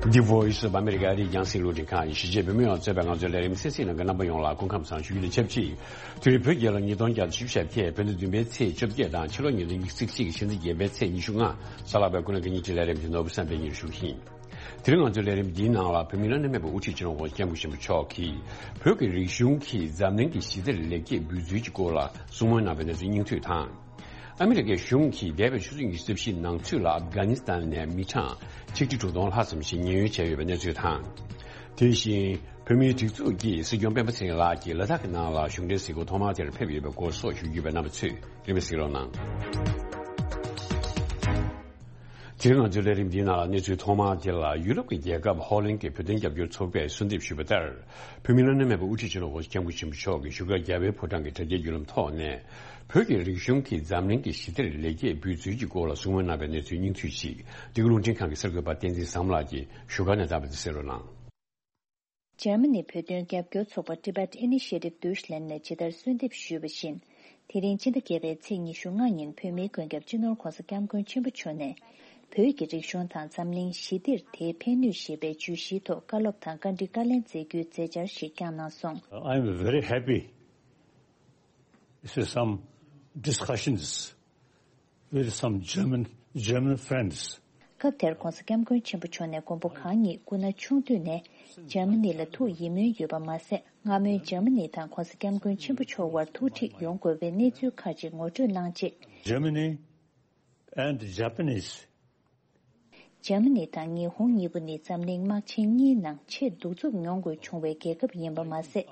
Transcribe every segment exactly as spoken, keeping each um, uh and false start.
The Voice of America ཨ་རིའི་རྒྱང་སྲིང་རླུང་འཕྲིན་ཁང་ཡིན། གཞིས་བྱེས་བོད་མི་ཡོངས་གཙོས་པའི་ང་ཚོའི་ལས་རིམ་གསན་གཟིགས་གནང་མཁན་རྣམ་པ་ཡོངས་ལ་སྐུ་ཁམས་བཟང་ཞུ་རྒྱུ་དང་ཆབས་ཅིག་དེ་རིང་བོད་རྒྱལ་ལོ་ཉིས་སྟོང་བརྒྱ་དང་བཞི་བཅུ་ཞེ་བརྒྱད། བོད་ཟླ་བདུན་པའི་ཚེས་བཅོ་བརྒྱད་དང་ཕྱི་ལོ་ཉིས་སྟོང་ཉི་ཤུ་རྩ་གཅིག་གི་ཕྱི་ཚེས་བརྒྱད་པའི་ཚེས་ཉི་ཤུ་ལྔ། གཟའ་ལྷག་པའི་སྐུ་ལུས་ཀྱི་ཉིན་གཅིག་ལས་རིམ་གྱི་ནོར་བུ་བསམ་འཕེལ་གཉིས་ཞུ་གི་ཡིན། དེ་རིང་ང་ཚོའི་ལས་རིམ་འདིའི་ནང་ལ་བོད་མིའི་སློབ་གཉེར་སྨན་པ་དབུ་ཁྲིད་སྤྱི་ནོར་༸གོང་ས་༸སྐྱབས་མགོན་ཆེན་པོ་མཆོག་གིས་བོད་ཀྱི་རིག་གཞུང་གིས་འཛམ་གླིང་གི་ཞི་བདེར་ལེགས་སྐྱེས་འབུལ་ཚུལ་གྱི་སྐོར་ལ་གསུང་མོལ་གནང་བའི་གནས་ཚུལ་སྙིང་བསྡུས་དང་། ཨ་མི་རི་ཀའི་གཞུང་གིས་འདས་པའི་ཆུ་ཚོད་ཉི་ཤུ་རྩ་བཞིའི་ནང་ཚུད་ལ་ཨབ་གྷ་ནི་སི་ཐན་ནས་མི་གྲངས་ཆིག་ཁྲི་དྲུག་སྟོང་ལྷག་ཙམ་ཞིག་ཉེན་གཡོལ་བྱས་ཡོད་པའི་གནས་ཚུལ་དང་། དེ་བཞིན་བོད་མིའི་སྒྲིག་འཛུགས་ཀྱི་སྲིད་སྐྱོང་སྤེན་པ་ཚེ་རིང་ལགས་ཀྱིས་ལ་དྭགས་ཀྱི་ནང་ལ་གཞུང་འབྲེལ་གཟིགས་སྐོར་ཐོག་མར་དེར་ཕེབས་ཡོད་པའི་སྐོར་སོགས་ཞུ་རྒྱུ་ཡོད་པས་རྣམ་པ་ཚོས་རིམ་པས་གཟིགས་རོགས་གནང་། དེ་རིང་ང་ཚོའི་ལས་རིམ་འདིའི་ནང་ལ་གནས་ཚུལ་ཐོག་མར་དེ་ལ། ཡུ་རོབ་ཀྱི་རྒྱལ་ཁབ་ཧོ་ལན་གྱི་བོད་དོན་རྒྱབ་སྐྱོར་ཚོགས་པས་གསོལ་འདེབས་ཞུས་པ་ལྟར། བོད་མིའི་སློབ་གཉེར་སྨན་པ་དབུ་ཁྲིད་སྤྱི་ནོར་༸གོང་ས་༸སྐྱབས་མགོན་ཆེན་པོ་མཆོག་གིས་བཞུགས་སྒར་རྒྱལ་བའི་ཕོ་བྲང་གི་དྲ་རྒྱའི་བརྒྱུད་ལམ་ཐོག་ནས། བོད་ཀྱི་རིག་གཞུང་གིས་འཛམ་གླིང་གི་ཞི་བདེར་ལེགས་སྐྱེས་འབུལ་ཚུལ་གྱི་སྐོར་ལ་གསུང་མོལ་གནང་བའི་གནས་ཚུལ་སྙིང་བསྡུས་ཤིག་འདི་ག་རླུང་འཕྲིན་ཁང་གི་གསར་འགོད་པ་བསྟན་འཛིན་བཟང་མོ་ལགས་ཀྱིས་བཞུགས་སྒར་ནས་བཏང་བ་དེ་གསན་རོགས་གནང་། འཇར་མ་ནི་བོད་དོན་རྒྱབ་སྐྱོར་ཚོགས་པ་Tibet Initiative Deutschland ནས་ཇི་ལྟར་གསོལ་འདེབས་ཞུས་པ་བཞིན། དེ་རིང་ཕྱི་ཟླ་བརྒྱད་པའི་ཚེས་ཉི་ཤུ་ལྔ་ཉིན་བོད་མིའི་མགོན་སྐྱབས་སྤྱི་ནོར་༸གོང་ས་༸སྐྱབས་མགོན་ཆེན་པོ་མཆོག་ནས། བོད་ཀྱི་རིག་གཞུང་དང་འཛམ་གླིང་ཞི་བདེར་དེའི་ཕན་ནུས་ཞེས་པའི་བརྗོད་གཞིའི་ཐོག་བཀའ་སློབ་དང་བཀའ་འདྲི་བཀའ་ལན་སྩལ་རྒྱུའི་མཛད་འཆར་ཞིག་བསྐྱངས་གནང་སོང་། I'm very happy. This is some discussions with some German, German friends. སྐབས་དེར་༸གོང་ས་༸སྐྱབས་མགོན་ཆེན་པོ་མཆོག་ནས་མགོན་པོ་གང་ཉིད་སྐུ་ན་ཆུང་དུས་ནས་འཇར་མ་ནི་ལ་ཐུགས་ཡིད་སྨོན་ཡོད་པ་མ་ཟད། སྔ་མོའི་འཇར་མ་ནི་དང་༸གོང་ས་༸སྐྱབས་མགོན་ཆེན་པོ་མཆོག་དབར་ཐུག་འཕྲད་ཡོང་དགོས་པའི་གནས་ཚུལ་ཁག་ཅིག་ངོ་སྤྲོད་གནང་རྗེས། Germany and Japanese འཇར་མ་ནི་དང་ཉི་ཧོང་གཉིས་པོ་ནི་འཛམ་གླིང་དམག་ཆེན་གཉིས་ནང་ཆེས་གདུག་རྩུབ་མྱོང་དགོས་བྱུང་བའི་རྒྱལ་ཁབ་ཡིན་པ་མ་ཟད།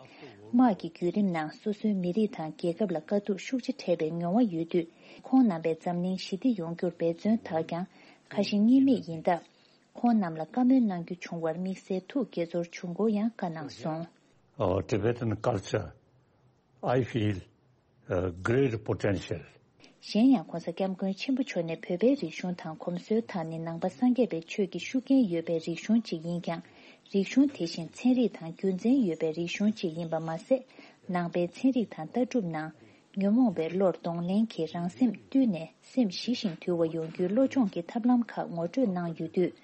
དམག་གི་བརྒྱུད་རིམ་ནང་སོ་སོའི་མི་རིགས་དང་རྒྱལ་ཁབ་ལ་དཀའ་སྡུག་ཤུགས་ཆེ་འཕྲད་པའི་མྱོང་བ་ཡོད་དུས། ཁོང་རྣམ་པས་འཛམ་གླིང་ཞི་བདེ་ཡོང་རྒྱུར་འབད་བརྩོན་དག་ཀྱང་ཁ་ཞེ་གཉིས་མེད་ཡིན་སྟབས། ཁོང་རྣམས་ལ་བཀའ་མོལ་གནང་རྒྱུ་བྱུང་བར་དམིགས་བསལ་ཐུགས་དགྱེས་ཚོར་བྱུང་སྐོར་ཡང་བཀའ་གནང་སོང་། Our Tibetan culture, I feel, uh, great potential. གཞན་ཡང་༸གོང་ས་༸སྐྱབས་མགོན་ཆེན་པོ་མཆོག་ནས་བོད་པའི་རིག་གཞུང་དང་གོམས་སྲོལ་དག་ནི་ནང་པ་སངས་རྒྱས་པའི་ཆོས་ཀྱི་ཤུགས་རྐྱེན་ཡོད་པའི་རིག་གཞུང་ཅིག་ཡིན་ཀྱང་། རིག་གཞུང་དེ་བཞིན་ཚན་རིག་དང་རྒྱུ་མཚན་ཡོད་པའི་རིག་གཞུང་ཅིག་ཡིན་པ་མ་ཟད། ནང་པའི་ཚན་རིག་དང་ལྟ་གྲུབ་ནང་། ཉོན་མོངས་པའི་བློར་གདོང་ལེན་གྱིས་རང་སེམས་བཏུལ་ནས་སེམས་ཞི་ཞིང་དུལ་བ་ཡོང་རྒྱུའི་བློ་སྦྱོང་གི་ཐབས་ལམ་ཁག་ངོ་སྤྲོད་གནང་ཡོད་དུས།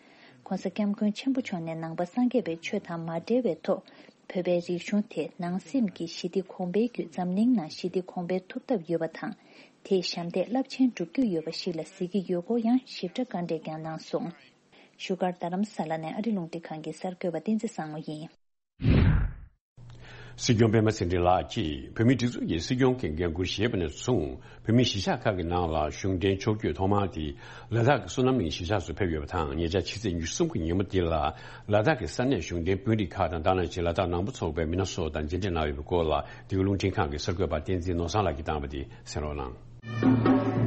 ༸གོང་ས་༸སྐྱབས་མགོན་ཆེན་པོ་མཆོག་ནས་ནང་པ་སངས་རྒྱས་པའི་ཆོས་དང་མ་འབྲེལ་བའི་ཐོག་བོད་པའི་རིག་གཞུང་དེ་ནང་སེམས་ཀྱི་ཞི་བདེ་གོང་འཕེལ་བརྒྱུད་འཛམ་གླིང་ནང་ཞི་བདེ་གོང་འཕེལ་ཐུབ་ཐབས་ཡོད་པ་དང་། དེས་ཞབས་འདེགས་རླབས་ཆེན་སྒྲུབ་རྒྱུ་ཡོད་པ་ཞིག་ལ་གཟིགས་ཀྱི་ཡོད་སྐོར་ཡང་ཞིབ་ཕྲ་བཀའ་འགྲེལ་ཀྱང་གནང་སོང་། བཞུགས་སྒར་རྡ་རམ་ས་ལ་ནས་ཨ་རི་རླུང་འཕྲིན་ཁང་གི་གསར་འགོད་པ་བསྟན་འཛིན་བཟང་མོ་ཡིན། སྲིད་སྐྱོང་སྤེན་པ་ཚེ་རིང་ལགས་ཀྱིས་བོད་མིའི་སྒྲིག་འཛུགས་ཀྱི་སྲིད་སྐྱོང་གི་འགན་འཁུར་བཞེས་པ་ནས་བཟུང་། བོད་མིའི་གཞིས་ཆགས་ཁག་གི་ནང་ལ་གཞུང་འབྲེལ་ཕྱོགས་བསྐྱོད་ཐོག་མ་དེ་ལ་དྭགས་ཀྱི་བསོད་ནམས་གླིང་གཞིས་ཆགས་སུ་ཕེབས་ཡོད་པ་དང་། ཉེ་ཆར་ཕྱི་ཚེས་ཉི་ཤུ་གསུམ་གྱི་ཉིན་མོ་དེ་ལ་ལ་དྭགས་ཀྱི་ས་གནས་གཞུང་འབྲེལ་དཔོན་རིགས་ཁག་དང་། དེ་ནང་བཞིན་ལ་དྭགས་ནང་པ་ཚོགས་པའི་མི་སྣ་སོགས་དང་མཇལ་འཕྲད་གནང་ཡོད་པའི་སྐོར་ལ། འདི་ག་རླུང་འཕྲིན་ཁང་གི་གསར་འགོད་པ་བསྟན་འཛིན་ནོར་བཟང་ལགས་ཀྱིས་བཏང་བ་དེ་གསན་རོགས་གནང་།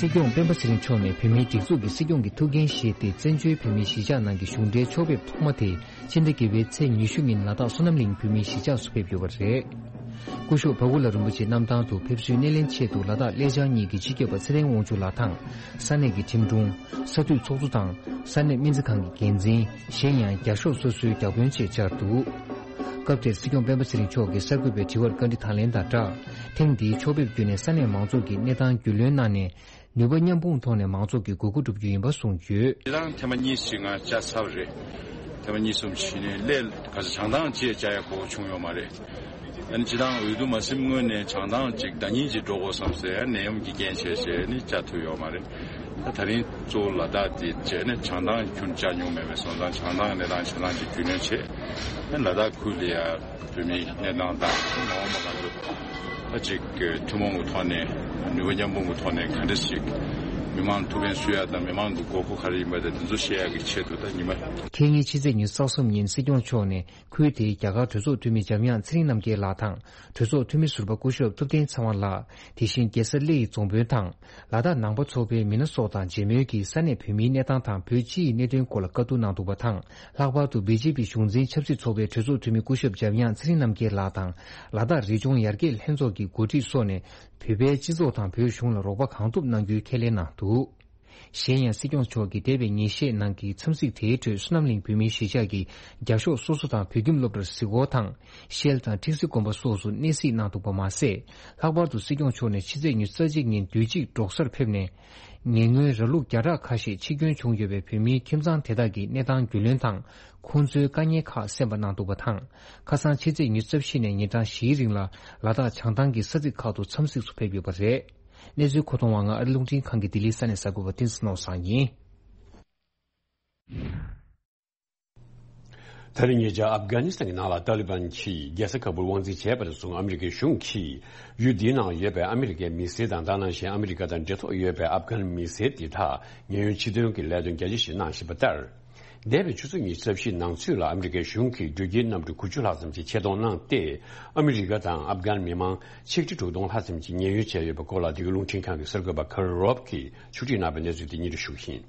སྲིད་སྐྱོང་སྤེན་པ་ཚེ་རིང་མཆོག་ནས་བོད་མིའི་སྒྲིག་འཛུགས་ཀྱི་སྲིད་སྐྱོང་གི་ཐུགས་འགན་བཞེས་ཏེ། བཙན་བྱོལ་བོད་མིའི་གཞིས་ཆགས་ནང་གི་གཞུང་འབྲེལ་ཕྱོགས་ཕེབས་ཐོག་མ་དེ་ཕྱི་ཟླ་བརྒྱད་པའི་ཚེས་ཉི་ཤུ་ཉིན་ལ་དྭགས་བསོད་ནམས་གླིང་བོད་མིའི་གཞིས་ཆགས་སུ་ཕེབས་ཡོད་པ་རེད། སྐུ་ཞབས་བྷ་གུ་ལ་རིན་པོ་ཆེའི་གནམ་ཐང་དུ་ཕེབས་བསུའི་སྣེ་ལེན་ཆེད་དུ་ལ་དྭགས་སླེ་ལྕང་གཉིས་ཀྱི་སྤྱི་ཁྱབ་པ་ཚེ་བརྟན་དབང་ཕྱུག་ལགས་དང་། ས་གནས་ཀྱི་ཁྲིམས་དྲུང་། ས་འཐུས་ཚོགས་གཙོ་དང་། ས་གནས་སྨན་རྩིས་ཁང་གི་འགན་འཛིན། གཞན་ཡང་རྒྱ་ཤོག་སོ་སོའི་བརྒྱ་དཔོན་བཅས་བཅར་འདུག་སྐབས་དེར་སྲིད་སྐྱོང་སྤེན་པ་ཚེ་རིང་མཆོག་གིས་གསར་འགོད་པའི་དྲི་བར་བཀའ་འདྲི་དང་ལེན་དང་སྦྲགས། ཐེངས་འདིའི་ཕྱོགས་ཕེབས་བརྒྱུད་ནས་ས་གནས་མང་ཚོགས་ཀྱི་གནས་སྟངས་རྒྱུས་ལོན་གནང་ནས། ནུས་པ་མཉམ་སྤུངས་ཐོག་ནས་མང་ཚོགས་ཀྱི་དགོས་མཁོ་བསྒྲུབ་རྒྱུ་ཡིན་པ་གསུངས་ཡོད། ཁྱེད་རང་ཐེངས་མ་གཉིས་ཤིག་ང་བཅར་ཚར་བ་རེད། ཐེངས་མ་གཉིས་གསུམ་ཞིག་ནས་སླེ་ག་ས་བྱང་ཐང་ཅིག་བཅར་ཡ་གོ་བྱུང་ཡོད་མ་རེད། ཨ་ནི་སྤྱིར་བཏང་འོས་བསྡུ་མ་ཟིན་སྔོན་ནས་བྱང་ཐང་ཅིག་ཟླ་ཉིན་ཅིག་འགྲོ་དགོས་བསམ་སའི་ནད་ཡམས་ཀྱི་རྐྱེན་བྱས་བྱས་ནི་བཅར་ཐུབ་ཡོད་མ་རེད། ད་ད་རིང་གཙོ་བོ་ལ་དྭགས་དེ་བྱས་ནས་བྱང་ཐང་ཁྱོན་བཅར་མྱོང་མེད་པས་སོང་ཙང་། བྱང་ཐང་གནས་སྟངས་ཆ་ཚང་ཅིག་རྒྱུས་ལོན་བྱས། ཨ་ནི་ལ་དྭགས་ཁུལ་ལ་ཡ་བོད་མིའི་གནས་སྟངས་དང་མ་འོངས་པ་ག་ཚོད་ད་ཅིག་ཐུན་མོང་གི་ཐོག་ནས་ནུས་པ་མཉམ་སྤུངས་ཀྱི་ཐོག་ནས་ག་འདྲ་ཞིག་མི་མང་ཐུགས་ཕན་གསོས་ཡ་དང་། མི་མང་གི་དགོས་མཁོ་ག་རེ་ཡིན་པ་དང་། དེ་ཚོ་ཤེས་ཡ་གི་ཆེད་དུ་ད་ཉི་མ། ཁེ་ཉིན་ཕྱི་ཚེས་ཉི་ཤུ་རྩ་གསུམ་ཉིན་སྲིད་སྐྱོང་མཆོག་ནས་ཁུལ་དེའི་རྒྱ་གར་གྲོས་ཚོགས་འཐུས་མི་འཇམ་དབྱངས་ཚེ་རིང་རྣམ་རྒྱལ་ལགས་དང་། གྲོས་ཚོགས་འཐུས་མི་ཟུར་པ་སྐུ་ཞབས་ཐུབ་བསྟན་ཚེ་དབང་ལགས། དེ་བཞིན་རྒྱལ་ས་གླེ་ཡི་རྫོང་དཔོན་དང་། ལ་དྭགས་ནང་པ་ཚོགས་པའི་མི་སྣ་སོགས་དང་མཇལ་མོལ་གྱིས་ས་གནས་བོད་མིའི་གནས་སྟངས་དང་བོད་སྤྱི་ཡི་གནད་དོན་སྐོར་ལ་བཀའ་བསྡུར་གནང་འདུག་པ་དང་། ལྷག་པར་དུ་བི་ཇེ་པི་གཞུང་འཛིན་ཆབ་སྲིད་ཚོགས་པའི་གྲོས་ཚོགས་འཐུས་མི་སྐུ་ཞབས་འཇམ་དབྱངས་ཚེ་རིང་རྣམ་རྒྱལ་ལགས་དང་། ལ་དྭགས་རི་ལྗོངས་ཡར་རྒྱས་ལྷན་ཚོགས་ཀྱི་འགོ་ཁྲིད་སོགས་ནས་བོད་པའི་སྤྱི་ཚོགས་དང་བོད་གཞུང་ལ་རོགས་པ་གང་ཐུབ་གནང་རྒྱུའི་ཁས་ལེན་གནང་འདུག་གཞན་ཡང་སྲིད་སྐྱོང་མཆོག་གིས་འདས་པའི་ཉིན་ཤས་ནང་གི་འཚམས་གཟིགས་དེའི་ཁྲོད་བསོད་ནམས་གླིང་བོད་མིའི་གཞིས་ཆགས་ཀྱི་རྒྱ་ཤོག་སོ་སོ་དང་བོད་ཁྱིམ་སློབ་གྲྭར་གཟིགས་སྐོར་དང་། ཤེལ་དང་ཁྲིག་སེ་དགོན་པ་སོགས་སུ་གནས་གཟིགས་གནང་འདུག་པ་མ་ཟད། ལྷག་པར་དུ་སྲིད་སྐྱོང་མཆོག་ནས་ཕྱི་ཚེས་ཉི་ཤུ་རྩ་གཅིག་ཉིན་དུས་གཅིག་འབྲོག་སར་ཕེབས་ནས། ཉེ་སྔོན་ར་ལུག་བརྒྱ་ཕྲག་ཁ་ཤས་འཆི་སྐྱོན་བྱུང་ཡོད་པའི་བོད་མིའི་ཁྱིམ་ཚང་དེ་དག་གི་གནས་སྟངས་རྒྱུས་ལོན་དང་། ཁོང་ཚོའི་དཀའ་ངལ་ཁག་གསན་པ་གནང་འདུག་པ་དང་། ཁ་སང་ཕྱི་ཚེས་ཉི་ཤུ་རྩ་བཞི་ནས་ཉིན་གྲངས་བཞིའི་རིང་ལ་ལ་དྭགས་བྱང་ཐང་གི་ས་ཚིགས་ཁག་ཏུ་འཚམས་གཟིགས་སུ་ཕེབས་ཡོད་པ་རེད། གནས་ཚུལ་མཁོ་གཏོང་བ་ང་ཨ་རི་རླུང་འཕྲིན་ཁང་གི་ལྡི་ལིའི་ས་གནས་གསར་འགོད་པ་བསྟན་འཛིན་ནོར་བཟང་ཡིན། ད་རེས་ཉེ་ཆར་ཨབ་གྷ་ནི་སི་ཐན་གྱི་ནང་ལ་ཏཱ་ལི་བན་གྱིས་རྒྱལ་ས་ཁ་བུར་དབང་འཛིན་བྱས་པ་ནས་བཟུང་ཨ་མི་རི་ཀའི་གཞུང་གིས་ཡུལ་འདིའི་ནང་ཡོད་པའི་ཨ་མི་རི་ཀའི་མི་སེར་དང་། ད་ག་ནང་བཞིན་ཨ་མི་རི་ཀ་དང་འབྲེལ་ཐོགས་ཡོད་པའི་ཨབ་གྷན་མི་སེར་དེ་དག་ཉེན་གཡོལ་ཕྱིར་འདོན་གྱི་ལས་དོན་རྒྱ་ཆེ་ཞིག་གནང་བཞིན་པ་ལྟར། འདས་པའི་ཆུ་ཚོད་ཉི་ཤུ་རྩ་བཞིའི་ནང་ཚུད་ལ་ཨ་མི་རི་ཀའི་གཞུང་གིས་འགྲུལ་སྐྱེལ་གནམ་གྲུ་དགུ་བཅུ་ལྷག་ཙམ་ཞིག་ཆེད་གཏོང་གནང་སྟེ། ཨ་མི་རི་ཀ་དང་ཨབ་གྷན་མི་མང་ཆིག་ཁྲི་དྲུག་སྟོང་ལྷག་ཙམ་གྱིས་ཉེན་གཡོལ་བྱས་ཡོད་པའི་སྐོར་ལ། འདི་ག་རླུང་འཕྲིན་ཁང་གི་གསར་འགོད་པ་ཁ་རོ་རོབ་ཀྱིས་ཕྱོགས་སྒྲིག་གནང་བའི་གནས་ཚུལ་དེ་སྙན་སྒྲོན་ཞུ་གི་ཡིན།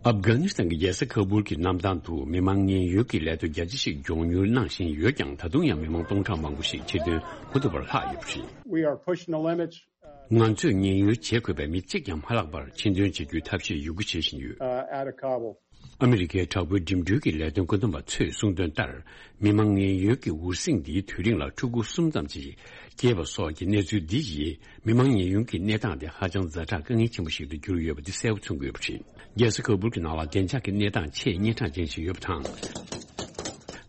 ཨབ་གྷ་ནི་སི་ཐན་གྱི་རྒྱལ་ས་ཁ་བུར་གྱི་གནམ་ཐང་དུ་མི་མང་ཉེན་གཡོལ་གྱི་ལས་དོན་རྒྱ་ཆེ་ཞིག་མགྱོགས་མྱུར་གནང་བཞིན་ཡོད་ཀྱང་། ད་དུང་ཡང་མི་མང་སྟོང་ཕྲག་མང་པོ་ཞིག་ཕྱིར་ཐོན་མ་ཐུབ་པར་ལྷག་ཡོད་པ་རེད། We are pushing the limits. ང་ཚོས་ཉེན་གཡོལ་བྱེད་དགོས་པའི་མི་གཅིག་ཀྱང་མ་ལྷག་པར་ཕྱིར་འདོན་བྱེད་རྒྱུའི་ཐབས་ཤེས་ཡོད་རྒུ་བྱེད་བཞིན་ཡོད། Uh, out of Kabul. ཨ་མི་རི་ཀའི་དྲག་པོའི་འགྲིམ་འགྲུལ་གྱི་ལས་དོན་བཀོད་འདོམས་པ་ཚོས་གསུངས་དོན་ལྟར། མི་མང་ཉེན་གཡོལ་གྱི་འུར་ཟིང་འདིའི་དུས་རིང་ལ་ཕྲུ་གུ་གསུམ་ཙམ་ཞིག་སྐྱེས་པ་སོགས་ཀྱི་གནས་ཚུལ་འདི་ཡིས། མི་མང་ཉེན་གཡོལ་གྱི་གནས་སྟངས་དེ་ཧ་ཅང་ཛ་དྲག་དཀའ་ངལ་ཆེན་པོ་ཞིག་ཏུ་གྱུར་ཡོད་པ་འདི་གསལ་པོ་མཚོན་གྱི་ཡོད་པ་རེད། རྒྱལ་ས་ཁ་བུར་གྱི་ནང་ལ་བདེ་འཇགས་ཀྱི་གནས་སྟངས་ཆེས་ཉེན་ཁ་ཅན་ཞིག་ཡོད་པ་དང་།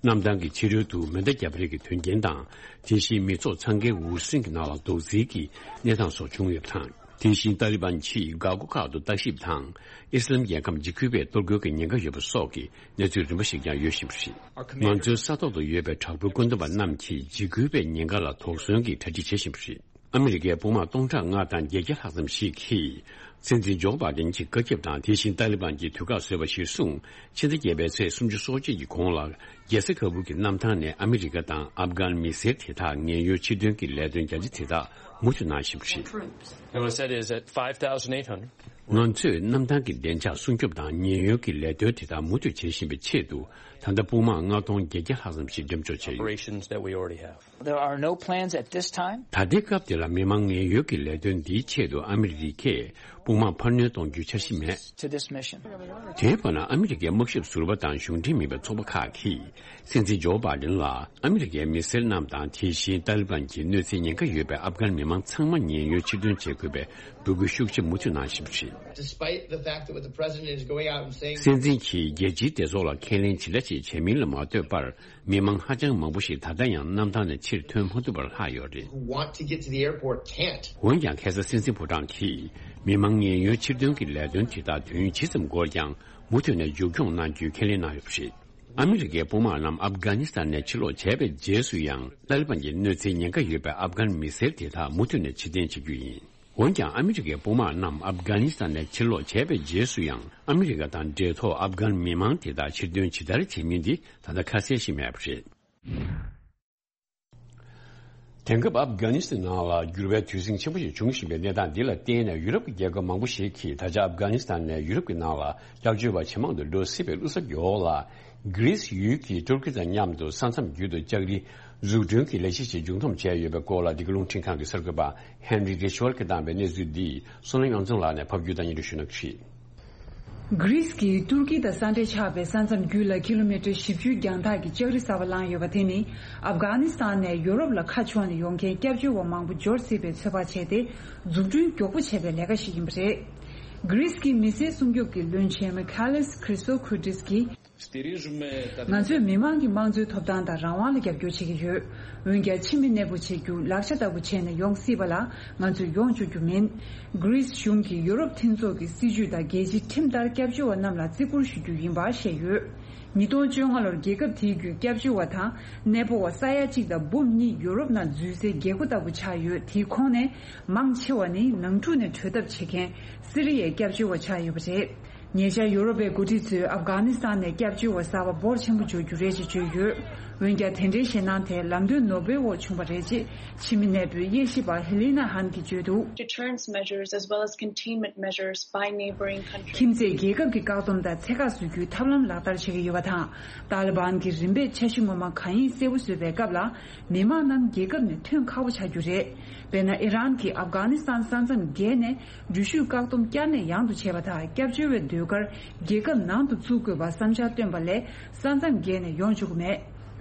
གནམ་ཐང་གི་ཕྱི་རོལ་དུ་མེ་མདའ་བརྒྱབ་རེས་ཀྱི་དོན་རྐྱེན་དང་། དེ་བཞིན་མི་ཚོགས་འཚང་ཁའི་འུར་ཟིང་གི་ནང་ལ་རྡོག་རྫིས་ཀྱི་གནས་སྟངས་སོགས་བྱུང་ཡོད་པ་དང་། དེ་བཞིན་ཏཱ་ལི་བན་གྱིས་འགག་སྒོ་ཁག་ཏུ་ལྟ་ཞིབ་དང་། ཨི་སི་ལམ་རྒྱལ་ཁམས་འཇིགས་སྐུལ་བས་གཏོར་རྒོལ་གྱི་ཉེན་ཁ་ཡོད་པ་སོགས་ཀྱི་གནས་ཚུལ་རིམ་པ་ཞིག་ཀྱང་ཡོད་བཞིན་པ་རེད། ང་ཚོའི་ས་ཐོག་ཏུ་ཡོད་པའི་དྲག་པོའི་བཀོད་འདོམས་པ་རྣམས་ཀྱིས་འཇིགས་སྐུལ་བའི་ཉེན་ཁ་ལ་དོགས་ཟོན་གྱི་གྲ་སྒྲིག་བྱེད་བཞིན་པ་རེད། ཨ་མི་རི་ཀའི་དཔུང་དམག་སྟོང་ཕྲག་ལྔ་དང་བརྒྱད་བརྒྱ་ལྷག་ཙམ་ཞིག་གིས། སྲིད་འཛིན་ཇོ་བྷ་དན་གྱི་བཀའ་ཁྱབ་དང་། དེ་བཞིན་ཏཱ་ལི་བན་གྱིས་དུས་བཀག་བཟོས་པ་གཞིར་བཟུང་། ཕྱི་ཟླ་བརྒྱད་པའི་ཚེས་སུམ་ཅུ་སོ་གཅིག་གི་གོང་ལ། རྒྱལ་ས་ཁ་བུར་གྱི་གནམ་ཐང་ནས་ཨ་མི་རི་ཀ་དང་ཨབ་གྷན་མི་སེར་དེ་དག་ཉེན་གཡོལ་ཕྱིར་འདོན་གྱི་ལས་དོན་རྒྱ་ཆེ་དེ་དག་མུ་མཐུད་གནང་བཞིན་པ་རེད། It was said is at five thousand eight hundred. ང་ཚོས་གནམ་ཐང་གི་བདེ་འཇགས་སྲུང་སྐྱོབ་དང་ཉེན་གཡོལ་གྱི་ལས་དོན་དེ་དག་མུ་མཐུད་བྱེད་བཞིན་པའི་ཆེད་དུ། ད་ལྟ་དཔུང་དམག་ལྔ་སྟོང་བརྒྱད་བརྒྱ་ལྷག་ཙམ་ཞིག་འགྲེམས་འཇོག་བྱས་ཡོད། Operations that we already have. There are no plans at this time. ད་ལྟའི་སྐབས་འདི་ལ་མི་མང་ཉེན་གཡོལ་གྱི་ལས་དོན་འདིའི་ཆེད་དུ་ཨ་མི་རི་ཀས་དཔུང་དམག་འཕར་སྣོན་གཏོང་རྒྱུའི་འཆར་གཞི་མེད། To this mission. དེའི་བར་ན་ཨ་མི་རི་ཀའི་དམག་ཞབས་ཟུར་པ་དང་གཞུང་འབྲེལ་མིན་པའི་ཚོགས་པ་ཁག་གིས། སྲིད་འཛིན་ཇོ་བྷ་དན་ལ་ཨ་མི་རི་ཀའི་མི་སེར་རྣམས་དང་། དེ་བཞིན་ཏཱ་ལི་བན་གྱི་གནོད་འཚེའི་ཉེན་ཁ་ཡོད་པའི་ཨབ་གྷན་མི་མང་ཚང་མ་ཉེན་གཡོལ་ཕྱིར་འདོན་བྱེད་དགོས་པའི་འབོད་སྐུལ་ཤུགས་ཆེ་མུ་མཐུད་གནང་བཞིན་པ་རེད། Despite the fact that what the president is going out and saying. སྲིད་འཛིན་གྱིས་རྒྱལ་སྤྱིའི་སྡེ་ཚོགས་ལ་ཁས་ལེན་ཇི་འདྲ་ཞིག་བྱས་མིན་ལ་མ་ལྟོས་པར། མི་མང་ཧ་ཅང་མང་པོ་ཞིག་ད་ལྟ་ཡང་གནམ་ཐང་ནས་ཕྱིར་ཐོན་མ་ཐུབ་པར་ལྷག་ཡོད་རེད། Who want to get to the airport can't. འོན་ཀྱང་ཁ་སང་སྲིད་འཛིན་ཕོ་བྲང་གིས་མི་མང་ཉེན་གཡོལ་ཕྱིར་འདོན་གྱི་ལས་དོན་དེ་དག་དུས་ཡུན་ཇི་ཙམ་འགོར་ཀྱང་མུ་མཐུད་ནས་མཇུག་སྐྱོང་གནང་རྒྱུའི་ཁས་ལེན་གནང་ཡོད་པ་རེད། ཨ་མི་རི་ཀའི་དཔུང་དམག་རྣམས་ཨབ་གྷ་ནི་སི་ཐན་ནས་ཕྱིར་ལོག་བྱས་པའི་རྗེས་སུ་ཡང་ཏཱ་ལི་བན་གྱི་གནོད་འཚེའི་ཉེན་ཁ་ཡོད་པའི་ཨབ་གྷན་མི་སེར་དེ་དག་མུ་མཐུད་ནས་ཕྱིར་འཐེན་བྱེད་རྒྱུ་ཡིན། འོན་ཀྱང་ཨ་མི་རི་ཀའི་དཔུང་དམག་རྣམས་ཨབ་གྷ་ནི་སི་ཐན་ནས་ཕྱིར་ལོག་བྱས་པའི་རྗེས་སུ་ཡང་ཨ་མི་རི་ཀ་དང་འབྲེལ་ཐོགས་ཨབ་གྷན་མི་མང་དེ་དག་ཕྱིར་འདོན་ཇི་ལྟར་བྱེད་མིན་འདི་ད་ལྟ་ཁ་གསལ་ཞིག་མེད་པ་རེད། དེང་སྐབས་ཨབ་གྷ་ནི་སི་ཐན་ནང་ལ་འགྱུར་བའི་དུས་ཟིང་ཆེན་པོ་ཞིག་འབྱུང་བཞིན་པའི་གནས་སྟངས་འདི་ལ་བརྟེན་ནས། ཡུ་རོབ་ཀྱི་རྒྱལ་ཁབ་མང་པོ་ཞིག་གིས་ད་ཆ་ཨབ་གྷ་ནི་སི་ཐན་ནས་ཡུ་རོབ་ཀྱི་ནང་ལ་སྐྱབས་བཅོལ་བ་ཇེ་མང་དུ་འགྲོ་སྲིད་པའི་བློ་འཚབ་ཀྱི་འོག་ལ། གྷི་རིས་ཡུལ་གྱིས་ཏུར་ཀི་དང་མཉམ་དུ་ས་མཚམས་བརྒྱུད་དུ་ལྕགས་རི་འཛུགས་སྐྲུན་གྱི་ལས་གཞི་ཞིག་མཇུག་བསྡོམས་བྱས་ཡོད་པའི་སྐོར་ལ། འདི་ག་རླུང་འཕྲིན་ཁང་གི་གསར་འགོད་པ་ཧན་རི་རི་ཆི་ཝལ་གྱིས་བཏང་བའི་གནས་ཚུལ་འདི་བསོད་ནམས་དབྱངས་འཛོམས་ལགས་ནས་ཕབ་སྒྱུར་དང་སྙན་སྒྲོན་ཞུ་གནང་གི་རེད། གྷི་རིས་ཀྱིས་ཏུར་ཀི་དང་ས་འབྲེལ་ཆགས་པའི་ས་མཚམས་བརྒྱུད་ལ་ཀི་ལོ་མི་ཊར་བཞི་བཅུ་རྒྱང་ཐག་གི་ལྕགས་རི་གསར་པ་བསླངས་ཡོད་པ་དེ་ནི། ཨབ་གྷ་ནི་སི་ཐན་ནས་ཡོ་རོབ་ལ་ཁ་ཕྱོགས་ནས་ཡོང་མཁན་སྐྱབས་བཅོལ་བ་མང་པོ་འབྱོར་སྲིད་པའི་ཚོད་དཔག་བྱས་ཏེ། འཛུགས་སྐྲུན་མགྱོགས་པོ་བྱས་པའི་ལས་ཀ་ཞིག་ཡིན་པ་རེད། གྷི་རིས་ཀྱི་མི་སེར་སྲུང་སྐྱོབ་ཀྱི་བློན་ཆེན་མི་ཁ་ལིས་ཁྲི་སོ་ཁུ་ཏིས་ཀྱིས། ང་ཚོས་མི་མང་གི་དམངས་གཙོའི་ཐོབ་ཐང་དང་རང་དབང་ལ་རྒྱབ་སྐྱོར་བྱེད་ཀྱི་ཡོད། འོན་ཀྱང་། ཕྱི་མི་གནས་སྤོ་བྱེད་རྒྱུ་ལག་ཆ་ལྟ་བུ་བྱས་ནས་ཡོང་སྲིད་པ་ལ་ང་ཚོས་ཡོང་བཅུག་རྒྱུ་མིན། གྷི་རིས་གཞུང་གིས་ཡོ་རོབ་མཐུན་ཚོགས་ཀྱི་སྲིད་ཇུས་དང་རྒྱལ་སྤྱིའི་ཁྲིམས་ལྟར་སྐྱབས་བཅོལ་བ་རྣམས་ལ་བརྩི་བཀུར་ཞུ་རྒྱུ་ཡིན་པ་བཤད་ཡོད། ཉིས་སྟོང་བཅོ་ལྔ་ལོར་རྒྱལ་ཁབ་དེའི་བརྒྱུད་སྐྱབས་བཅོལ་བ་དང་གནས་སྤོ་བ་ས་ཡ་གཅིག་དང་འབུམ་གཉིས་ཡོ་རོབ་ནང་འཛུལ་སའི་རྒྱལ་སྒོ་ལྟ་བུ་ཆགས་ཡོད། དེའི་ཁོངས་ནས་མང་ཆེ་བ་ནི་ནང་འཁྲུག་ནས་བྲོས་ཐབས་བྱེད་མཁན་སི་རི་ཡའི་སྐྱབས་བཅོལ་བ་ཆགས་ཡོད་པ་རེད། ཉེ་ཆར་ཡོ་རོབ་པའི་འགོ་ཁྲིད་ཚོས་ཨབ་གྷ་ནི་སི་ཐན་ནས་སྐྱབས་བཅོལ་བ་གསར་པ་འབོར་ཆེན་པོ་འབྱོར་རྒྱུ་རེད་ཅེས་བརྗོད་ཡོད། འོན་ཀྱང་། དེ་འདྲའི་ཞེད་སྣང་དེ་ལམ་སྟོན་ནོར་བུའི་འོག་བྱུང་བ་རེད་ཅེས་ཕྱི་མི་གནས་སྤོའི་དབྱེ་ཞིབ་པ་ཧེ་ལི་ན་ཧན་གྱིས་བརྗོད་འདུག Deterrence measures as well as containment measures by neighboring countries. ཁྱིམ་མཚེས་རྒྱལ་ཁབ་ཀྱི་བཀག་སྡོམ་དང་ཚད་བཀག་བཟོ་རྒྱུའི་ཐབས་ལམ་ལག་བསྟར་བྱེད་ཀྱི་ཡོད་པ་དང་། ཏཱ་ལི་བན་གྱིས་རིམ་པས་འཆར་གཞི་ངོ་མ་གང་ཡིན་གསལ་པོ་བཟོས་པའི་སྐབས་ལ། མི་མང་རྣམས་རྒྱལ་ཁབ་ནས་ཐོན་ཁག་པོ་ཆགས་རྒྱུ་རེད། དཔེར་ན། ཨི་རན་གྱིས་ཨབ་གྷ་ནི་སི་ཐན་ས་མཚམས་བརྒལ་ནས། འགྲུལ་བཞུད་བཀག་སྡོམ་བསྐྱར་ནས་ཡང་དུ་བྱས་པ་དང་། སྐྱབས་བཅོལ་བའི་ཟློས་གར་རྒྱལ་ཁབ་ནང་དུ་བཙུགས་དགོས་པར་བསམ་འཆར་བཏོན་པ་ལས། ས་མཚམས་བརྒལ་ནས་ཡོང་ཆོག་གི་མེད།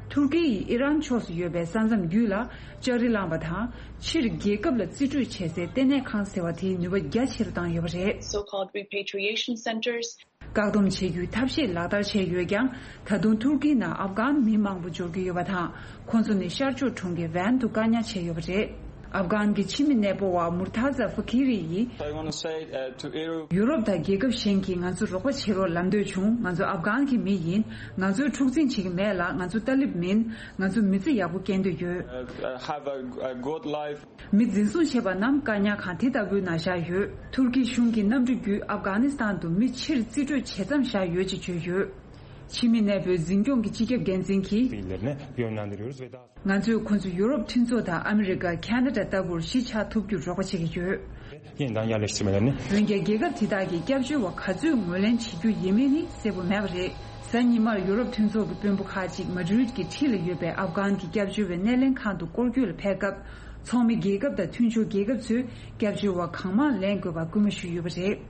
ཐུར་ཀི་ཡིས་ཨི་རན་ཕྱོགས་སུ་ཡོད་པའི་ས་མཚམས་བརྒྱུད་ལ་ལྕགས་རི་བསླངས་པ་དང་། ཕྱིར་རྒྱལ་ཁབ་ལ་རྩིས་སྤྲོད་བྱེད་སའི་ལྟེ་གནས་ཁང་ཟེར་བ་དེའི་ནུས་པ་རྒྱ་ཆེ་རུ་བཏང་ཡོད་པ་རེད། So-called repatriation centers. བཀག་སྡོམ་བྱེད་རྒྱུའི་ཐབས་ཤེས་ལག་བསྟར་བྱས་ཡོད་ཀྱང་། ད་དུང་ཐུར་ཀིའི་ནང་ཨབ་གྷན་མི་མང་པོ་འབྱོར་གྱི་ཡོད་པ་དང་། ཁོང་ཚོ་ནི་ཤར་ཕྱོགས་གྲོང་ཁྱེར་ཝན་དུ་བཀག་ཉར་བྱས་ཡོད་པ་རེད། ཨབ་གྷན་གྱི་ཕྱི་མི་གནས་སྤོ་བ་མུར་ཐ་ཛ་ཧྥ་ཁི་རི་ཡིས། I wanna say, uh, to Europe. ཡུ་རོབ་དང་རྒྱལ་ཁབ་གཞན་གྱིས་ང་ཚོར་རོགས་པ་བྱེད་རོགས་ལབ་འདོད་བྱུང་། ང་ཚོ་ཨབ་གྷན་གྱི་མི་ཡིན། ང་ཚོས་འཁྲུག་འཛིང་བྱེད་ཀྱི་མེད་ལ། ང་ཚོ་ཏཱ་ལིབ་མིན། ང་ཚོ་མི་ཚེ་ཡག་པོ་སྐྱེལ་འདོད་ཡོད། Uh, have a, a good life. མི་འཛིན་བཟུང་བྱས་པ་རྣམས་བཀག་ཉར་ཁང་དེ་ལྟ་བུའི་ནང་བཞག་ཡོད། ཐུར་ཀི་གཞུང་གི་གནམ་གྲུ་བརྒྱུད་ཨབ་གྷ་ནི་སི་ཐན་དུ་མི་ཕྱིར་རྩིས་སྤྲོད་བྱེད་མཚམས་བཞག་ཡོད་ཅེས་བརྗོད་ཡོད། ཕྱི་མི་གནས་སྤོའི་འཛིན་སྐྱོང་གི་སྤྱི་ཁྱབ་འགན་འཛིན་གྱིས། ང་ཚོས་ཁོང་ཚོ་ཡུ་རོབ་མཐུན་ཚོགས་དང་ཨ་མི་རི་ཀ། ཁ་ན་ཌ་ལྟ་བུར་གཞིས་ཆགས་ཐུབ་རྒྱུར་རོགས་པ་བྱེད་ཀྱི་ཡོད། འོན་ཀྱང་རྒྱལ་ཁབ་དེ་དག་གིས་སྐྱབས་བཅོལ་བ་ག་ཚོད་ངོས་ལེན་བྱེད་རྒྱུ་ཡིན་མིན་ནི་གསལ་པོ་མེད་པ་རེད། གཟའ་ཉི་མར་ཡུ་རོབ་མཐུན་ཚོགས་ཀྱི་དཔོན་པོ་ཁག་ཅིག་མ་ཌི་རིད་ཀྱི་འཁྲིས་ལ་ཡོད་པའི་ཨབ་གྷན་གྱི་སྐྱབས་བཅོལ་བའི་སྣེ་ལེན་ཁང་དུ་སྐོར་སྐྱོད་ལ་ཕེབས་སྐབས། ཚོགས་མི་རྒྱལ་ཁབ་དང་མཐུན་ཕྱོགས་རྒྱལ་ཁབ་ཚོས་སྐྱབས་བཅོལ་བ་གང་མང་ལེན་དགོས་པར་སྐུལ་མ་ཞུས་ཡོད་པ་རེད།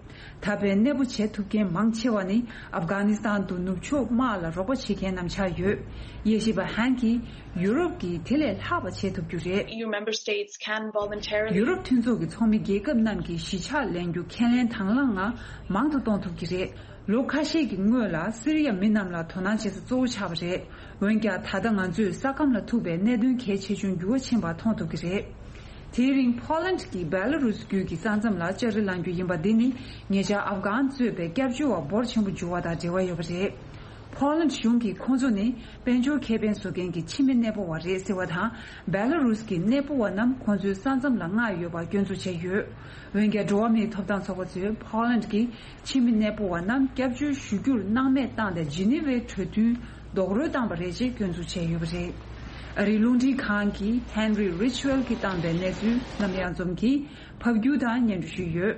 ད་ཕན་གནས་སྤོ་བྱེད་ཐུབ་མཁན་མང་ཆེ་བ་ནི་ཨབ་གྷ་ནི་སི་ཐན་དུ་ནུབ་ཕྱོགས་དམག་ལ་རོགས་པ་བྱེད་མཁན་རྣམས་ཆགས་ཡོད། དབྱེ་ཞིབ་པ་ཧན་གྱིས་ཡུ་རོབ་ཀྱིས་དེ་ལས་ལྷག་པ་བྱེད་ཐུབ་རྒྱུ་རེད། E U member states can voluntarily. ཡུ་རོབ་མཐུན་ཚོགས་ཀྱི་ཚོགས་མི་རྒྱལ་ཁབ་རྣམས་ཀྱིས་གཞིས་ཆགས་ལེན་རྒྱུ་ཁས་ལེན་དང་བླངས་ངང་མང་དུ་གཏོང་ཐུབ་ཀྱི་རེད། ལོ་ཁ་ཤས་ཀྱི་སྔོན་ལ་སི་རི་ཡ་མི་རྣམས་ལ་དོ་སྣང་བྱེད་ས་གཙོ་བོ་ཆགས་པ་རེད། འོན་ཀྱང་ད་ལྟ་ང་ཚོས་ས་ཁམས་ལ་ཐུག་པའི་གནད་དོན་གལ་ཆེ་ཆུང་འགྱུར་བ་ཕྱིན་པ་མཐོང་ཐུབ་ཀྱི་རེད། དེའི་རིང་ཕོ་ལན་གྱིས་བེ་ལ་རུས་བརྒྱུད་ཀྱི་ས་མཚམས་ལ་ལྕགས་རི་བསླང་རྒྱུ་ཡིན་པ་འདི་ནི་ཉེ་ཆར་ཨབ་གྷན་གཙོས་པའི་སྐྱབས་བཅོལ་བ་འབོར་ཆེན་པོ་འབྱོར་བ་དང་འབྲེལ་བ་ཡོད་པ་རེད། ཕོ་ལན་གཞུང་གིས་ཁོང་ཚོ་ནི་དཔལ་འབྱོར་ཁེ་ཕན་བཟོ་མཁན་གྱི་ཕྱི་མི་གནས་སྤོ་བ་རེད་ཟེར་བ་དང་། བེ་ལ་རུས་ཀྱི་གནས་སྤོ་བ་རྣམས་ཁོང་ཚོའི་ས་མཚམས་ལ་མངགས་ཡོད་པ་སྐྱོན་འཛུགས་བྱས་ཡོད། འོན་ཀྱང་འགྲོ་བ་མིའི་ཐོབ་ཐང་ཚོགས་པ་ཚོས་ཕོ་ལན་གྱིས་ཕྱི་མི་གནས་སྤོ་བ་རྣམས་སྐྱབས་བཅོལ་ཞུ་རྒྱུར་སྣང་མེད་བཏང་སྟེ་ཇི་ནི་ཝའི་གྲོས་མཐུན་རྡོག་རོལ་བཏང་པ་རེད་ཅེས་སྐྱོན་འཛུགས་བྱས་ཡོད་པ་རེད། ཨ་རིའི་རླུང་འཕྲིན་ཁང་གི་Henry Ridgwell གྱིས་བཏང་པའི་གནས་ཚུལ་རྣམ་གཡང་འཛོམས་ཀྱིས་ཕབ་སྒྱུར་དང་སྙན་སྒྲོན་ཞུས་ཡོད།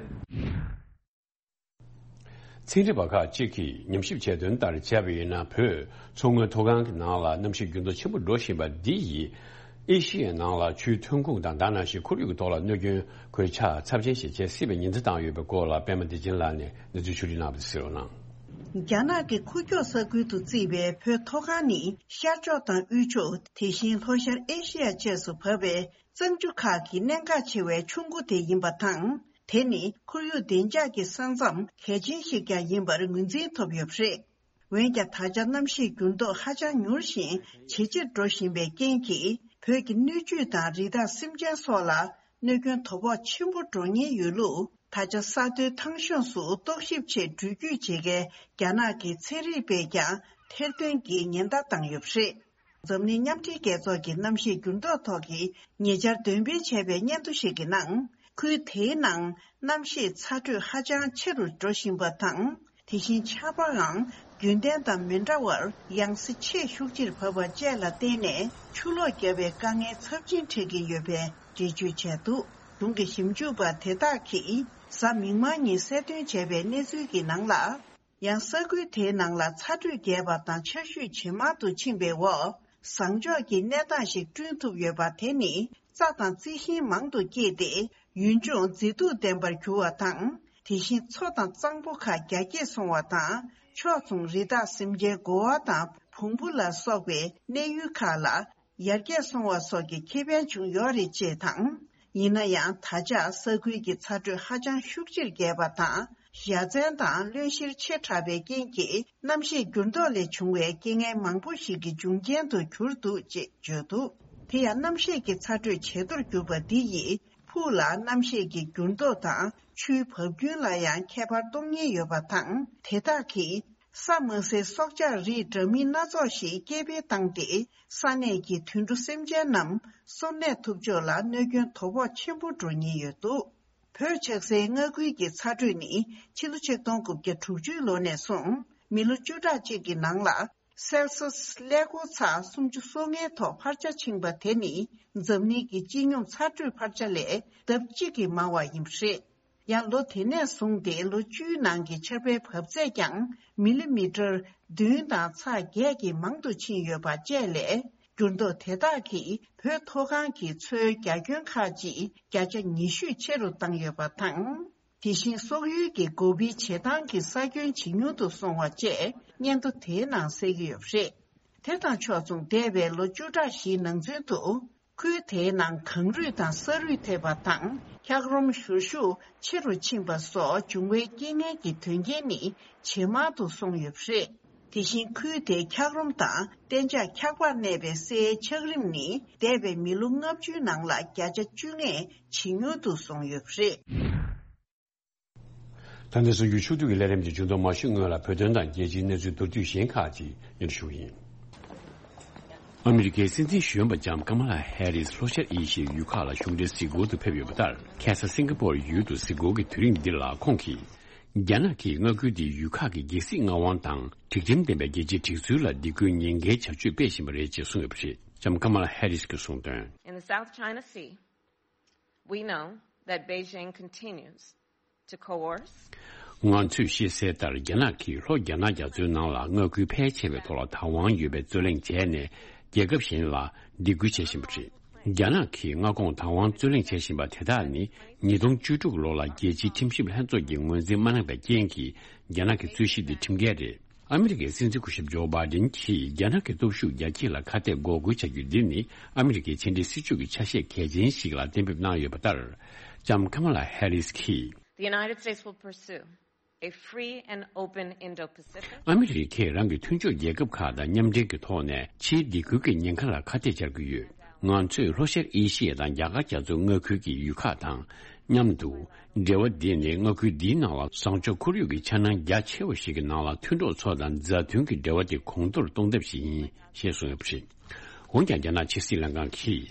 ཚན་རིག་པ་ཁག་ཅིག་གིས་ཉམས་ཞིབ་བྱས་དོན་ལྟར་བྱས་པ་ཡིན་ན། བོད་མཚོ་སྔོན་མཐོ་སྒང་གི་ནང་ལ་གནམ་གཤིས་འགྱུར་ལྡོག་ཆེན་པོ་འགྲོ་བཞིན་པ་འདི་ཡིས་ཨེ་ཤི་ཡའི་ནང་ལ་ཆུའི་ཐོན་ཁུངས་དང་། ད་ནང་བཞིན་ཁོར་ཡུག་གི་ཐོག་ལ་གནོད་སྐྱོན་གོད་ཆག་ཚབས་ཆེན་ཞིག་བྱེད་སྲིད་པའི་ཉེན་ཚབས་བཏང་ཡོད་པའི་སྐོར་ལ་པད་མ་བདེ་ཆེན་ལགས་ནས་གནས་ཚུལ་ཕྱོགས་སྒྲིག་གནང་བ་དེ་གསན་རོགས་གནང་། རྒྱ་ནག་གི་ཁུག་ཀྱོག་ས་ཁུལ་དུ་བརྩིས་པའི་བོད་མཐོ་སྒང་ནི་ཤར་ཕྱོགས་དང་དབུས་ཕྱོགས། དེ་བཞིན་ལྷོ་ཤར་ཨེ་ཤེ་ཡ་བཅས་སུ་བབས་པའི་གཙང་ཆུ་ཁག་གི་གནད་འགག་ཆེ་བའི་ཆུ་མགོ་དེ་ཡིན་པ་དང་། དེ་ནི་ཁོར་ཡུག་བདེ་འཇགས་ཀྱི་ས་མཚམས་གལ་ཆེན་ཞིག་ཀྱང་ཡིན་པར་ངོས་འཛིན་ཐོབ་ཡོད་པ་རེད། འོན་ཀྱང་། ད་ཆ་གནམ་གཤིས་འགྱུར་ལྡོག་ཧ་ཅང་མྱུར་ཞིང་ཇེ་ཆེར་འགྲོ་བཞིན་པའི་རྐྱེན་གྱིས། བོད་ཀྱི་སྣོད་བཅུད་དང་རི་དྭགས་སེམས་ཅན་སོགས་ལ་གནོད་སྐྱོན་དོ་ཕོག་ཆེན་པོ་འགྲོ་ཉེན་ཡོད་ལུགས། ད་ཆ་ས་མཐོའི་ཐང་གཤོངས་སུ་རྟོག་ཞིབ་ཆེད་འགྲུལ་སྐྱོད་བྱེད་མཁན་རྒྱ་ནག་གི་ཚན་རིག་པས་ཀྱང་ཐེར་འདོན་གྱིས་ཉེན་བརྡ་བཏང་ཡོད་པ་རེད། འཛམ་གླིང་མཉམ་འབྲེལ་རྒྱལ་ཚོགས་ཀྱི་གནམ་གཤིས་འགྱུར་ལྡོག་ཐོག་གི་ཉེ་ཆར་འདོན་སྤེལ་བྱས་པའི་སྙན་ཐོ་ཞིག་གི་ནང་། ཁུལ་དེའི་ནང་གནམ་གཤིས་ཚ་དྲོད་ཧ་ཅང་ཆེ་རུ་འགྲོ་བཞིན་པ་དང་། དེ་བཞིན་ཆར་པའང་རྒྱུན་ལྡན་དང་མི་འདྲ་བར་ཡང་སེ་ཆེས་ཤུགས་ཆེར་བབས་པ་བཅས་ལ་བརྟེན་ནས། ཆུ་ལོག་བརྒྱབ་པའི་དཀའ་ངལ་ཚབས་ཆེན་འཕྲད་ཀྱིན་ཡོད་པའི་འགྲེལ་བརྗོད་བྱས་འདུག་གཞུང་གི་ཞིབ་འཇུག་པ་དེ་དག་གིས་གཟའ་མིག་དམར་ཉིན་གསལ་སྟོན་བྱས་པའི་གནས་ཚུལ་གྱི་ནང་ལ། ཡང་ས་ཁུལ་དེའི་ནང་ལ་ཚ་དྲོད་རྒྱས་པ་དང་ཆར་ཞུན་ཇེ་མང་དུ་ཕྱིན་པའི་འོག་ཟངས་ལྕོག་གི་གནས་སྟངས་ཤིག་བསྐྲུན་ཐུབ་ཡོད་པ། དེ་ནི་རྩྭ་དང་རྩི་ཤིང་མང་དུ་སྐྱེས་ཏེ། ཡུལ་ལྗོངས་མཛེས་སྡུག་ལྡན་པར་གྱུར་བ་དང་། དེ་བཞིན་མཚོ་དང་གཙང་པོ་ཁག་རྒྱ་སྐྱེད་སོང་བ་དང་། ཕྱོགས་མཚུངས་རི་དྭགས་སེམས་ཅན་དགོ་བ་དང་བོང་བུ་ལ་སོགས་པའི་གནས་ཡུལ་ཁག་ལ་ཡར་རྒྱས་སོང་བ་སོགས་ཀྱི་ཁེ་ཕན་བྱུང་ཡོད་རེད་ཅེས་དང་། ཡིན་ན་ཡང་། ད་ཆ་ས་ཁུལ་གྱི་ཚ་དྲོད་ཧ་ཅང་ཤུགས་ཆེར་རྒྱས་པ་དང་། ཡ་མཚན་དང་རློན་གཤེར་ཆེ་དྲགས་པའི་རྐྱེན་གྱིས། གནམ་གཤིས་འགྱུར་ལྡོག་ལས་བྱུང་བའི་རྐྱེན་ངན་མང་པོ་ཞིག་གི་འབྱུང་རྐྱེན་དུ་གྱུར་འདུག་ཅེས་བརྗོད་འདུག་དེ་ཡང་། གནམ་གཤིས་ཀྱི་ཚ་དྲོད་ཇེ་མཐོར་གྱུར་པ་འདི་ཡིས། ཕུགས་ལ་གནམ་གཤིས་ཀྱི་འགྱུར་ལྡོག་དང་ཆུའི་བབ་རྒྱུན་ལ་ཡང་ཁྱད་པར་གཏོང་ཉེན་ཡོད་པ་དང་། དེ་དག་གིས་ས་དམའ་སའི་སྲོག་ཆགས་རིགས་འདྲ་མིན་སྣ་ཚོགས་ཤིག་སྐྱེ་འཕེལ་བཏང་སྟེ། ས་གནས་ཀྱི་དུད་འགྲོ་སེམས་ཅན་རྣམས་སོར་གནས་ཐུབ་ཕྱོགས་ལ་གནོད་སྐྱོན་དོ་ཕོག་ཆེན་པོ་འགྲོ་ཉེན་ཡོད་འདུག་བོད་ཆགས་སའི་མངའ་ཁུལ་གྱི་ཚ་དྲོད་ནི་ཕྱི་ལོ་ཆིག་སྟོང་དགུ་བརྒྱ་དྲུག་ཅུ་ལོ་ནས་བཟུང་། མི་ལོ་བཅུ་ཕྲག་གཅིག་གི་ནང་ལ་སེལ་སི་ཡས་ཀླད་ཀོར་ཚེག་སུམ་ཅུ་སོ་ལྔའི་ཐོག་འཕར་ཆ་ཕྱིན་པ་དེ་ནི། འཛམ་གླིང་གི་སྤྱི་སྙོམས་ཚ་དྲོད་འཕར་ཆ་ལས་ལྡབ་གཅིག་གིས་མང་བ་ཡིན་པ་རེད། ཡང་། ལོ་དེ་ནས་བཟུང་སྟེ་ལོ་བཅུའི་ནང་གི་ཆར་པའི་བབས་ཚད་ཀྱང་མི་ལི་མི་ཊར་བདུན་དང་ཚེག་བརྒྱད་ཀྱིས་མང་དུ་ཕྱིན་ཡོད་པ་བཅས་ལས། འགྱུར་ལྡོག་དེ་དག་གིས་བོད་མཐོ་སྒང་གི་མཚོའི་རྒྱ་ཁྱོན་ཁག་ཅིག་བརྒྱ་ཆ་ཉི་ཤུས་ཆེ་རུ་བཏང་ཡོད་པ་དང་། དེ་བཞིན་སོག་ཡུལ་གྱི་སྒོ་ཕྱེའི་བྱེ་ཐང་གི་ས་ཁྱོན་ཇེ་ཉུང་དུ་སོང་བ་བཅས་སྙན་ཐོ་དེའི་ནང་གསལ་གྱི་ཡོད་པ་རེད། དེ་དང་ཕྱོགས་མཚུངས། འདས་པའི་ལོ་བཅུ་ཕྲག་བཞིའི་ནང་ཚུན་དུ། ཁུལ་དེའི་ནང་གངས་རུད་དང་ས་རུད་ཐེབས་པ་དང་། འཁྱགས་རོམ་བཞུར་ཤུགས་ཆེ་རུ་ཕྱིན་པ་སོགས་འབྱུང་བའི་རྐྱེན་ངན་གྱི་དོན་རྐྱེན་ནི་ཇེ་མང་དུ་སོང་ཡོད་པ་རེད། དེ་བཞིན་ཁུལ་དེའི་འཁྱགས་རོམ་དང་གཏན་འཇགས་འཁྱགས་པར་གནས་པའི་སའི་འཁྱགས་རིམ་ནི། འདས་པའི་མི་ལོ་ལྔ་བཅུའི་ནང་ལ་བརྒྱ་ཆ་བཅུ་ལྔས་ཇེ་ཉུང་དུ་སོང་ཡོད་པ་རེད། ད་ལྟའི་གསར་འགྱུར་ཕྱོགས་བསྡུས་ཀྱི་ལས་རིམ་དེ་མཇུག་བསྡོམས་མ་ཞུས་སྔོན་ལ། བོད་དོན་དང་རྒྱལ་སྤྱིའི་གནས་ཚུལ་མདོར་བསྡུས་གཞན་ཁག་ཅིག་སྙན་ཞུ་ཡིན། ཨ་མི་རི་ཀའི་སྲིད་འཛིན་གཞོན་པ་ལྕམ་ཀ་མ་ལ་ཧེ་རིས་ལྷོ་ཤར་ཨེ་ཤི་ཡའི་ཡུལ་ཁག་ལ་གཞུང་འབྲེལ་གཟིགས་སྐོར་དུ་ཕེབས་ཡོད་པ་ལྟར། ཁ་སང་སིང་ག་པོར་ཡུལ་དུ་གཟིགས་སྐོར་གྱི་དུས་རིམ་འདི་ལ་ཁོང་གིས། རྒྱ་ནག་གིས་མངའ་ཁུལ་འདིའི་ཡུལ་ཁག་གི་རྒྱལ་སྲིད་མངའ་དབང་དང་། སྒྲིག་ཁྲིམས་ལྡན་པའི་རྒྱལ་སྤྱིའི་སྒྲིག་འཛུགས་ལ་སྡིགས་སྐུལ་ཉེན་ཁའི་བྱ་སྤྱོད་སྤེལ་བཞིན་པ་རེད་ཅེས་གསུངས་ཡོད་པ་རེད། ལྕམ་ཀ་མ་ལ་ཧེ་རིས་ཀྱིས་གསུངས་དོན། In the South China Sea, we know that Beijing continues to coerce. ང་ཚོས་ཤེས་གསལ་ལྟར། རྒྱ་ནག་གིས་ལྷོ་རྒྱ་ནག་རྒྱ་མཚོའི་ནང་ལ་མངའ་ཁུལ་ཕལ་ཆེ་བའི་ཐོག་ལ་བདག་དབང་ཡོད་པའི་རྩོད་གླེང་བྱས་ནས། རྒྱལ་ཁབ་གཞན་ལ་སྡིགས་སྐུལ་བྱེད་བཞིན་པ་རེད། རྒྱ་ནག་གིས་མངའ་ཁོངས་བདག་དབང་རྩོད་གླེང་བྱེད་བཞིན་པ་དེ་དག་ནི། ཉིས་སྟོང་བཅུ་དྲུག་ལོ་ལ་རྒྱལ་སྤྱིའི་ཁྲིམས་ཞིབ་ལྷན་ཚོགས་ཀྱིས་ངོས་འཛིན་མ་གནང་པའི་རྐྱེན་གྱིས། རྒྱ་ནག་གི་རྩོད་གཞི་འདི་ཁྲིམས་འགལ་རེད། ཨ་མི་རི་ཀའི་སྲིད་འཛིན་སྐུ་ཞབས་ཇོ་བྷའི་ཌེན་གྱིས་རྒྱ་ནག་གི་སྟོབས་ཤུགས་རྒྱ་སྐྱེད་ལ་ཁ་གཏད་འགོག་རྒོལ་བྱ་རྒྱུ་འདི་ནི། ཨ་མི་རི་ཀའི་ཕྱི་འབྲེལ་སྲིད་ཇུས་ཀྱི་ཆ་ཤས་གལ་ཆེན་ཞིག་ལ་གཏན་འབེབས་གནང་ཡོད་པ་ལྟར། ལྕམ་ཀ་མ་ལ་ཧེ་རིས་ཀྱིས། The United States will pursue a free and open Indo-Pacific. ཨ་མི་རི་ཀས་རང་གི་མཐུན་ཕྱོགས་རྒྱལ་ཁབ་ཁག་དང་མཉམ་འབྲེལ་གྱི་ཐོག་ནས། ཕྱིའི་སྡིགས་སྐུལ་གྱི་ཉེན་ཁ་ལ་ཁ་གཏད་བཅག་གི་ཡོད། ང་ཚོས་ལྷོ་ཤར་ཨེ་ཤི་ཡ་དང་རྒྱ་གར་རྒྱ་མཚོའི་མངའ་ཁུལ་གྱི་ཡུལ་ཁག་དང་མཉམ་དུ། འབྲེལ་བ་འདི་ནི་མངའ་ཁུལ་འདིའི་ནང་ལ་བཟང་ཕྱོགས་ཁོར་ཡུག་གི་འཆར་སྣང་རྒྱ་ཆེ་བ་ཞིག་གི་ནང་ལ། མཐུན་གྲོགས་ཚོ་དང་མཛའ་མཐུན་གྱི་འབྲེལ་བ་དེ་གོང་མཐོར་གཏོང་ཐབས་ཤིག་ཡིན་ཞེས་གསུངས་ཡོད་པ་རེད། འོན་ཀྱང་། རྒྱ་ནག་ཕྱི་སྲིད་ལྷན་ཁང་གིས།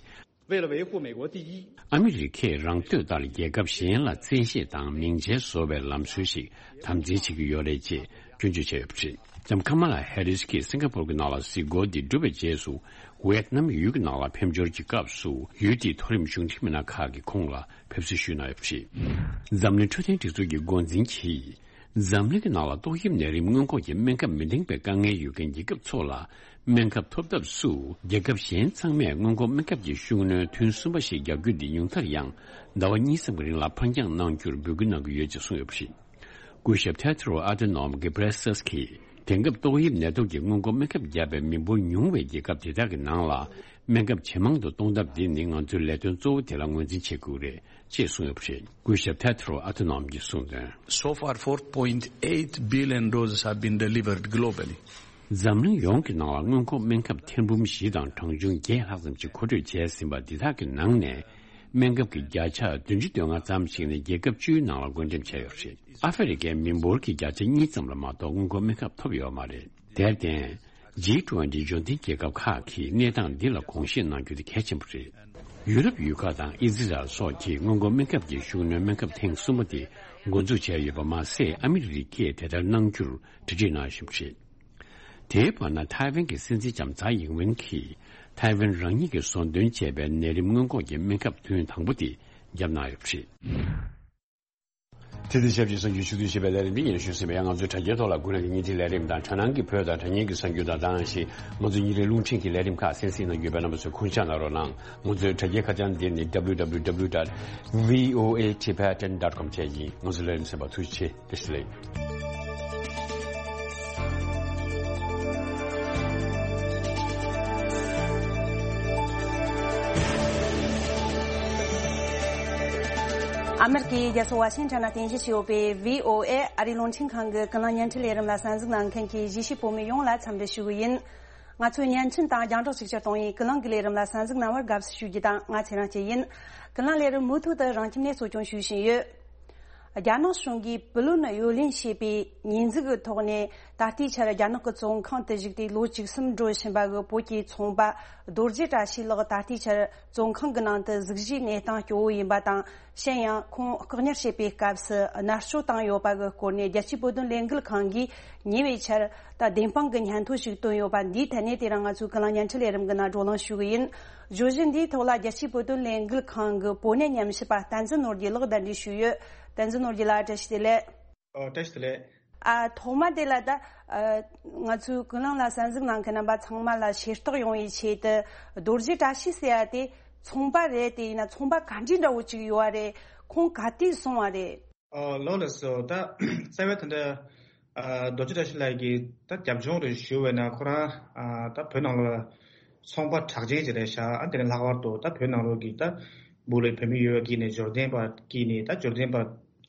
为了维护美国第一。 ཨ་མི་རི་ཀས་རང་འདོད་ལྟར་རྒྱལ་ཁབ་གཞན་ལ་བཙན་ཤེད་དང་མིང་ཆད་བཟོ་བའི་ལམ་སྲོལ་ཞིག་དམ་འཛིན་བྱེད་ཀྱི་ཡོད་རེད་ཅེས་སྐྱོན་བརྗོད་བྱས་ཡོད་པ་རེད། ལྕམ་ཀ་མ་ལ་ཧེ་རིས་ཀྱིས་སིང་ག་པོར་གྱི་ནང་ལ་གཟིགས་སྐོར་འདི་གྲུབ་པའི་རྗེས་སུ། ཝེད་ནམ་ཡུལ་གྱི་ནང་ལ་ཕེབས་འབྱོར་གྱི་སྐབས་སུ། ཡུལ་དེའི་མཐོ་རིམ་གཞུང་འབྲེལ་མི་སྣ་ཁག་གིས་ཁོང་ལ་ཕེབས་བསུ་ཞུས་གནང་ཡོད་པ་རེད། འཛམ་གླིང་འཕྲོད་བསྟེན་སྒྲིག་འཛུགས་ཀྱི་འགོ་འཛིན་གྱིས། འཛམ་གླིང་གི་ནང་ལ་ཏོག་དབྱིབས་ནད་རིམས་སྔོན་འགོག་གི་སྨན་ཁབ་མི་འདང་པའི་དཀའ་ངལ་ཡོད་མཁན་རྒྱལ་ཁབ་ཚོ་ལ། སྨན་ཁབ་ཐོབ་ཐབས་སུ། རྒྱལ་ཁབ་གཞན་ཚང་མས་སྔོན་འགོག་སྨན་ཁབ་ཀྱི་ཤུགས་སྣོན་ཐུན་གསུམ་པ་ཞིག་རྒྱག་རྒྱུ་འདི་ཉུང་མཐར་ཡང་ཟླ་བ་གཉིས་ཙམ་གྱི་རིང་ལ་འཕར་འགྱངས་གནང་རྒྱུར་འབོད་སྐུལ་གནང་གི་ཡོད་ཅེས་གསུངས་ཡོད་པ་རེད། སྐུ་ཞབས་ཐེ་ཏྲོ་ཨ་ཏེ་ནོམ་གྷེ་བྷྲེ་སི་ཡེ་སི་ཀྱིས། དེང་སྐབས་ཏོག་དབྱིབས་ནད་དུག་གི་སྔོན་འགོག་སྨན་ཁབ་བརྒྱབ་པའི་མི་འབོར་ཉུང་བའི་རྒྱལ་ཁབ་དེ་དག་གི་ནང་ལ། སྨན་ཁབ་ཇེ་མང་དུ་གཏོང་ཐབས་འདི་ནི་ང་ཚོའི་ལས་དོན་གཙོ་བོ་དེ་ལ་ངོས་འཛིན་བྱེད་དགོས་རེད་ཅེས་གསུངས་ཡོད་པ་རེད། སྐུ་ཞབས་ཐེ་ཏྲོ་ཨ་ཏེ་ནོམ་གྱིས་གསུངས་དོན། So far, four point eight billion doses have been delivered globally. འཛམ་གླིང་ཡོངས་ཀྱི་ནང་ལ་སྔོན་འགོག་སྨན་ཁབ་ཐེར་འབུམ་བཞི་དང་གྲངས་ཆུང་བརྒྱད་ལྷག་ཙམ་ཞིག་མཁོ་སྤྲོད་བྱས་ཟིན་པ་འདི་དག་གི་ནང་ནས། སྨན་ཁབ་ཀྱི་བརྒྱ་ཆ་བདུན་ཅུ་དོན་ལྔ་ཙམ་ཞིག་ནི་རྒྱལ་ཁབ་བཅུའི་ནང་ལ་བགོ་འགྲེམས་བྱས་ཡོད་པ་རེད། ཨ་ཧྥེ་རི་ཁའི་མི་འབོར་གྱི་བརྒྱ་ཆ་གཉིས་ཙམ་ལ་མ་གཏོགས་སྔོན་འགོག་སྨན་ཁབ་ཐོབ་ཡོད་མ་རེད། དེར་བརྟེན། ཇི་ཊུ་ཝེན་ཊི་འབྱོར་ལྡན་རྒྱལ་ཁབ་ཁག་གིས་གནས་སྟངས་འདི་ལ་དགོངས་བཞེས་གནང་རྒྱུ་དེ་གལ་ཆེན་པོ་རེད། ཡུ་རོབ་ཡུལ་ཁག་དང་ཨི་ཛི་རལ་སོགས་ཀྱིས་སྔོན་འགོག་སྨན་ཁབ་ཀྱི་ཤུགས་སྣོན་སྨན་ཁབ་ཐེངས་གསུམ་པ་དེ་འགོ་འཛུགས་བྱས་ཡོད་པ་མ་ཟད། ཨ་མི་རི་ཀས་དེ་ལྟར་གནང་རྒྱུར་གྲ་སྒྲིག་གནང་བཞིན་པ་རེད། དེའི་བར་ན། ཐའེ་ཝན་གྱི་སྲིད་འཛིན་ལྕམ་ཚའེ་ཡིན་ཝེན་གྱིས། ཐའེ་ཝན་རང་ཉིད་ཀྱིས་བཟོ་འདོན་བྱས་པའི་ནད་རིམས་སྔོན་འགོག་གི་སྨན་ཁབ་ཐུན་དང་པོ་དེ་བརྒྱབ་གནང་ཡོད་པ་རེད། དེ་དང་ཆབས་ཅིག་གསར་འགྱུར་ཕྱོགས་བསྡུས་ཞེས་པའི་ལས་རིམ་འདི་སྙན་ཞུ་ཟིན་པ་ཡང་། ང་ཚོའི་དྲ་རྒྱའི་ཐོག་ལ་དགུན་གནས་ཀྱི་བརྙན་འཕྲིན་ལས་རིམ་དང་། དྲ་ནང་གི་བོད་དང་དྲ་བརྙན་གྱི་གསར་འགྱུར་དང་། ད་ག་ནང་བཞིན་ང་ཚོའི་ཉིན་རེའི་རླུང་འཕྲིན་གྱི་ལས་རིམ་ཁག་གསན་གཟིགས་གནང་རྒྱུ་ཡོད་པས། རྣམ་པ་ཚོས་ཁུངས་སྐྱེལ་གནང་རོགས་གནང་། ང་ཚོའི་དྲ་རྒྱའི་ཁ་བྱང་འདི་ནི་www dot voatibetan dot com བཅས་ཡིན། ང་ཚོའི་ལས་རིམ་གསན་པར་ཐུགས་རྗེ་ཆེ། བཀྲ་ཤིས་བདེ་ལེགས། ཨ་མེ་རི་ཀའི་རྒྱལ་ས་ཝ་ཤིང་ཊོན་ན་རྟེན་གཞི་བྱས་ཡོད་པའི་བྷི་ཨོ་ཨེ་ཨ་རིའི་རླུང་འཕྲིན་ཁང་གི་ཀུན་གླེང་བརྙན་འཕྲིན་ལས་རིམ་ལ་གསན་གཟིགས་གནང་མཁན་གྱི་གཞིས་བྱེས་བོད་མི་ཡོངས་ལ་འཚམས་འདྲི་ཞུ་གི་ཡིན། ང་ཚོའི་བརྙན་འཕྲིན་དང་རྒྱང་བསྒྲགས་ཤུགས་ཆེར་གཏོང་བའི་ཀུན་གླེང་གི་ལས་རིམ་ལ་གསན་གཟིགས་གནང་བར་དགའ་བསུ་ཞུ་རྒྱུ་དང་། ང་ཚེ་རིང་སྐྱིད་ཡིན། ཀུན་གླེང་ལས་རིམ་མུ་མཐུད་དུ་རང་ཁྱིམ་ནས་གཙོ་སྐྱོང་ཞུ་བཞིན་ཡོད། རྒྱ་ནག་གཞུང་གིས་པུ་ལུན་གཡོ་ལེན་བྱས་པའི་ཉེས་འཛུགས་ཀྱི་ཐོག་ནས། ད་ལྟའི་ཆར་རྒྱ་ནག་གི་བཙོན་ཁང་དུ་བཞུགས་ཏེ་ལོ་བཅུ་གསུམ་འགྲོ་བཞིན་པ་གི་བོད་ཀྱི་ཚོང་པ་རྡོ་རྗེ་བཀྲ་ཤིས་ལགས། ད་ལྟའི་ཆར་བཙོན་ཁང་གི་ནང་དུ་གཟུགས་གཞིའི་གནས་སྟངས་སྐྱོ་བོ་ཡིན་པ་དང་། གཞན་ཡང་ཁོང་བཀག་ཉར་བྱེད་པའི་སྐབས་སུ་མནར་གཅོད་བཏང་ཡོད་པ་གི་སྐོར་ནས། རྒྱལ་སྤྱིའི་བོད་དོན་ལས་འགུལ་ཁང་གིས་ཉེ་བའི་ཆར་ད་བདེན་དཔང་གི་སྙན་ཐོ་ཞིག་བཏོན་ཡོད་པ་འདིའི་ཐད་ནས། དེ་རིང་ང་ཚོའི་ཀུན་གླེང་བརྙན་འཕྲིན་ལས་རིམ་གྱི་ནང་བགྲོ་གླེང་ཞུ་གི་ཡིན། བརྗོད་གཞི་འདིའི་ཐོག་ལ་རྒྱལ་སྤྱིའི་བོད་དོན་ལས་འགུལ་ཁང་གི་བོད་གནས་ཉམས་ཞིབ་པ་བསྟན་འཛིན་ནོར་རྒྱས་ལགས་གདན་འདྲེན་ཞུས་ཡོད། བསྟན་འཛིན་ནོར་རྒྱས་ལགས། བཀྲ་ཤིས་བདེ་ལེགས། ཨོ། བཀྲ་ཤིས་བདེ་ལེགས། ཨ། ཐོག་མ་དེ་ལ་ད། ཨ། ང་ཚོའི་ཀུན་གླེང་ལ་གསན་གཟིགས་གནང་མཁན་རྣམ་པ་ཚང་མ་ལ་ཤེས་རྟོགས་ཡོང་བའི་ཆེད་དུ། རྡོ་རྗེ་བཀྲ་ཤིས་ཟེར་ཡ་དེ་ཚོང་པ་རེད། དེ་ཡིན་ན་ཚོང་པ་ག་འདྲ་འདྲ་བོ་ཅིག་ཡོད་པ་རེད། ཁོང་ག་དུས་སོང་བ་རེད། ཨོ། ལགས་ལགས་སོ། ད་རྩ་བའི་ད་ལྟ་ ཨ་རྡོ་རྗེ་བཀྲ་ཤིས་ལགས་ཀྱིས་ད་རྒྱབ་ལྗོངས་རེ་ཞུ་བས་ན་ཁོ་རང་ཨ་ད་བོད་ནང་ལ་ཚོང་པ་གྲགས་ཅན་ཅིག་རེད་ཤག་ཨ་དེ་ནས་ལྷག་པར་དུ་ད་བོད་ནང་ལོགས་ཀྱི་ད་སྦུག་ལ་བོད་མི་ཡོད་པ་ཀྱིས་ནས་འབྱོར་ལྡན་པ་ཀྱིས་ནས་ད་འབྱོར་ལྡན་པ་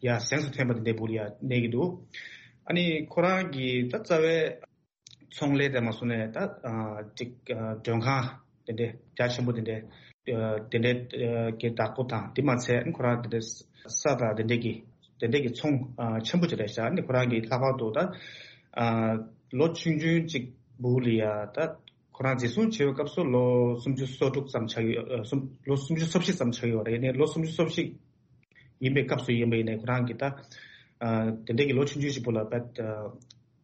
ཡ་གཟེངས་སུ་ཐོན་པ་དེ་འདྲའི་སྦུག་ལ་ཡ་གནས་ཀྱི་འདུག་ཨ་ནི་ཁོ་རང་གིས་ད་རྩ་བའི་ཚོང་ལས་དེ་མ་སོང་ནས་ད་ཨ་ཅིག་ཨ་མགྲོན་ཁང་དེ་འདྲའི་རྒྱ་ཆེན་པོ་དེ་འདྲའི་ཨ་དེ་འདྲའི་ཨ་གི་བདག་པོ་དང་དེ་མ་ཚད་ཁོ་རང་དེ་འདྲའི་ས་དང་དེ་འདྲའི་གི་དེ་འདྲའི་གི་ཚོང་ཨ་ཆེན་པོ་ཅིག་རེད་ཤག་ཨ་ནི་ཁོ་རང་གིས་ལྷག་པར་དུ་ད་ཨ་ལོ་ཆུང་ཆུང་ཅིག་སྦུག་ལ་ཡ་ད་ཁོ་རང་འཛིན་བཟུང་བྱས་པའི་སྐབས་སུ་ལོ་སུམ་ཅུ་སོ་དྲུག་ཙམ་ཆགས་ཡོད། ཨ་སུམ་ལོ་སུམ་ཅུ་སོ་བཞི་ཙམ་ཆགས་ཡོད་རེད། ནས་ལོ་སུམ་ཅུ་སོ་བཞི་ཡིན་པའི་སྐབས་སུ་ཡིན་པ་ཡིན་ནའི་ཁོ་རང་གིས་ད་ཨ་དེ་འདྲའི་གི་ལོ་ཆུང་ཆུང་ཞིག་པོ་ལ་ད་ད་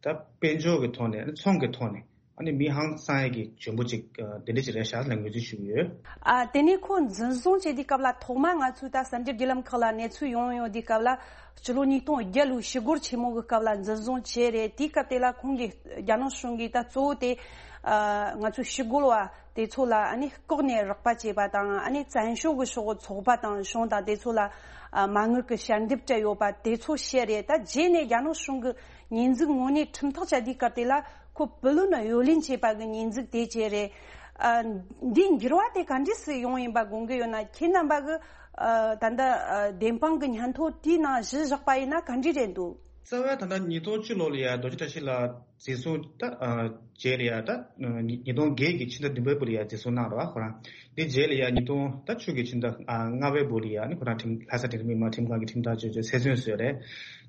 དཔལ་འབྱོར་གྱི་ཐོག་ནས་ཚོང་གི་ཐོག་ནས་ཨ་ནི་མི་ཧང་སང་ཡས་ཀྱི་འཇོན་པོ་ཅིག་ཨ་དེ་འདྲ་ཅིག་རེད་ཤག་ལ་ངོས་འཛིན་ཞུ་གི་ཡོད། ཨ་དེ་ནས་ཁོ་འཛིན་བཟུང་བྱས་དུས་སྐབས་ལ་ཐོག་མ་ང་ཚོས་ད་གསར་འགྱུར་བརྒྱུད་ལམ་ཁག་ལ་གནས་ཚུལ་ཡོང་ཡོང་དུས་སྐབས་ལ། སྤྱི་ལོ་ཉིས་སྟོང་བརྒྱད་ལོའི་ཞི་རྒོལ་ཆེན་མོ་གི་སྐབས་ལ་འཛིན་བཟུང་བྱས་རེད། དེའི་སྐབས་དེ་ལ་ཁོང་གིས་རྒྱ་ནག་གཞུང་གིས་ད་གཙོ་བོ་དེ་ཨ་ང་ཚོའི་ཞི་རྒོལ་བ་དེ་ཚོ་ལ་ཨ་ནི་ལྐོག་ནས་རོགས་པ་བྱས་པ་དང་། ཨ་ནི་བཙན་བྱོལ་གྱི་ཕྱོགས་ཚོགས་པ་དང་གཞུང་དང་དེ་ཚོ་ལ་ཨ་མ་དངུལ་གྱི་ཞལ་འདེབས་སྤྲད་ཡོད་པ་དེ་ཚོ་བཤད་རེད། ད་རྗེས་ནས་རྒྱ་ནག་གཞུང་གི་ཉེས་འཛུགས་དངོས་གནས་ཁྲིམས་ཐག་བཅད་དུས་སྐབས་དེ་ལ་ཁོ་བུ་ལོན་གཡོ་ལེན་བྱས་པ་གི་ཉེས་འཛུགས་དེ་བྱས་རེད། ཨ་འདིའི་འགྱུར་བ་དེ་ག་འདྲས་སེ་ཡོང་ཡིན་པ་དགོངས་ཀྱི་ཡོད་ན། ཁྱེད་རྣམ་པ་གི་ཨ་ད་ལྟ་ཨ་བདེན་དཔང་གི་སྙན་ཐོ་དེའི་ནང་གཞི་བཞག་པ་ཡིན་ན་ག་འདྲས་རེད་འདུག་རྩ་བའི་ད་ལྟ་ཉིས་སྟོང་བཅུ་ལོ་ལ་ཡ་རྡོ་རྗེ་བཀྲ་ཤིས་ལགས་འཛིན་བཟུང་ད་ཨ་རྗེས་ལ་ཡ་ད་ཉིས་སྟོང་བརྒྱད་ཀྱི་ཕྱི་ཟླ་བདུན་པའི་བར་ལ་ཡ་འཛིན་བཟུང་གནང་རོགས་ཁོ་རང་། འདི་རྗེས་ལ་ཡ་ཉིས་སྟོང་ད་བཅུ་གི་ཕྱི་ཟླ་ཨ་ལྔ་པའི་བར་ལ་ཡ་ནི་ཁོ་རང་ཁྲིམས་ལྷ་ས་འབྲིང་རིམ་མི་མང་ཁྲིམས་ཁང་གི་ཁྲིམས་ཐག་གཅོད་བྱས་ཚེ་བཙོན་བཟོས་རེད།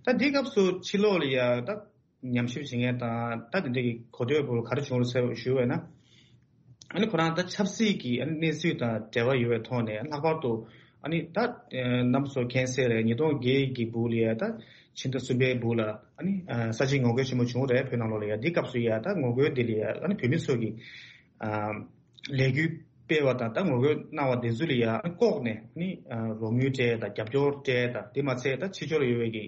ད་འདི་སྐབས་སུ་ཕྱི་ལོགས་ལ་ཡ་ད་ཉམས་ཞིབ་བྱེད་མཁན་དང་ད་དེ་འདྲ་གི་གོ་ཐོས་པོ་ག་རེ་བྱུང་རེད་ཟེར་ཞུས་པ་ཡིན་ན། ཨ་ནི་ཁོ་རང་ད་ཆབ་སྲིད་ཀྱི་ཨ་ནི་གནས་ཚུལ་དང་འབྲེལ་བ་ཡོད་པའི་ཐོག་ནས་ལྷག་པར་དུ་ཨ་ནི་ད་ཨ་རྣམ་པ་ཚོ་མཁྱེན་གསལ་རེད། ཉིས་སྟོང་བརྒྱད་ཀྱི་སྦུག་ལ་ཡ་ད་ཕྱི་ཟླ་གསུམ་པའི་སྦུག་ལ་ཨ་ནི་ཨ་ས་ཆའི་ངོ་རྒོལ་ཆེན་མོ་བྱུང་རེད་བོད་ནང་ལོགས་ལ་ཡ། འདི་སྐབས་སུ་ཡ་ད་ངོ་རྒོལ་འདི་ལ་ཡ་ཨ་ནི་བོད་མི་ཚོ་གི་ཨ་ལས་འགུལ་སྤེལ་བ་དང་ད་ངོ་རྒོལ་གནང་བ་དེ་ཚོ་ལ་ཡ་ཨ་ནི་ལྐོག་ནས་ཨ་ནི་ཨ་རོགས་དངུལ་སྤྲད་དང་རྒྱབ་སྐྱོར་སྤྲད་དང་དེ་མ་ཚད་ད་ཕྱི་ཕྱོགས་ལ་ཡོད་པའི་གི་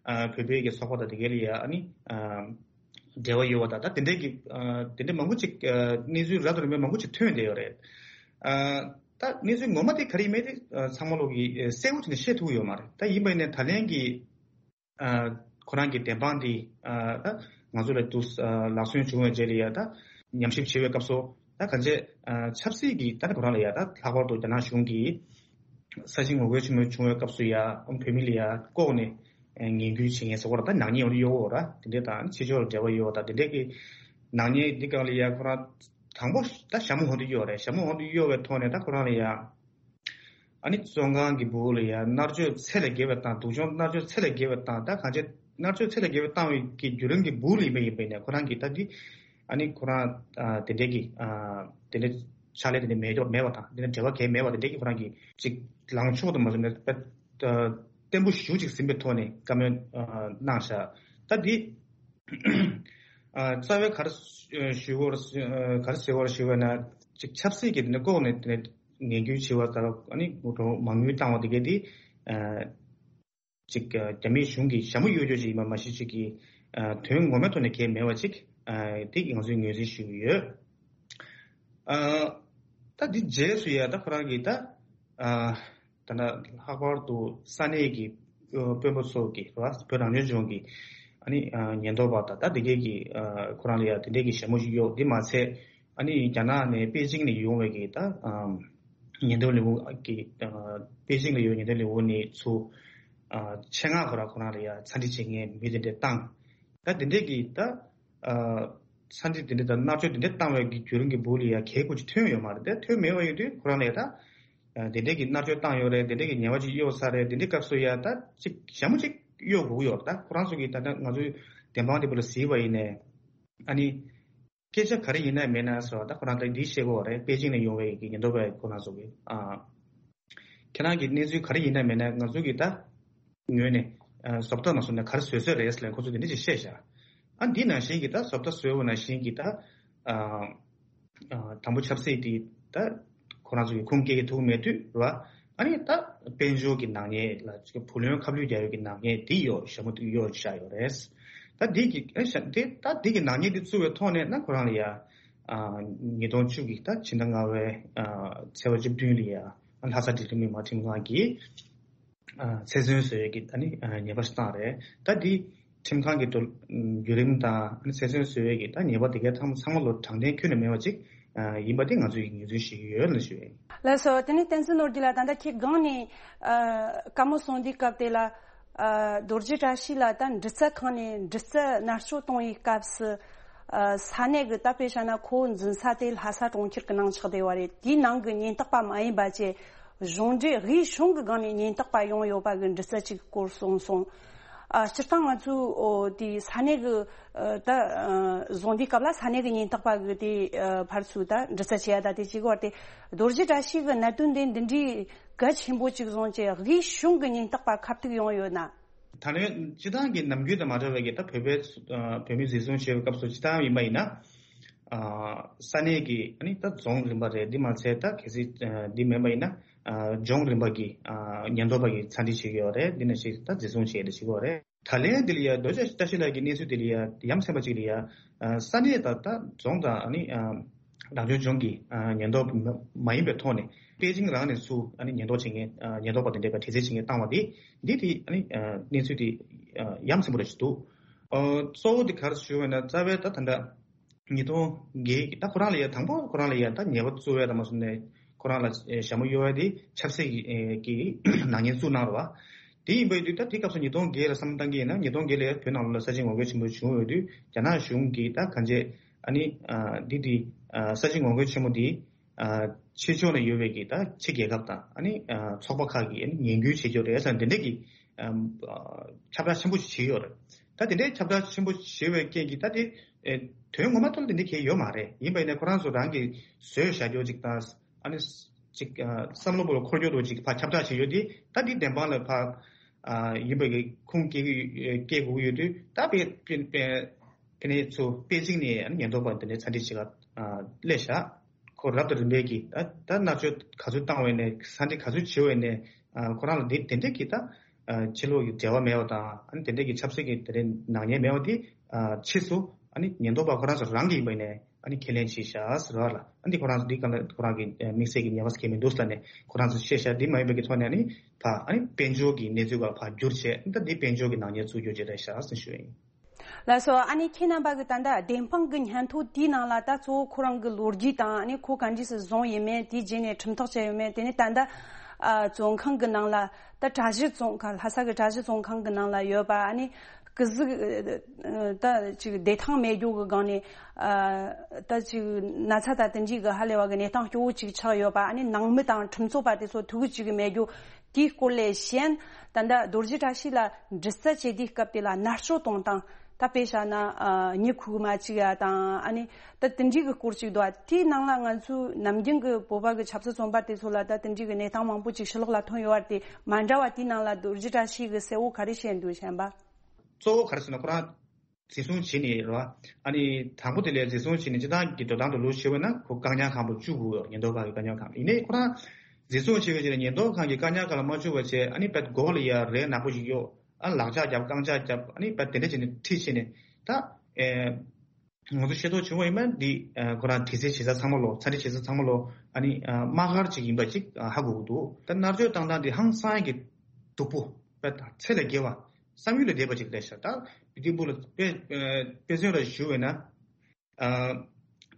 ཨ་བོད་པའི་གི་ཚོགས་པ་དང་དེ་གའི་ལ་ཡ་ཨ་ནི་ཨ་འབྲེལ་བ་ཡོད་པ་དང་ད་དེ་འདྲའི་གི་ཨ་དེ་འདྲའི་མང་པོ་ཅིག་ཨ་གནས་ཚུལ་རབ་དང་རིམ་པ་མང་པོ་ཅིག་ཐོན་བསྡད་ཡོད་རེད། ཨ་ད་གནས་ཚུལ་ངོ་མ་དེ་ག་རེ་ཡིན་མིན་དེ་ཨ་ཚང་མ་ལོག་གིས་ཨ་གསལ་པོ་བྱས་ནས་ཤེས་ཐུབ་ཀྱི་ཡོད་མ་རེད། ད་ཡིན་པ་ཡིན་ནའི་ད་ལན་གྱི་ཨ་ཁོ་རང་གི་བདེན་དཔང་དེ་ཨ་ད་ང་ཚོ་ལ་དུ་ཨ་ལག་སོན་བྱུང་བའི་རྗེས་ལ་ཡ་ད་ཉམས་ཞིབ་བྱེད་པའི་སྐབས་སུ་ད་གང་ཅི་ཨ་ཆབ་སྲིད་ཀྱི་ད་ནི་ཁོ་རང་ལ་ཡ་ད་ལྷག་པར་དུ་རྒྱ་ནག་གཞུང་གིས་ས་ཞིང་ངོ་རྒོལ་ཆེན་མོ་བྱུང་བའི་སྐབས་སུ་ཡ་བོད་མི་ལ་ཡ་ལྐོག་ནས་ངན་སྐུལ་བྱེད་མཁན་ཟེར་བ་ལ་ད་ནག་ཉེས་ཡོང་གི་ཡོད་ར། དེ་འདྲའི་དང་ཕྱི་ཕྱོགས་ལ་འབྲེལ་བ་ཡོད་པ་དང་དེ་འདྲའི་གི་ནག་ཉེས་འདི་སྒང་ལ་ཡ་ཁོ་རང་དང་པོ་ད་ཞྭ་མོ་འོག་ཏུ་གཡོགས་རེད། ཞྭ་མོ་འོག་ཏུ་གཡོགས་པའི་ཐོག་ནས་ད་ཁོ་རང་ལ་ཡ་ཨ་ནི་བཙོན་ཁང་གི་སྦུག་ལ་ཡ་མནར་གཅོད་ཚད་ལས་བརྒལ་བ་དང་སྡུག་སྦྱོང་མནར་གཅོད་ཚད་ལས་བརྒལ་བ་དང་ད་གང་ཅི་མནར་གཅོད་ཚད་ལས་བརྒལ་བ་བཏང་བའི་གི་བརྒྱུད་རིམ་གྱི་སྦུག་ལ་ཡིན་པ་ཡིན་པ་ཡིན་ནའི་ཁོ་རང་གིས་ད་འདི་ཨ་ནི་ཁོ་རང་ཨ་དེ་འདྲའི་གི་ཨ་དེ་འདྲའི་ཕྱག་ལས་དེ་འདྲ་མེད་མེད་པ་དང་དེ་འདྲ་འབྲེལ་བ་གང་ཡང་མེད་པ་དེ་འདྲའི་གི་ཁོ་རང་གིས་ཅིག་ལངས་ཕྱོགས་དུ་མ་བཟུང་ནས་དཔེ་ཨ་བརྟན་པོ་ཞེ་པོ་ཅིག་ཟིན་པའི་ཐོག་ནས་བཀའ་མོལ་ཨ་གནང་བཞག་ད་འདི་ཨ་རྩ་བའི་ག་རེ་ཞུ་དགོས་རེད། ག་རེ་ཟེར་དགོས་རེད་ཞུས་པ་ན་ཅིག་ཆབ་སྲིད་ཀྱི་དེ་འདྲ་ལྐོག་ནས་དེ་འདྲ་ངན་སྐུལ་བྱས་པ་ལྟར་ཨ་ནི་མ་དངུལ་བཏང་བ་དེ་གས་དེ་ཨ་ཅིག་རྒྱ་མིའི་གཞུང་གིས་ཞྭ་མོ་གཡོག་རྒྱུ་ཅིག་ཡིན་པ་མ་གཞི་ཅིག་གི་དོན་ངོ་མའི་ཐོག་ནས་གལ་མེད་པ་ཅིག་དེ་ང་ཚོས་ངོས་འཛིན་ཞུ་གི་ཡོད། ད་འདི་རྗེས་སུ་ཡ་ད་ཁོ་རང་གིས་ད་ད་ལྷག་པར་དུ་ས་གནས་ཀྱི་དཔོན་པོ་ཚོ་གིས་རེད་བ། བོད་རང་སྐྱོང་ལྗོངས་ཀྱི་ཨ་ནི་ཉེན་རྟོག་པ་དང་ད་དེ་གས་ཀྱིས་ཁོ་རང་ལ་ཡ་དེ་འདྲས་ཀྱི་ཞྭ་མོ་ཞིག་གཡོག་འདི་མ་ཚད། ཨ་ནི་རྒྱ་ནག་ནས་པེ་ཅིང་ནས་ཡོང་བའི་གི་ད་ཉེན་རྟོག་ལས་ཁུངས་ཀྱི་པེ་ཅིང་ལ་ཡོད་ཉེན་རྟོག་ལས་ཁུངས་ནས་ཚུར་ཆེད་མངགས་ཁོ་རང་ཁོ་རང་ལ་ཡ་ཚ་འདྲི་བྱེད་མཁན་མི་དེ་འདྲས་བཏང་། ད་དེ་འདྲས་ཀྱི་ད་ཚ་འདྲི་དེ་འདྲས་དང་མནར་གཅོད་དེ་འདྲས་བཏང་བའི་གི་བརྒྱུད་རིམ་གྱི་སྦུག་ལ་ཡ་གལ་ཁུར་ཅིག་ཐོན་ཡོད་མ་རེད། དེ་ཐོན་མེད་པ་ཡིན་དུས་ཁོ་རང་ལ་ཡ་ད་དེ་འདྲས་ཀྱི་མནར་གཅོད་བཏང་ཡོད་རེད། དེ་འདྲས་ཀྱི་ཉེས་པ་ཅིག་གཡོག་ཚར་རེད། དེ་འདྲས་སྐབས་སུ་ཡ་ད་ཅིག་ཞྭ་མོ་ཅིག་གཡོག་དགོས་ཀྱི་ཡོད་རེད། ད་ཁོ་རང་ཚོ་གིས་ད་ལྟ་ང་ཚོའི་བདེན་དཔང་དེ་བུ་ལ་གཟིགས་པ་ཡིན་ནས་ཨ་ནི། སྐད་ཆ་ག་རེ་ཡིན་ན་མིན་ན་སོ་ད་ཁོ་རང་ད་འདི་བཤད་དགོས་པ་རེད། པེ་ཅིང་ནས་ཡོང་བའི་གི་ཉེན་རྟོག་པའི་ཁོ་རང་ཚོ་གི་ཨ་ཁྱེད་རང་གི་གནས་ཚུལ་ག་རེ་ཡིན་ན་མིན་ན་ང་ཚོ་གི་ད་ངོས་ནས་ཨ་བཟོ་ལྟ་མ་སོང་ན་ག་རེ་བཟོས་བཟོས་རེད་ཟེར་ལ་ཁོ་ཚོ་དེ་འདྲ་ཅིག་བཤད་བཞག་ཨ་འདི་ནང་བཞིན་གི་ད་བཟོ་ལྟ་བཟོས་པ་ནང་བཞིན་གི་ད་ཨ་ཨ་དང་པོ་ཆབ་སྲིད་དེ་ད་ཁོ་རང་ཚོ་གི་ཁུངས་སྐྱེལ་གི་ཐུབ་མེད་དུས་རེད་བ། ཨ་ནི་ད་དཔལ་འབྱོར་གྱི་ནག་ཉེས་ལ་བུ་ལོན་ཁ་བསླུས་རྒྱག་ཡོད་ཀྱི་ནག་ཉེས་དེ་ཡོད་ཞྭ་མོ་དེ་གཡོག་བཞག་ཡོད་རེད། ད་འདི་གི་ཨ་ཞྭ་དེ་ད་འདི་གི་ནག་ཉེས་དེ་བཙུགས་པའི་ཐོག་ནས་ན་ཁོ་རང་ལ་ཡ་ཨ་ཉིས་སྟོང་བཅུ་གི་ད་ཕྱི་ཟླ་ལྔ་པའི་ཨ་ཚེས་པ་བཅུ་བདུན་ལ་ཡ་ཨ་ལྷ་ས་འབྲིང་རིམ་མི་མང་ཁྲིམས་ཁང་གིས་ཨ་ཚེ་བཙོན་བཟོ་ཡས་ཀྱི་ཨ་ནི་ཨ་ཉེས་པ་ཞིག་བཏང་རེད། ད་འདི་ ཁྲིམས་ཁང་གི་དུ་བརྒྱུད་རིམ་དང་ཚེ་སྲོག་གསོ་བའི་གི་ད་ཉེས་པ་དེ་གའི་ཚང་མ་ཚང་མ་ལོ་དྲང་བདེན་ཁྱོན་ནས་མེད་པ་ཅིག་ཡིན་པ་དེ་ང་ཚོས་ངོས་འཛིན་བྱེད་ཀྱི་ཡོད་ལ་ཞུ་ཡ་ཡིན། ལགས་སོ། དེ་ནས་བསྟན་འཛིན་ནོར་རྒྱས་ལགས། ད་ལྟ་ཁྱེད་སྒང་ནས་ཨ་བཀའ་མོལ་གསུང་དུས་སྐབས་དེ་ལ་ཨ་རྡོ་རྗེ་བཀྲ་ཤིས་ལགས་ད་འདྲི་རྩད་ཁང་ནས་འདྲི་རྩད་མནར་གཅོད་གཏོང་བའི་སྐབས་སུ་ཨ་ས་གནས་ཀྱི་ད་དཔེ་བཞག་ན་ཁོ་འཛིན་ས་དེ་ལྷ་ས་གྲོང་ཁྱེར་གྱི་ནང་ཆགས་བསྡད་པ་རེད། དེའི་ནང་གི་ཉེན་རྟོག་པ་མ་ཡིན་པ་བཅས་གཞུང་འབྲེལ་དབུས་གཞུང་གི་སྒང་ནས་ཉེན་རྟོག་པ་ཡོང་ཡོད་པ་གི་འདྲི་རྩད་ཅིག་སྐོར་གསུངས་སོང་། ཨ་སྤྱིར་བཏང་ང་ཚོས་ཨོ་དེ་ས་གནས་ཀྱི་ཨ་ད་ཨ་བཟུང་དུས་སྐབས་ལ་ས་གནས་ཀྱི་ཉེན་རྟོག་པ་གི་དེ་ཨ་ཕར་ཚུར་ད་འདྲི་རྩད་བྱེད་ཡ་ད་དེ་གཅིག་བར་དེ་རྡོ་རྗེ་བཀྲ་ཤིས་ཀྱི་གནད་དོན་དེ་འདི་འདྲའི་གལ་ཆེན་པོ་ཅིག་བཟུང་བྱས་དབུས་གཞུང་གི་ཉེན་རྟོག་པ་ཁ་ཐུག་ཡོང་ཡོད་ན། ད་ལན་སྤྱིར་བཏང་གི་ནམ་རྒྱུན་དང་མ་འདྲ་བའི་གི་ད་བོད་པའི་ཨ་བོད་མི་འཛིན་བཟུང་བྱས་པའི་སྐབས་སུ་སྤྱིར་བཏང་ཡིན་པ་ཡིན་ན། ཨ་ས་གནས་ཀྱི་ཨ་ནི་ད་རྫོང་རིམ་པ་རེད། འདི་མ་ཚད་ད་གལ་སྲིད་ཨ་འདི་མིན་པ་ཡིན་ན་ཨ་ལྗོངས་རིམ་པ་གི་ཨ་ཉེན་རྟོག་པ་གི་ཚ་འདྲི་བྱེད་ཀྱི་ཡོད་རེད། འདི་ནང་བཞིན་ད་འཛིན་བཟུང་བྱེད་ཡ་དེ་བྱེད་ཀྱི་ཡོད་རེད། ད་ལན་འདི་ལ་ཡ་རྡོ་རྗེ་བཀྲ་ཤིས་ལགས་ཀྱི་གནས་ཚུལ་འདི་ལ་ཡ་ཡ་མཚན་པ་ཅིག་ལ་ཡ་ཨ་ས་གནས་ད་ད་རྫོང་དང་ཨ་ནི་ཨ་རང་སྐྱོང་ལྗོངས་ཀྱི་ཨ་ཉེན་རྟོག་པ་མ་ཡིན་པའི་ཐོག་ནས་པེ་ཅིང་རང་ནས་ཚུར་ཨ་ནི་ཉེན་རྟོག་བྱེད་མཁན་ཨ་ཉེན་རྟོག་པ་དེ་འདྲས་ཀྱི་དྲི་རྩད་བྱེད་མཁན་བཏང་བ་དེ་འདི་དེ་ཨ་ནི་ཨ་གནས་ཚུལ་དེ་ཨ་ཡ་མཚན་པོ་རེ་ཞིག་འདུག་ཨ་གཙོ་བོ་དེ་ག་རེ་ཞུ་བ་ན་རྩ་བའི་ད་ད་ལྟ། ཉིས་སྟོང་བརྒྱད་ཀྱི་ད་ཁོ་རང་ལ་ཡ་དང་པོ་ཁོ་རང་ལ་ཡ་ད་ཉེས་པ་བཙུགས་ཡ་དང་མ་སོང་ནས་ཁོ་རང་ལ་ཞྭ་མོ་གཡོ་བ་དེ་ཆབ་སྲིད་ཀྱི་ནག་ཉེས་བཙུགས་གནང་རེད་བ། དེ་ཡིན་པའི་དུས་ད་དེ་སྐབས་སུ་ཉིས་སྟོང་བརྒྱད་ལ་བསམ་བློ་བཏང་གི་ཡིན་ན་ཉིས་སྟོང་བརྒྱད་ལ་ཡ་བོད་ནང་ལོགས་ལ་ས་ཆེན་ངོ་རྒོལ་ཆེན་པོ་བྱུང་ཡོད་དུས་རྒྱ་ནག་གཞུང་གིས་ད་གང་ཅི་ཨ་ནི་འདི་འདི་ས་ཆེན་ངོ་རྒོལ་ཆེན་མོ་འདི་ཕྱི་ཕྱོགས་ནས་ཡོད་པའི་གི་ད་ཕྱི་རྒྱལ་ཁབ་དང་ཨ་ནི་ཚོགས་པ་ཁག་གིས་ཨ་ནི་ངན་སྐུལ་བྱེད་ཀྱི་ཡོད་རེད་ཟེར་འདི་འདྲས་ཀྱི་ཁྱབ་བསྒྲགས་ཆེན་པོ་ཞིག་བྱས་ཡོད་རེད། ད་དེ་འདྲའི་ཁྱབ་བསྒྲགས་ཆེན་པོ་བྱས་པའི་རྐྱེན་གྱིས་ད་དེ་ཨེ་དོན་ངོ་མ་ཐོག་ལ་དེ་འདྲ་གང་ཡང་ཡོད་མ་རེད། ཡིན་པ་ཡིན་ན་ཁོ་རང་ཚོ་རང་གིས་བཟོས་བཞག་རྒྱུ་ཅིག་དང་ཨ་ནི་ཅིག་ཨ་བསམ་བློ་བོ་ལ་འཁོར་རྒྱུ་འདྲ་ཅིག་ཕར་ཁྱབ་བསྒྲགས་བྱས་ཡོད་དེ་ད་འདི་བདེན་དཔང་ལ་ཕར་ཨ་ཡིན་པ་གི་ཁུངས་སྐྱེལ་གི་ཡོད་སྐྱེལ་དགོས་ཀྱི་ཡོད་དུས་ད་པེ་པེ་པེ་པེ་ནེ་ཚོ་པེ་ཅིང་ནས་ཨ་ནི་ཉེན་རྟོག་པ་དེ་འདྲའི་ཚ་འདྲི་བྱེད་ག་ཨ་སླེབས་བཞག་ཁོ་རབ་དང་རིམ་པས་ཀྱིས་ད་ད་མནར་གཅོད་ག་ཚོད་བཏང་བས་ནས་ས་འདི་ག་ཚོད་བྱེད་བས་ནས་ཁོ་རང་ལ་འདི་དེ་འདྲས་ཀྱི་ད་ཕྱི་ལོགས་ཀྱི་འབྲེལ་བ་མེད་པ་དང་ཨ་ནི་དེ་འདྲས་ཀྱི་ཆབ་སྲིད་ཀྱི་དེ་འདྲས་ནག་ཉེས་མེད་པ་འདི་ཕྱིས་སུ་ཨ་ནི་ཉེན་རྟོག་པ་ཁོ་རང་ཚོ་རང་གིས་ཡིན་པ་ནས་ཨ་ནི་ཁས་ལེན་བྱས་ཤག་ཟེར་བ་ལ་ཨ་ནི་ཁོ་རང་ཚོ་འདི་ག་ལ་ཁོ་རང་གི་དམིགས་བསལ་གྱི་ཉེས་པ་ཟེར་མཁན་མི་འདུག་ཟེར་ནས་ཁོ་རང་ཚོ་བཤད་ཤག་འདི་མ་ཡིན་པའི་གི་ཐོག་ནས་ཨ་ནི་ཕ་ཨ་ནི་དཔལ་འབྱོར་གྱི་གནས་ཚུལ་ག་ཕར་བསྒྱུར་བྱས་ད་འདི་དཔལ་འབྱོར་གྱི་ནག་ཉེས་བཙུགས་རྒྱུ་ཅིག་རེད་ཤག་ཟེར་ཞུ་ཡིན། ལགས་སོ། ཨ་ནི་ཁྱེད་རྣམ་པ་གི་ད་ལྟ་བདེན་དཔང་གི་སྙན་ཐོ་དེའི་ནང་ལ་ད་གཙོ་བོ་ཁོ་རང་གི་ལོ་རྒྱུས་དང་ཨ་ནི་ཁོ་ག་འདྲས་སེ་བཟུང་ཡིན་མིན་དེའི་རྗེས་ནས་ཁྲིམས་ཐག་བཅད་ཡོད་མེད་དེ་ནི་ད་ལྟ་ཨ་བཙོན་ཁང་གི་ནང་ལ་ད་གྲྭ་བཞི་བཙོན་ཁང་ལྷ་ས་གི་གྲྭ་བཞི་བཙོན་ཁང་གི་ནང་ལ་ཡོད་པ་ཨ་ནི་སྐུ་གཟུགས་ད་ཅིག་བདེ་ཐང་མེད་རྒྱུ་གི་སྒང་ནས་ཨ་ད་ཅིག་ན་ཚ་དང་དེ་འདྲས་གི་ཧ་ལས་པ་གི་གནས་སྟངས་སྐྱོ་བོ་ཅིག་ཆགས་ཡོད་པ་ཨ་ནི་ནང་མི་དང་ཁྲིམས་རྩོད་པ་དེ་ཚོ་ཐུག་གི་ཅིག་གི་མེད་རྒྱུ། དེའི་སྐོར་ལས་གཞན། ད་ལྟ་རྡོ་རྗེ་བཀྲ་ཤིས་ལ་འདྲི་རྩད་བྱེད་དུས་སྐབས་དེ་ལ་མནར་གཅོད་གཏོང་སྟངས་ད་དཔེ་བཞག་ན་ཨ་མྱི་ཁུག་མ་བཅུག་ཡ་དང་ཨ་ནི་ད་དེ་འདྲའི་གི་སྐོར་ཅིག་འདུག་ཨ། དེའི་ནང་ལ་ང་ཚོའི་ནམ་རྒྱུན་གི་བོད་པ་གི་ཆབ་སྲིད་བཙོན་པ་དེ་ཚོ་ལ་ད་དེ་འདྲའི་གི་གནས་སྟངས་མང་པོ་ཅིག་ཕྱི་ལོགས་ལ་ཐོན་ཡོད་པ་དེ་མ་འདྲ་བ་དེའི་ནང་ལ་རྡོ་རྗེ་བཀྲ་ཤིས་གི་གསལ་བོ་ག་རེ་བཤད་འདུག་གཞན་པ། གཙོ་བོ་ག་རེ་ཟེར་ན་ཁོ་རང་འཛིན་བཟུང་བྱས་ནས་རེད་བ། ཨ་ནི་དང་པོ་དེ་ལས་འཛིན་བཟུང་བྱས་ནས་སྤྱིར་བཏང་གི་འགྲོ་སྟངས་དུ་ལུགས་བྱས་པ་ན་ཁོ་བཀག་ཉར་ཁང་དུ་བཅུག་དགོས་ཡོད། ཉེན་རྟོག་པ་གི་བཀག་ཉར་ཁང་ཡིན་ནའི་ཁོ་རང་འཛིན་བཟུང་བྱས་པའི་རྗེས་ལ་ཉེན་རྟོག་ཁང་གི་བཀག་ཉར་ཁང་ལ་མ་བཅུག་པ་བྱས་ཨ་ནི་དཔེ་མགོ་ལ་ཡ་རས་ནག་པོ་ཞིག་གཡོགས་ཨ་ལག་ལྕགས་རྒྱབ་རྐང་ལྕགས་རྒྱབ་ཨ་ནི་དཔེ་དེ་འདྲ་བྱས་ནས་ཁྲིད་བྱས་ནས་ད་ཨེ་ང་ཚོ་ཤེས་རྟོགས་བྱུང་བ་ཡིན་ན་འདི་ཨེ་ཁོ་རང་དྲི་རྩད་བྱེད་ས་ཚང་མ་ལོ་ཚ་འདྲི་བྱེད་ས་ཚང་མ་ལོ་ཨ་ནི་ཨ་དམག་སྒར་ཅིག་ཡིན་པ་ཅིག་ཨ་ཧ་གོ་གི་འདུག་ད་མནར་གཅོད་བཏང་སྟངས་འདི་ཧང་སང་གི་སྡུག་པོ་དཔེ་ད་ཚད་ལས་བརྒལ་བ། བསམ་ཡུལ་ལས་འདས་པ་ཅིག་རེད་ཤག་ད་དེ་འདྲ་པོ་ལ་དཔེ་ཨ་དཔེ་མཚོན་ལ་ཞུ་བས་ན། ཨ་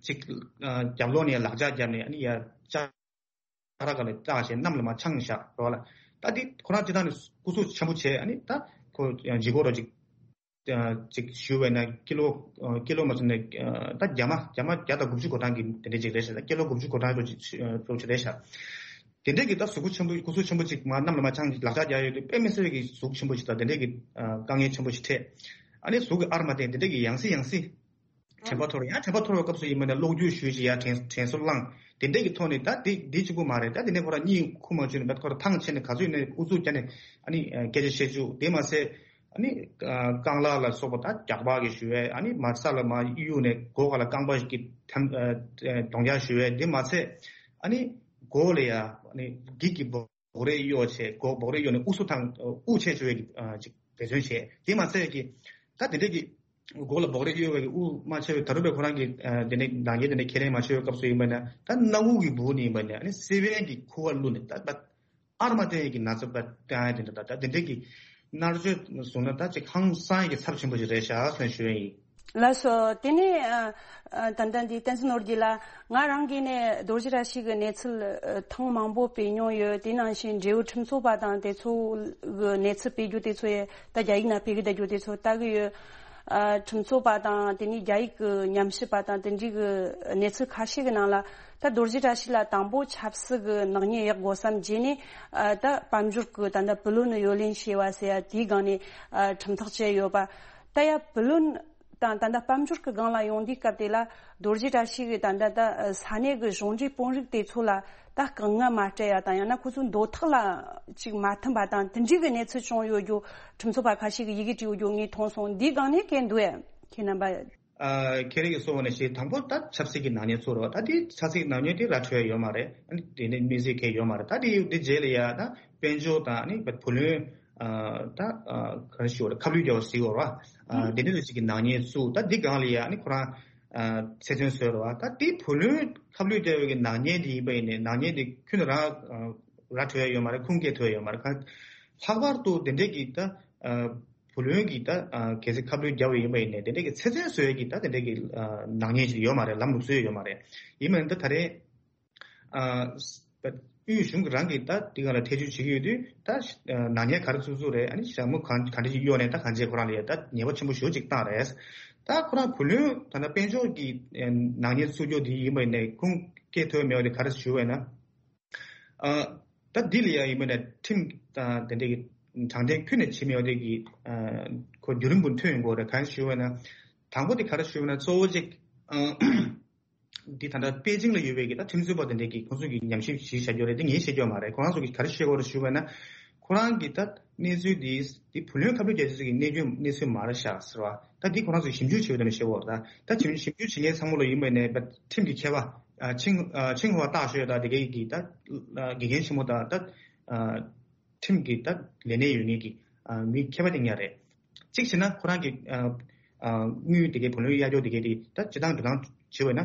ཅིག་ཨ་རྒྱབ་ལོགས་ནས་ལག་ལྕགས་བརྒྱབ་ནས་ཨ་ནི་ཡ་ལྕགས་ར་ག་ལ་བཏགས་བྱས་གནམ་ལ་མར་འཕྱང་བཞག་རོགས་ལ། ད་འདི་ཁོ་རང་སྤྱིར་བཏང་ནས་སྐུ་གཟུགས་ཆེན་པོ་བྱས་ཨ་ནི་ད་ཁོ་ལྗིད་ཁོག་རོ་ཅིག་ཨ་ཅིག་ཞུ་བས་ན་ཀི་ལོ་ཨ་ཀི་ལོ་མ་ཚད་ནས་ཨ་ད་རྒྱ་མ་རྒྱ་མ་བརྒྱ་དང་དགུ་བཅུ་གོ་གྲངས་ཀྱི་དེ་འདྲ་ཅིག་རེད་ཤག་ད་ཀི་ལོ་དགུ་བཅུ་གོ་གྲངས་རོ་ཅིག་རོ་ཅིག་རེད་ཤག་དེ་འདྲས་ཀྱི་ད་གཟུགས་པོ་ཆེན་པོ་སྐུ་གཟུགས་ཆེན་པོ་ཅིག་མར་གནམ་ལ་མར་འཕྱང་ལག་ལྕགས་རྒྱག་ཡོད་དུས་དཔེ་མི་སྲིད་པའི་གི་གཟུགས་ཆེན་པོ་ཞིག་དང་དེ་འདྲས་ཀྱི་ཨ་དཀའ་ངལ་ཆེན་པོ་ཞིག་འཕྲད། ཨ་ནི་གཟུགས་ཀྱི་ཨར་མ་བསྟན་དེ་འདྲས་ཀྱི་ཡང་སེ་ཡང་སེ་དྲན་པ་འཐོར་ཡང་དྲན་པ་འཐོར་བའི་སྐབས་སུ་ཡིན་པ་ན་གློག་འཁྱུག་ཞུས་ཤིག་ཡར་དྲན་དྲན་གསོ་བླངས་དེ་འདྲས་ཀྱི་ཐོག་ནས་ད་དེ་དེ་གཅིག་པུ་མ་རེད། ད་དེ་ནས་ཁོ་རང་གཉིད་ཁུག་མ་བཅུག་ནས་ད་ཁོ་རང་ཐང་ཆད་ནས་ག་ཚོད་ཡིན་ནའི་ཨུ་ཚུགས་བརྒྱབ་ནས་ཨ་ནི་སྐད་ཆ་བཤད་བཅུག་དེ་མ་ཟད་ཨ་ནི་རྐང་ལག་ལ་སོགས་པ་ད་རྒྱག་པ་གི་ཞུ་བས་ཨ་ནི་མར་ས་ལ་མར་གཡུག་ནས་སྒོ་ཁ་ལ་རྐང་པ་ཞིག་གི་ཐམ་གདོང་རྒྱག་ཞུ་བས་དེ་མ་ཟད་ཨ་ནི་སྒོ་ལ་ཡ་ཨ་ནི་འགྱིག་གི་སྦོ་སྦོག་རས་གཡོགས་བྱས་སྒོ་སྦོག་རས་གཡོགས་ནས་དབུགས་སུ་ཐང་དབུགས་ཆད་བཅུག་པའི་གི་ཅིག་འབད་བརྩོན་བྱས་དེ་མ་ཟད་ཀྱི་ད་དེ་འདྲས་ཀྱི་སྒོ་ལ་སྦོག་རས་གཡོགས་པའི་གི་དབུགས་མ་ཆད་པའི་ད་རུང་པའི་ཁོ་རང་གི་དེ་ནས་ལག་འཁྱེར་དེ་འདྲས་ཁས་ལེན་མ་བྱས་པའི་སྐབས་སུ་ཡིན་པ་ན་ད་སྣ་བུག་གི་སྦུག་ནས་ཡིན་པ་ན་ཨ་ནི་སེ་བན་གྱི་ཁུ་བ་བླུགས་ནས་ད་ད་ཨར་མ་བསྟན་ཡས་ཀྱི་ན་ཚ་པ་བཏང་ཡ་དེ་འདྲ་ད་ད་དེ་འདྲས་ཀྱི་ མནར་གཅོད་བཟུང་ན་ད་ཅིག་ཧང་སང་ཡི་གི་ཚབས་ཆེན་པོ་ཞིག་རེད་ཤག་ཟེར་ཞུ་ཡ་ཡིན། ལགས་སོ། དེ་ནས་ཨ་ཨ་ད་ལྟ་འདི་བསྟན་འཛིན་ནོར་རྒྱས་ལགས། ང་རང་གིས་ནས་རྡོ་རྗེ་བཀྲ་ཤིས་ཀྱི་གནས་ཚུལ་ཨ་ཐེངས་མང་པོ་སྤེལ་མྱོང་ཡོད། དེ་ནང་བཞིན་འབྲེལ་ཡོད་ཁྲིམས་རྩོད་པ་དང་དེ་ཚོ་གི་གནས་ཚུལ་སྤེལ་རྒྱུ་དེ་ཚོ་ཡང་ད་རྒྱ་ཡིག་ནང་སྤེལ་གི་བསྡད་རྒྱུ་དེ་ཚོ་ལྟ་གི་ཡོད། ཨ་ཁྲིམས་རྩོད་པ་དང་དེ་ནས་རྒྱ་ཡིག་གི་ཉམས་ཞིབ་པ་དང་དེ་འདྲའི་གི་གནས་ཚུལ་ཁ་ཤས་ཀྱི་ནང་ལ། ད་རྡོ་རྗེ་བཀྲ་ཤིས་ལགས་དང་པོ་ཆབ་སྲིད་ཀྱི་ནག་ཉེས་གཡོག་དགོས་བསམ་བྱས་ནས། ཨ་ད་དཔལ་འབྱོར་གྱི་ད་ལྟ་བུ་ལོན་གཡོ་ལེན་བྱས་པ་ཟེར་ཡ་དེའི་སྒང་ནས་ཨ་ཁྲིམས་ཐག་བཅད་ཡོད་པ། ད་ཡ་བུ་ལོན་དང་ད་ལྟ་དཔལ་འབྱོར་གྱི་སྒང་ལ་ཡོང་དུས་སྐབས་དེ་ལ་རྡོ་རྗེ་བཀྲ་ཤིས་ཀྱིས་ད་ལྟ་ད་ས་གནས་ཀྱི་གཞུང་འབྲེལ་དཔོན་རིགས་དེ་ཚོ་ལ་ད་དཀའ་ངལ་མ་སྤྲད་ཡ་དང་། ཡང་ན་ཁོ་ཚོའི་འདོད་ཐག་ལ་ཅིག་མ་མཐུན་པ་དང་དེ་འདྲའི་གི་གནས་ཚུལ་བྱུང་ཡོད་རྒྱུ་ཁྲིམས་རྩོད་པ་ཁ་ཤས་ཀྱིས་ཡི་གེ་བྲིས་ཡོད་རྒྱུ་ངས་མཐོང་སོང་། འདིའི་སྒང་ནས་སྐད་འདུག་ཨེ། ཁྱེད་རྣམ་པ། ཨ་ཁྱེད་རང་གིས་གསུངས་པ་ནང་བཞིན་དང་པོ་ད་ཆབ་སྲིད་ཀྱི་ནག་ཉེས་ཚུགས་རོགས། ད་དེ་ཆབ་སྲིད་ཀྱི་ནག་ཉེས་དེ་ར་འཕྲོད་ཡོད་མ་རེད། ཨ་ནི་དེ་ནས་གནས་ཚུལ་གང་ཡང་ཡོད་མ་རེད། ད་དེ་དེ་རྗེས་ལ་ཡ་ད་དཔལ་འབྱོར་དང་ཨ་ནི་བུ་ལོན། ཨ་ད་ཨ་ག་རེ་ཞུ་དགོས་རེད། ཁ་བསླུས་རྒྱག་པ་ཟེར་དགོས་རེད་བ། ཨ་དེ་འདྲ་ཅིག་གི་ནག་ཉེས་ཚུགས། ད་དེ་སྒང་ལ་ཡ་ཨ་ནི་ཁོ་རང་ཨ་ཚེ་བཙོན་བཟོས་རེད་བ། ད་དེ་བུ་ལོན་ཁ་བསླུས་རྒྱག་པའི་གི་ནག་ཉེས་དེ་ཡིན་པ་ཡིན་ནའི་ནག་ཉེས་དེ་ཁྱོན་ནས་རང་ཨ་ར་འཕྲོད་ཡ་ཡོད་མ་རེད། ཁུངས་སྐྱེལ་ཐུབ་ཡ་ཡོད་མ་རེད། ཁ་ལྷག་པར་དུ་དེ་འདྲས་ཀྱི་ད་ཨ་བུ་ལོན་གྱི་ད་ཨ་གལ་སྲིད་ཁ་བསླུས་བརྒྱབ་པ་ཡིན་པ་ཡིན་ནའི་དེ་འདྲས་ཀྱི་ཚེ་བཙོན་བཟོ་ཡས་ཀྱི་ད་དེ་འདྲས་ཀྱི་ཨ་ནག་ཉེས་ཅིག་ཡོད་མ་རེད། ལམ་ལུགས་སྲོལ་ཡོད་མ་རེད། ཡིན་པ་ཡིན་ད་ད་རེས་ཨ་དབུས་གཞུང་གི་རང་གིས་ད་འདི་ག་ལ་ཐེ་བྱུས་བྱེད་ཀྱི་ཡོད་དུས་ད་ཨ་ནག་ཉེས་ག་རེ་བཙུགས་བཙུགས་རེད། ཨ་ནི་ཞྭ་མོ་གང་ག་འདྲ་ཞིག་གཡོགས་ནས་ད་གང་བྱས་ཁོ་རང་ལ་ཡ་ད་ཉེས་པ་ཆེན་པོ་ཞེ་པོ་ཅིག་བཏང་རེད། ད་ཁོ་རང་བུ་ལོན་ད་ལྟ་དཔལ་འབྱོར་གྱི་ཨ་ནག་ཉེས་བཙུགས་རྒྱུ་འདི་ཡིན་པ་ཡིན་ནའི་ཁུངས་སྐྱེལ་ཐུབ་མེད་པ་དེ་ག་རེ་ཞུ་བས་ན། ཨ་ད་འདི་ལ་ཡང་ཡིན་པ་ན་ཁྲིམས་དང་དེ་འདྲའི་གི་དྲང་བདེན་ཁྱོན་ནས་བྱེད་མེད་པ་དེ་གི་ཨ་ཁོ་བརྒྱུད་རིམ་པོ་ཐོན་ཡོང་གི་རེད། གང་ཞུ་བ་ན་དང་པོ་དེ་ག་རེ་ཞུ་བ་ན་གཙོ་བོ་གཅིག་ཨ་འདི་ད་ལྟ་པེ་ཅིང་ལ་ཡོད་པའི་གི་ད་ཁྲིམས་རྩོད་པ་དེ་འདྲའི་གི་ཁོང་ཚོ་གི་ཉམས་ཞིབ་ཞིག་བྱ་རྒྱུ་རེད། དེ་ངས་བཤད་རྒྱུ་མ་རེད། ཁོ་རང་ཚོ་གི་ག་རེ་བཤད་དགོས་རེད་ཞུ་བ་ན་ཁོ་རང་གི་ད་གནས་ཚུལ་འདི་འདི་བུ་ལོན་ཁ་བསླུས་རྒྱག་ཆེད་ཀྱི་གནས་སྐྱོན་གནས་ཚུལ་མ་རེད་ཤག་ཟེར་བ། ད་འདི་ཁོ་རང་ཚོས་ཞིབ་འཇུག་བྱེད་པ་དེ་འདྲ་བཤད་དགོས་རེད། ད་ད་ཞིབ་ཞིབ་འཇུག་བྱེད་མཁན་ཚང་མ་ལ་ཡིན་པ་ནས་ཁྲིམས་ཀྱི་མཁས་པ། ཨ་ཆིང་ཨ་ཆིང་ཧྭ་大学ད་དེ་གའི་གི་ད་ཨ་དགེ་རྒན་ཆེན་མོ་དང་ད་ཨ་ཁྲིམས་ཀྱི་ད་ལས་གནས་ཡོད་མཁན་གྱི་ཨ་མི་མཁས་པ་དེ་ཉག་རེད། གཅིག་བྱས་ན་ཁོ་རང་གི་ཨ་ཨ་དངུལ་དེ་གའི་བུ་ལོན་གཡར་རྒྱུ་དེ་གའི་དེ་ད་སྤྱི་བཏང་འགྲོ་སྟངས་བྱེད་པ་ན་ཨ་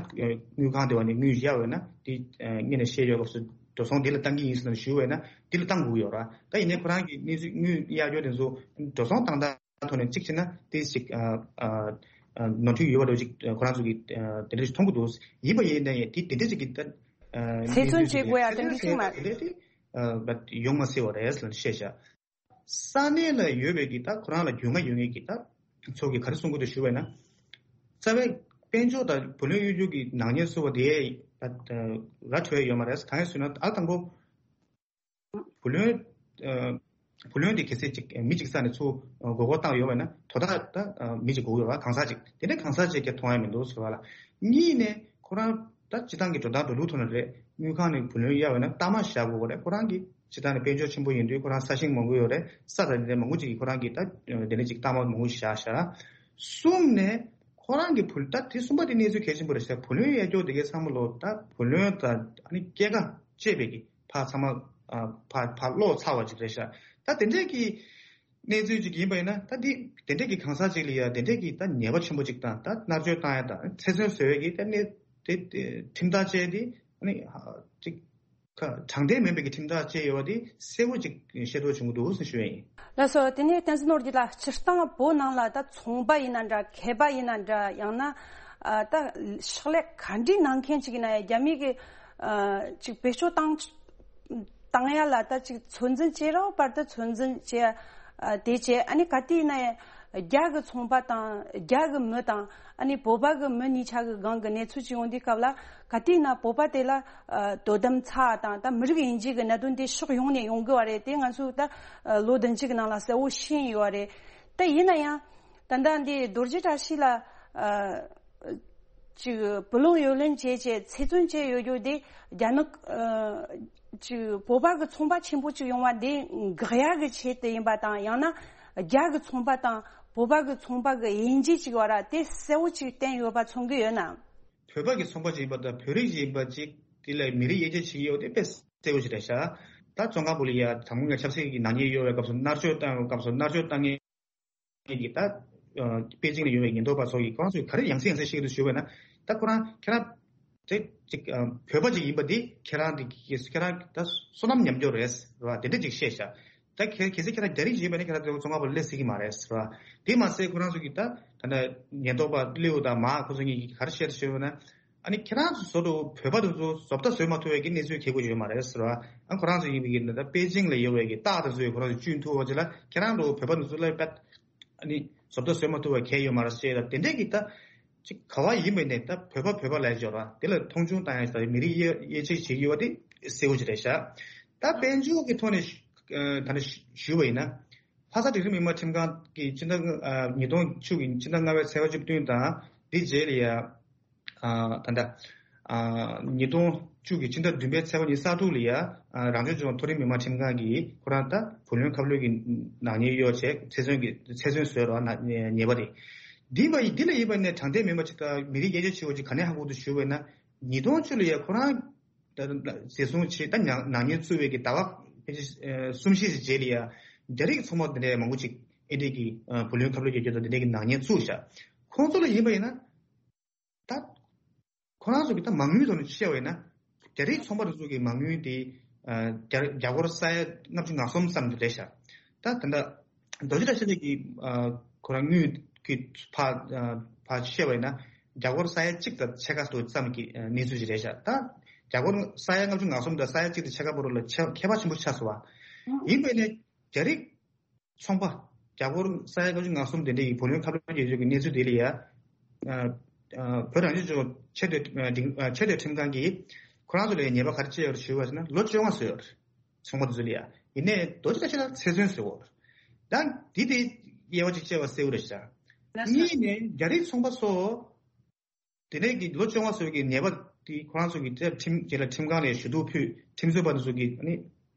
དངུལ་ཁང་དེ་བ་ནས་དངུལ་གཡར་བ་ན་དེ་ཨ་སྔོན་ནས་བཤད་ཡོད་སྐབས་སུ་འགྲོ་སོང་དེ་ལ་བཏང་གི་ཡིན་ཟེར་ན་ཞུ་བ་ན་དེ་ལ་བཏང་དགོས་ཡོད་ར། ད་ཡིན་ནའི་ཁོ་རང་གི་གནས་ཚུལ་དངུལ་གཡར་རྒྱུ་དེ་ཚོ་འགྲོ་སོང་བཏང་སྟངས་ཐོག་ནས་གཅིག་བྱས་ན་དེ་ཞིག་ཨ་ཨ་ཨ་ནོར་འཁྲུལ་ཡོད་པ་འདྲ་ཅིག་ཁོ་རང་ཚོ་གིས་ཨ་དེ་འདྲ་ཞིག་མཐོང་གི་འདུག་ཡིན་པ་ཡིན་ན་ཡང་དེ་དེ་འདྲ་ཅིག་གི་ད་ཨ་ཚེ་བཙོན་བྱེད་དགོས་ཡ་དེ་འདྲ་ཅིག་མ་དེ་འདྲ་དེ་ཨ་ཡོང་མ་སྲིད་པ་རེད་ཟེར་ནས་བཤད་བཞག་ས་གནས་ལ་ཡོད་པའི་གི་ད་ཁོ་རང་ལ་རྒྱུས་མངའ་ཡོད་མཁན་གྱི་ད་ཚོ་གིས་ག་རེ་གསུང་གི་འདུག་ཞུ་བས་ན། རྩ་བའི་དཔལ་འབྱོར་དང་བུ་ལོན་གཡོ་སྒྱུ་གི་ནག་ཉེས་བཟོ་བ་དེ་ད་ར་འཕྲོད་ཡ་ཡོད་མ་རེད། གང་ཡིན་ཟེར་ན་ཨ་དང་པོ། བུ་ལོན། ཨ་བུ་ལོན་དེ་གལ་སྲིད་ཅིག་མི་གཅིག་ས་ནས་ཚུར་མགོ་སྐོར་བཏང་ཡོད་པ་ན་དོ་བདག་ད་མི་གཅིག་དགོས་ཡོད་པ། གང་ཟག་ཅིག་དེ་འདྲ་གང་ཟག་ཅིག་ཀྱང་མཐོང་ཡ་མི་འདུག་ཟེར་བ་ལ། གཉིས་ནས་ཁོ་རང་ད་སྤྱི་བཏང་གི་འགྲོ་སྟངས་འགྲོ་ལུགས་ཐོག་ནས་རེད། དངུལ་ཁང་ནས་བུ་ལོན་གཡར་བ་ན་གཏའ་མ་བཞག་དགོས་རེད། ཁོ་རང་གི་སྤྱི་བཏང་ནས་དཔལ་འབྱོར་ཆེན་པོ་ཡིན་དུས་ཁོ་རང་ས་ཞིང་མང་པོ་ཡོད་རེད། ས་དང་དེ་འདྲ་མང་པོ་ཅིག་གིས་ཁོ་རང་གི་ད་དེ་འདྲ་ཅིག་གཏའ་མ་མང་པོ་བཞག་བཞག་གསུམ་ནས་ཁོ་རང་གི་བུ་ད་དེ་གསུམ་པ་དེ་གནས་ཚུལ་གལ་ཆེན་པོ་རེད་ཤག་བུ་ལོན་གཡར་སྐྱོར་དེ་གའི་ཚང་མ་ལོ་ད་བུ་ལོན་དང་ཨ་ནི་སྐྱེད་ཀ་བཅས་པའི་གི་ཕར་ཚང་མ་ཨ་ཕར་ཕར་ལོག་ཚར་བ་ཅིག་རེད་ཤག་ད་དེ་འདྲའི་གི་གནས་ཚུལ་ཅིག་ཡིན་པ་ཡིན་ན་ད་དེ་དེ་འདྲའི་གི་གང་ཟག་ཅིག་ལ་ཡ་དེ་འདྲའི་གི་ད་ཉེས་པ་ཆེན་པོ་ཅིག་དང་ད་མནར་གཅོད་བཏང་ཡ་དང་ཚེ་བཙོན་བཟོ་ཡ་གི་ད་གནས་དེ་དེ་ཁྲིམས་ཐག་བཅད་དེ་ཨ་ནི་ཅིག་ཁ་དྲང་བདེན་མིན་པའི་གི་ཁྲིམས་ཐག་བཅད་ཡོད་པ་དེ་གསལ་པོ་ཅིག་ཤེས་རྟོགས་བྱུང་གི་འདུག་ཟེར་ཞུ་ཡ་ཡིན། ལགས་སོ། དེ་ནས་བསྟན་འཛིན་ནོར་རྒྱས་ལགས། སྤྱིར་བཏང་བོད་ནང་ལ་ད་ཚོང་པ་ཡིན་ན་འདྲ། མཁས་པ་ཡིན་ན་འདྲ། ཡང་ན་ཨ་ད་ཕྱག་ལས་ག་འདྲའི་གནང་མཁན་ཅིག་ཡིན་ན་ཡང་རྒྱ་མི་གི་ཨ་ཅིག་བེད་སྤྱོད་བཏང་བཏང་ཡ་ལ་ད་ཅིག་ཚོད་འཛིན་བྱེད་རོགས་བར་དུ་ཚོད་འཛིན་བྱེད་ཡ་ཨ་དེ་བྱས། ཨ་ནི་ག་དུས་ཡིན་ན་ཡང་རྒྱ་གི་ཚོང་པ་དང་རྒྱ་གི་མི་དང་ཨ་ནི་བོད་པ་གི་མི་གཉིས་ཆ་གི་སྒང་གི་གནས་ཚུལ་ཅིག་ཡོང་དུས་སྐབས་ལ་ག་དུས་ཡིན་ན་བོད་པ་དེ་ལ་ཨ་དོ་དམ་ཚ་དང་ད་མི་རིགས་དབྱེ་འབྱེད་ཀྱི་གནད་དོན་དེ་ཕྱོགས་ཡོངས་ནས་ཡོང་གི་བ་རེད། དེ་ང་ཚོས་ད་ལོ་བདུན་ཅུ་གི་ནང་ལ་གསལ་བོ་ཤེས་ཡོད་རེད། ད་ཡིན་ན་ཡང་ད་ལྟ་འདི་རྡོ་རྗེ་བཀྲ་ཤིས་ལ་ཅིག་བུ་ལོན་གཡོ་ལེན་བྱས་བྱས་ཚེ་བཙོན་བྱས་ཡོད་རྒྱུ་དེ་རྒྱ་ནག་ཅིག་བོད་པ་གི་ཚོང་པ་ཆེན་པོ་ཅིག་ཡོང་བ་དེ་འགག་ཡ་གི་ཆེད་དུ་ཡིན་པ་དང་། ཡང་ན་རྒྱ་གི་ཚོང་པ་དང་བོད་པ་གི་ཚོང་པ་གི་དབྱེ་འབྱེད་ཅིག་བར་དེ་གསལ་བོ་ཅིག་བསྟན་ཡོད་པ་མཚོན་གི་ཡོད་ན། བོད་པ་གི་ཚོང་པ་ཅིག་ཡིན་པ་དང་བོད་རིགས་ཅིག་ཡིན་པ་ཅིག་དེ་ལ་མི་རིགས་དབྱེ་འབྱེད་བྱེད་ཀྱི་ཡོད་དེ་དཔེ་གསལ་བོ་ཞིག་རེད་ཤག་ད་བཙོན་ཁང་བུ་ལ་ཡ་དང་པོ་ངས་ཆབ་སྲིད་ཀྱི་ནག་ཉེས་གཡོ་བའི་སྐབས་སུ་མནར་གཅོད་བཏང་བའི་སྐབས་སུ་མནར་གཅོད་བཏང་མཁན་གྱི་ད་པེ་ཅིང་ལ་ཡོད་པའི་ཉེན་རྟོག་པ་ཚོ་གིས་ཁོ་རང་ཚོས་ག་རེ་ཡང་སེ་ཡང་སེ་བཤད་ཀྱི་འདུག་ཞུས་པ་ན། ད་ཁོ་རང་ཁྱེད་རང་དེ་ཅིག་བོད་པ་ཅིག་ཡིན་པ་འདི་ཁྱེད་རང་དེ་ཁྱེད་རང་ད་བསོད་ནམས་ཉམས་འགྱོ་རེད་བ། དེ་འདྲ་ཅིག་བཤད་ཤག་ད་གལ་གལ་སྲིད་ཁྱེད་རང་རྒྱ་རིགས་ཡིན་པ་ནི་ཁྱེད་རང་ཚོ་བཙོན་ཁང་པར་སླེབས་སྲིད་ཀྱི་མ་རེད་ཟེར་བ། དེ་མ་ཟད་ཁོ་རང་ཚོ་གིས་ད་ད་ལྟ་ཉེན་རྟོག་པ་ལིའུ་དང་མཱ་ཁོ་ཚོ་གཉིས་ཀྱིས་ག་རེ་བཤད་ཟེར་བ་ན། ཨ་ནི་ཁྱེད་རང་ཚོ་བཟོ་འདྲ་བོད་པ་དེ་ཚོ་བཟོ་ལྟ་བཟོས་མ་ཐུབ་པའི་གི་གནས་ཚུལ་གལ་དགོས་ཡོད་མ་རེད་ཟེར་བ། ཨ་ཁོ་རང་ཚོ་ཡིན་པའི་གི་ད་པེ་ཅིང་ལ་ཡོད་པའི་གི་སྟག་དེ་ཚོས་ཁོ་རང་ཚོ་གཅུན་ཐུབ་པ་ཅིག་ལ་ཁྱེད་རང་ཚོ་བོད་པ་དེ་ཚོ་ལ་པད་ཨ་ནི་བཟོ་ལྟ་བཟོས་མ་ཐུབ་པ་གལ་ཡོད་མ་རེད་ཟེར་ད་དེ་འདྲས་གི་ད་ཅིག་ག་བ་ཡིན་པའི་ནས་ད་བོད་པ་བོད་པ་ལ་འབྱོར་བ་དེ་ལ་མཐོང་ཆུང་བཏང་ཡ་ཟེར་མི་རིགས་དབྱེ་དབྱེ་འབྱེད་བྱེད་ཀྱི་ཡོད་པ་དེ་གསལ་པོ་ཅིག་རེད་ཤག་ད་དཔལ་འབྱོར་གི་ཐོག་ནས་ད་ནི་ཞུས་པ་ཡིན་ན། ལྷ་ས་འབྲིང་རིམ་མི་དམངས་ཁྲིམས་ཁང་གིས་སྤྱི་ཟླ་ལྔ་ཨ་ཉིས་སྟོང་བཅུ་གི་སྤྱི་ཟླ་ལྔ་པའི་ཚེས་པ་བཅུ་བདུན་དང་དེ་རྗེས་ལ་ཡ་ཨ་ད་ལྟ་ཨ་ཉིས་སྟོང་བཅུ་གི་སྤྱི་ཟླ་བདུན་པའི་ཚེས་པ་ཉི་ཤུ་རྩ་དྲུག་ལ་ཡ་ཨ་རང་སྐྱོང་ལྗོངས་མཐོ་རིམ་མི་དམངས་ཁྲིམས་ཁང་གིས་ཁོ་རང་ད་བུ་ལོན་ཁ་ལོན་གྱི་ནག་ཉེས་གཡོག་བྱས་ཚེ་བཙོན་གྱི་ཚེ་བཙོན་བཟོས་རོགས་ན་ཉེས་པ་རེད། འདི་བ་ཡི་འདི་ལ་ཡིན་པ་ནས་དྲང་བདེན་མིན་པ་ཅིག་དང་མི་རིགས་དབྱེ་འབྱེད་བྱེད་པ་ཅིག་ག་ནས་ཧ་གོ་འདུག་ཞུས་པ་ཡིན་ན། ཉིས་སྟོང་བཅུ་ལ་ཡ་ཁོ་རང་ད་ད་འཛིན་བཟུང་བྱས་ད་ཉག་ནག་ཉེས་བཙུགས་པའི་གི་ཟླ་བ་ཕལ་ཆེར་ཨ་གསུམ་བཞི་ཞིག་རྗེས་ལ་ཡ་རྒྱ་རིགས་ཚོང་པ་འདི་འདྲའི་མང་པོ་ཅིག་ཨེ་འདྲས་ཀྱི་ཨ་བུ་ལོན་ཁ་ལོ་རྒྱག་རྒྱུ་དང་འདི་འདྲས་ཀྱི་ནག་ཉེས་བཙུགས་ཤག་ཁོང་ཚོ་ལ་ཡིན་པ་ཡིན་ན་ད་ཁོ་རང་ཚོ་གི་ད་མ་དངུལ་ཐོག་ནས་བཤད་པ་ཡིན་ན་རྒྱ་རིགས་ཚོང་པ་དེ་ཚོ་གི་མ་དངུལ་དེ་ཨ་རྒྱ་རྒྱ་སྒོར་ས་ཡ་ལྔ་བཅུ་ང་གསུམ་ཙམ་དེ་རེད་ཤག་ད་ད་ལྟ་རྡོ་རྗེ་བཀྲ་ཤིས་ལགས་ཀྱིས་ཨ་ཁོ་རང་དངུལ་གྱི་ཕར་ཨ་ཕར་བཤད་པ་ཡིན་ན་རྒྱ་སྒོར་ས་ཡ་གཅིག་དང་ཕྱེད་ཀ་ཙམ་གྱི་ཨ་གནས་ཚུལ་ཞིག་རེད་ཤག་ད་རྒྱ་སྒོར་ས་ཡ་ལྔ་བཅུ་ང་གསུམ་དང་ས་ཡ་གཅིག་དང་ཕྱེད་ཀ་བར་ལ་ཁྱད་ཁྱད་པར་ཆེན་པོ་ཆགས་སོང་བ། ཡིན་པས་ནས་རྒྱ་རིགས་ཚོང་པ་རྒྱ་སྒོར་ས་ཡ་ལྔ་བཅུ་ང་གསུམ་དེ་འདྲ་ཡི་བུ་ལོན་ཁ་ལོ་རྒྱག་རྒྱུ་གི་གནས་ཚུལ་དེ་ལ་ཡ། ཨ་ཨ་བོད་རང་སྐྱོང་ལྗོངས་ཆེས་མཐོའི་ཨ་འབྲིང་ཨ་ཆེས་མཐོའི་ཁྲིམས་ཁང་གིས་ཁོ་རང་ཚོ་ལ་ཡ་ཉེས་པ་ག་རེ་བཅད་ཡོད་རེད་ཞུས་པ་ཟེར་ན་ལོ་བཅོ་ལྔ་བཟོས་ཡོད་རེད། ཚོང་པ་དེ་ཚོ་ལ་ཡ། ཡིན་ནའི་རྡོ་རྗེ་བཀྲ་ཤིས་ལགས་ཚེ་བཙོན་བཟོས་ཡོད་རེད། ད་འདི་དེ་དབྱེ་བ་གཅིག་བཅད་པ་གསལ་པོ་རེད་ཤག་གཉིས་ནས་རྒྱ་རིགས་ཚོང་པ་ཚོ། དེ་ནས་ཀྱི་ལོ་བཅོ་ལྔ་བཟོས་ཀྱི་ཉེས་པ་དེ་ཁོ་རང་ཚོ་གི་ཁྲིམས་རྗེས་ལ་ཁྲིམས་ཁང་ནས་ཞུ་གཏུག་ཕུལ་ཁྲིམས་རྩོད་པ་དེ་ཚོ་གི་ནི་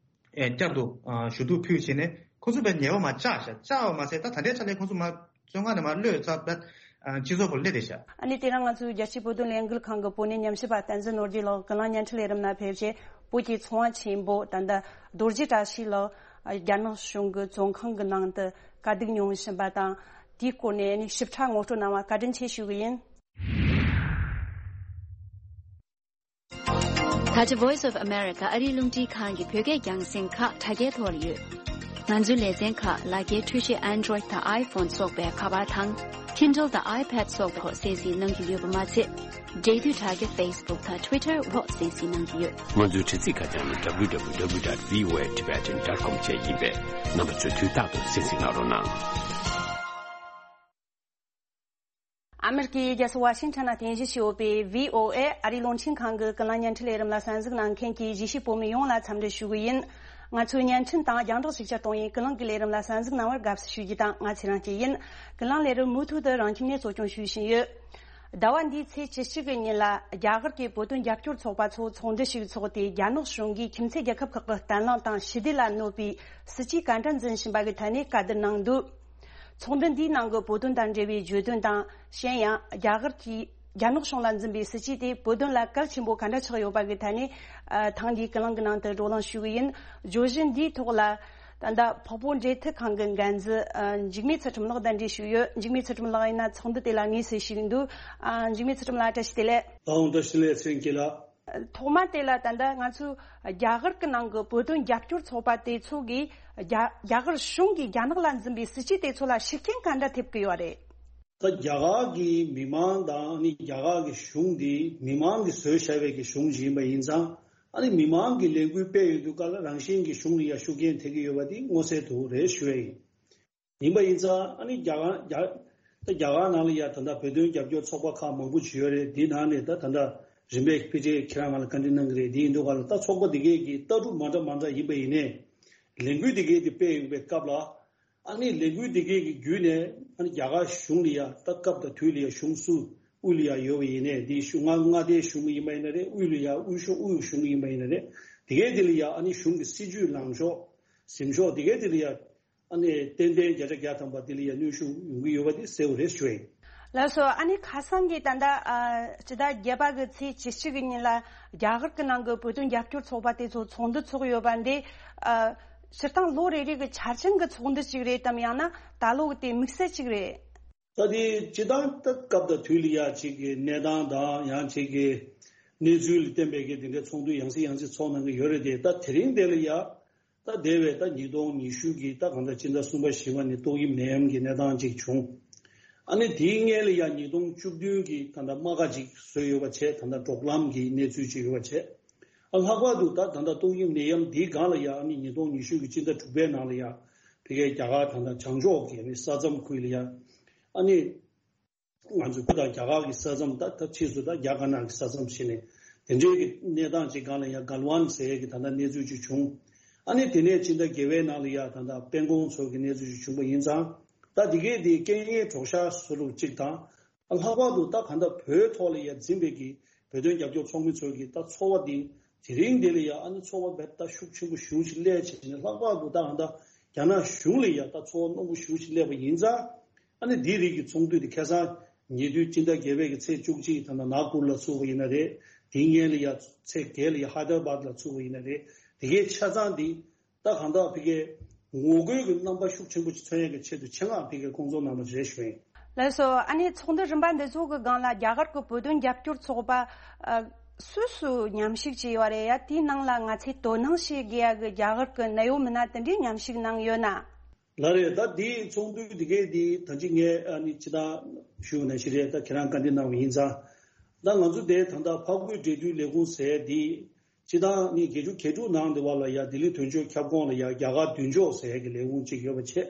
ཨེ་བསྐྱར་དུ་ཨ་ཞུ་གཏུག་ཕུལ་བྱས་ནས་ཁོ་ཚོ་བས་ཉེས་པ་མ་བཅག་ཤག་བཅག་པ་མ་ཟད་ད་ད་ལྟའི་ཆ་ལས་ཁོ་ཚོ་མ་བཙོན་ཁང་ནས་མ་གློད་ཚར་བས་ཨ་སྤྱི་ཚོགས་པར་སླེབས་བསྡད་ཤག་ཨ་ནི་དེ་རིང་ང་ཚོའི་རྒྱལ་སྤྱིའི་བོད་དོན་ལས་འགུལ་ཁང་གི་བོད་གནས་ཉམས་ཞིབ་པ་བསྟན་འཛིན་ནོར་རྒྱས་ལགས་ཀུན་གླེང་བརྙན་འཕྲིན་ལས་རིམ་ནང་ཕེབས་རྗེས་བོད་ཀྱི་ཚོང་པ་ཆེན་པོ་ད་ལྟ་རྡོ་རྗེ་བཀྲ་ཤིས་ལགས་རྒྱ་ནག་གཞུང་གི་བཙོན་ཁང་གི་ནང་དུ་དཀའ་སྡུག་མྱོང་བཞིན་པ་དང་དེའི་སྐོར་ནས་ཨ་ནི་ཞིབ་ཕྲ་ངོ་སྤྲོད་གནང་བ་བཀའ་དྲིན་ཆེ་ཞུ་གི་ཡིན། ད་ཆ་Voice of America ཨ་རིའི་རླུང་འཕྲིན་ཁང་གི་བོད་སྐད་རྒྱང་སྲིང་ཁག་དྲ་རྒྱའི་ཐོག་ལ་ཡོད། ང་ཚོའི་ལེ་ཚན་ཁག་ལག་འཁྱེར་འཕྲུལ་ཆས་Android་དང་iPhone་སོགས་པའི་ཁ་པར་དང་Kindle་དང་iPad་སོགས་པའི་ཐོག་གསན་གཟིགས་གནང་རྒྱུ་ཡོད་པ་མ་ཚད། འབྲེལ་མཐུད་དྲ་རྒྱ་Facebook་དང་Twitter་འོག་གསན་གཟིགས་གནང་རྒྱུ་ཡོད། ང་ཚོའི་དྲ་ཚིགས་ཁ་བྱང་ནི་W W W dot V O A Tibetan dot com བཅས་ཡིན་པས་རྣམ་པ་ཚོས་དུས་རྟག་ཏུ་གསན་གཟིགས་གནང་རོགས་གནང་། ཨ་མེ་རི་ཀའི་རྒྱལ་ས་ཝ་ཤིང་ཊོན་ནང་རྟེན་གཞི་བྱས་ཡོད་པའི་V O A ཨ་རིའི་རླུང་འཕྲིན་ཁང་གི་ཀུན་གླེང་བརྙན་འཕྲིན་ལས་རིམ་ལ་གསན་གཟིགས་གནང་མཁན་གྱི་གཞིས་བྱེས་བོད་མི་ཡོངས་ལ་འཚམས་འདྲི་ཞུ་གི་ཡིན། ང་ཚོའི་བརྙན་འཕྲིན་དང་རྒྱང་བསྒྲགས་ཤུགས་ཆེར་གཏོང་བའི་ཀུན་གླེང་གི་ལས་རིམ་ལ་གསན་གཟིགས་གནང་བར་དགའ་བསུ་ཞུ་རྒྱུ་དང་ང་ཚེ་རིང་སྐྱིད་ཡིན། ཀུན་གླེང་ལས་རིམ་མུ་མཐུད་དུ་རང་ཁྱིམ་ནས་གཙོ་སྐྱོང་ཞུས་བཞིན་ཡོད། ཟླ་བ་འདིའི་ཚེས་བཅུ་གཅིག་གི་ཉིན་ལ་རྒྱ་གར་གྱི་བོད་དོན་རྒྱབ་སྐྱོར་ཚོགས་པ་ཚོ་ཚོགས་འདུ་ཞིག་འཚོགས་ཏེ་རྒྱ་ནག་གཞུང་གིས་ཁྱིམ་མཚེས་རྒྱལ་ཁབ་ཁག་གི་གཏན་ལམ་དང་ཞི་བདེ་ལ་གནོད་པའི་སྲིད་ཇུས་ག་འདྲ་འཛིན་བཞིན་པ་གི་ཐད་ནས་བཀའ་བསྡུར་གནང་འདུག་ཚོགས་འདུ་འདིའི་ནང་གི་བོད་དོན་དང་འབྲེལ་བའི་བརྗོད་དོན་དང་གཞན་ཡང་རྒྱ་གར་གྱིས་རྒྱ་ནག་གཞུང་ལ་འཛིན་པའི་སྲིད་ཇུས་དེ་བོད་དོན་ལ་གལ་ཆེན་པོ་ག་འདྲ་ཆགས་ཡོད་པ་གི་ཐད་ནས་ཨ་ཐེངས་འདིའི་ཀུན་གླེང་གི་ནང་དུ་བགྲོ་གླེང་ཞུ་གི་ཡིན། བརྗོད་གཞི་འདིའི་ཐོག་ལ་ད་ལྟ་འཕགས་བོད་འབྲེལ་མཐུད་ཁང་གི་འགན་འཛིན་ཨ་འཇིགས་མེད་ཚུལ་ཁྲིམས་ལགས་གདན་འདྲེན་ཞུས་ཡོད། འཇིགས་མེད་ཚུལ་ཁྲིམས་ལགས་ཡིན་ན་ཚོགས་འདུ་དེ་ལ་དངོས་སུ་ཞུགས་འདུག་ཨ་འཇིགས་མེད་ཚུལ་ཁྲིམས་ལགས་བཀྲ་ཤིས་བདེ་ལེགས། ཨ་ཨོ་བཀྲ་ཤིས་བདེ་ལེགས་ཚེ་རིང་སྐྱིད་ལགས། ཐོག་མ་དེ་ལ་ད་ལྟ་ང་ཚོའི་རྒྱ་གར་གྱི་ནང་གི་བོད་དོན་རྒྱབ་སྐྱོར་ཚོགས་པ་དེ་ཚོ་གིས་རྒྱ་རྒྱ་གར་གཞུང་གིས་རྒྱ་ནག་ལ་འཛིན་པའི་སྲིད་ཇུས་དེ་ཚོ་ལ་ཤུགས་རྐྱེན་ག་འདྲ་ཐེབས་ཀྱི་ཡོད་རེད། ད་རྒྱ་གར་གྱི་མི་མང་དང་ནི་རྒྱ་གར་གྱི་གཞུང་འདི་མི་མང་གིས་བཟོས་བཞག་པའི་གི་གཞུང་ཞིག་ཡིན་པ་ཡིན་ཙང་ཨ་ནི་མི་མང་གིས་ལས་འགུལ་སྤེལ་ཡོང་དུས་སྐབས་ལ་རང་བཞིན་གྱི་གཞུང་ལ་ཡང་ཤུགས་རྐྱེན་ཐེབས་ཀྱི་ཡོད་པ་འདི་མངོན་གསལ་དུ་རེད་ཞུ་བ་ཡིན། ཡིན་པ་ཡིན་ཙང་ཨ་ནི་རྒྱ་གར་རྒྱ་ད་རྒྱ་གར་ནང་ལ་ཡ་ད་ལྟ་བོད་དོན་རྒྱབ་སྐྱོར་ཚོགས་པ་ཁག་མང་པོ་ཅིག་ཡོད་རེད། འདི་ནང་ནས་ད་ད་ལྟ་རིམ་པས་ཕལ་ཆེར་ཁྱེད་རང་ང་ལ་བཀའ་འདྲི་གནང་གི་རེད། འདི་ཡིན་དུས་ག་ལ་ད་ཚོགས་པ་འདི་གས་ཀྱི་ལྟ་གྲུབ་མ་འདྲ་མ་འདྲ་ཡིན་པ་ཡིན་ནའི་ལས་འགུལ་འདི་གས་འདི་སྤེལ་ཡོང་པའི་སྐབས་ལ་ཨ་ནི་ལས་འགུལ་འདི་གས་ཀྱི་བརྒྱུད་ནས་ཨ་ནི་རྒྱ་གར་གཞུང་ལ་ཡ་ད་སྐབས་དང་དུས་ལ་ཡ་གཞུང་སུ་དབུས་ལ་ཡ་ཡོད་པ་ཡིན་ནའི་འདི་གཞུང་མངའ་མངའ་སྡེའི་གཞུང་ཡིན་པ་ཡིན་ན་རེད། དབུས་ལ་ཡ་དབུས་གཞུང་དབུས་གཞུང་ཡིན་པ་ཡིན་ན་རེད། འདི་གས་འདི་ལ་ཡ་ཨ་ནི་གཞུང་གི་སྲིད་ཇུས་ལངས་ཕྱོགས་ཟིན་ཕྱོགས་འདི་གས་འདི་ལ་ཡ་ཨ་ནི་ཏན་ཏན་བརྒྱ་ཆ་བརྒྱ་ཐམ་པ་དེ་ལ་ཡང་གནོན་ཤུགས་ཡོང་གི་ཡོད་པ་དེ་གསལ་པོ་རེད་ཞུ་ཡིན། ལགས་སོ། ཨ་ནི་ཁ་སང་གི་ད་ལྟ་ཨ་སྤྱི་ཟླ་བརྒྱད་པ་གི་ཚེས་བཅུ་གཅིག་གི་ཉིན་ལ་རྒྱ་གར་གྱི་ནང་གི་བོད་དོན་རྒྱབ་སྐྱོར་ཚོགས་པ་དེ་ཚོ་ཚོགས་འདུ་ཚོགས་ཡོད་པ་འདི་ཨ་སྤྱིར་བཏང་ལོ་རེ་རེ་གི་འཆར་ཅན་གྱི་ཚོགས་འདུ་ཅིག་རེད་དམ་ཡང་ན་ད་ལོ་གི་དེ་དམིགས་བསལ་ཅིག་རེད། ད་དེ་སྤྱིར་བཏང་ད་སྐབས་དང་དུས་ལ་ཡ་ཅིག་གི་གནས་སྟངས་དང་ཡང་ཅིག་གི་གནས་ཚུལ་ལ་བརྟེན་པའི་གི་དེ་འདྲའི་ཚོགས་འདུ་ཡང་སེ་ཡང་སེ་ཚོགས་གནང་གི་ཡོད་རེད་དེ། ད་དེ་རིང་དེ་ལ་ཡ་ ད་དེ་བས་ད་ཉིས་སྟོང་ཉི་ཤུ་གི་ད་གང་ལྟར་སྤྱི་ཟླ་གསུམ་པ་བཞི་པ་ནས་ཏོག་དབྱིབས་ནད་ཡམས་ཀྱི་གནས་སྟངས་ཅིག་བྱུང་། ཨ་ནི་དེའི་སྔོན་ལ་ཡང་ཉིས་སྟོང་བཅུ་བདུན་གྱི་ད་ལྟ་རྨ་ཁ་ཅིག་བཟོས་ཡོད་པ་བྱས། ད་ལྟ་འབྲོག་ལམ་གྱི་གནས་ཚུལ་ཅིག་ཡོད་པ་བྱས། ཨ་ལྷག་པར་དུ་ད་ད་ལྟ་ཏོག་དབྱིབས་ནད་ཡམས་འདིའི་སྒང་ལ་ཡང་ཨ་ནི་ཉིས་སྟོང་ཉི་ཤུ་གི་སྤྱི་ཟླ་དྲུག་པའི་ནང་ལ་ཡང་ཕ་གིའི་རྒྱ་གར་ད་ལྟ་བྱང་ཕྱོགས་ཀྱི་ཨ་ནི་ས་མཚམས་ཁུལ་ལ་ཡང་ཨ་ནི། ང་ཚོའི་བོད་དང་རྒྱ་གར་གྱི་ས་མཚམས། ད་ད་ཕྱིས་སུ་ད་རྒྱ་དཀར་ནག་གི་ས་མཚམས་ཞེས་ནས་དེ་འདྲའི་གི་གནས་སྟངས་ཅིག་སྒང་ལ་ཡང་གལ་ཝན་ཟེར་ཡས་ཀྱི་ད་ལྟ་གནས་ཚུལ་ཅིག་བྱུང་། ཨ་ནི་དེ་ནས་སྤྱི་ཟླ་བརྒྱད་པའི་ནང་ལ་ཡང་ད་ལྟ་སྤན་ཀོང་ཚོ་གི་གནས་ཚུལ་ཅིག་བྱུང་པ་ཡིན་ཙང་། ད་འདི་གས་དེ་རྐྱེན་ངན་གྲོགས་ཤར་བཟོ་ལུགས་ཅིག་དང་། ལྷག་པར་དུ་ད་གང་ལྟར་བོད་ཐོག་ལ་ཡང་འཛིན་པའི་གི་བོད་དོན་རྒྱབ་སྐྱོར་ཚོགས་མི་ཚོ་གི་ད་ཚོར་བ་འདི། དེ་རིང་འདི་ལ་ཡང་ཨ་ནི་ཚོར་བ་རྦད་ད་ཤུགས་ཆེན་པོ་ཞེ་པོ་ཅིག་སླེབས་བྱས་ནས། ལྷག་པར་དུ་ད་གང་ལྟར་རྒྱ་ནག་གཞུང་ལ་ཡང་ད་ཚོར་བ་རྣོན་པོ་ཞེ་པོ་ཅིག་སླེབས་པ་ཡིན་ཙང་། ཨ་ནི་འདིའི་རིགས་ཀྱི་ཚོགས་འདུ་དེ་ཁ་སང་ཉེ་དུས་སྤྱི་ཟླ་བརྒྱད་པའི་གི་ཚེས་བཅུ་གཅིག་ད་ལྟ་ནཱག་པུར་ལ་ཚུགས་པ་ཡིན་ན་རེད། དེའི་སྔོན་ལ་ཡང་ཚེས་བརྒྱད་ལ་ཡང་ཧའི་ད་ར་བཱད་ལ་ཚུགས་པ་ཡིན་ན་རེད། དེ་གའི་ཆ་ཚང་འདི་ད་གང་ལྟར་ཕ་གིའི་ངོ་རྒོལ་གྱི་རྣམ་པ་ཤུགས་ཆེན་པོ་ཅིག་མཚོན་ཡས་ཀྱི་ཆེད་དུ་ཆེད་མངགས་ཕ་གིའི་སྐོང་ཚོགས་གནང་བ་རེད་ཞུ་ཡིན། ལགས་སོ། ཨ་ནི་ཚོགས་འདུ་རིམ་པ་འདི་ཚོ་གི་སྒང་ལ་རྒྱ་གར་གྱི་བོད་དོན་རྒྱབ་སྐྱོར་ཚོགས་པ་ཨ་སུ་སུ་མཉམ་ཞུགས་བྱས་ཡོད་རེད་ཡ། དེའི་ནང་ལ་ང་ཚོས་དོ་སྣང་བྱེད་དགོས་ཡ་གི་རྒྱ་གར་གྱི་གནད་ཡོད་མི་སྣ་དེ་འདྲས་མཉམ་ཞུགས་གནང་ཡོད་ན། ལགས་རེད། ད་དེའི་ཚོགས་འདུ་དེ་གའི་དེ་ད་ཅི་ངས་ཨ་ནི་ཅི་ད་ཞུ་ནང་བཞིན་རེད། ད་ཁྱེད་རང་བཀའ་འདྲི་གནང་བ་ཡིན་ཙང་། ད་ང་ཚོ་དེ་ད་ལྟ་འཕགས་བོད་འབྲེལ་མཐུད་ལས་ཁུངས་ཟེར་དེ། སྤྱི་ཟླ་ནི་བརྒྱད་ཅུ་གྱ་དྲུག་ནང་དེ་བ་ལ་ཡ་ལྡི་ལི་དོན་གཅོད་ཁྱབ་ཁོངས་ལ་ཡ་རྒྱ་གར་མདུན་ཅོག་ཟེར་ཡ་གི་ལས་ཁུངས་གཅིག་ཡོད་པ་བྱས།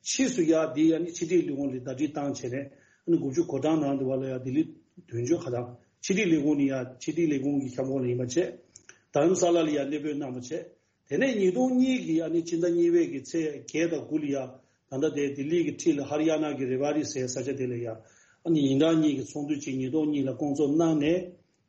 ཕྱིས་སུ་ཡ་དེ་ཡ་ནི་ཕྱི་དྲིལ་ལས་ཁུངས་ལ་ཟླ་སྒྲིལ་བཏང་བྱས་ནས། ཨ་ནི་དགུ་བཅུ་གོ་གྲངས་ནང་དེ་བ་ལ་ཡ་ལྡི་ལི་དོན་གཅོད་ཁ་ཐང་། ཕྱི་དྲིལ་ལས་ཁུངས་ནི་ཡ་ཕྱི་དྲིལ་ལས་ཁུངས་ཀྱི་ཁྱབ་ཁོངས་ལ་ཡིན་པ་བྱས། རྡ་རམ་ས་ལ་ལ་ཡ་གནས་སྤོས་གནང་བ་བྱས། དེ་ནས་ཉིས་སྟོང་གཉིས་ཀྱི་ཨ་ནི་སྤྱི་ཟླ་གཉིས་པའི་གི་ཚེས་བརྒྱད་དང་དགུ་ལ་ཡ། ད་ལྟ་དེ་ལྡི་ལི་གི་འཁྲིས་ལ་ཧ་རི་ཡ་ན་གི་རེ་བ་རི་ཟེར་ས་ཆ་དེ་ལ་ཡ། ཨ་ནི་ཡིན་གྲངས་གཉིས་ཀྱི་ཚོགས་འདུ་གཅིག་ཉིས་སྟོང་གཉིས་ལ་སྐོང་ཚོགས་གནང་ནས།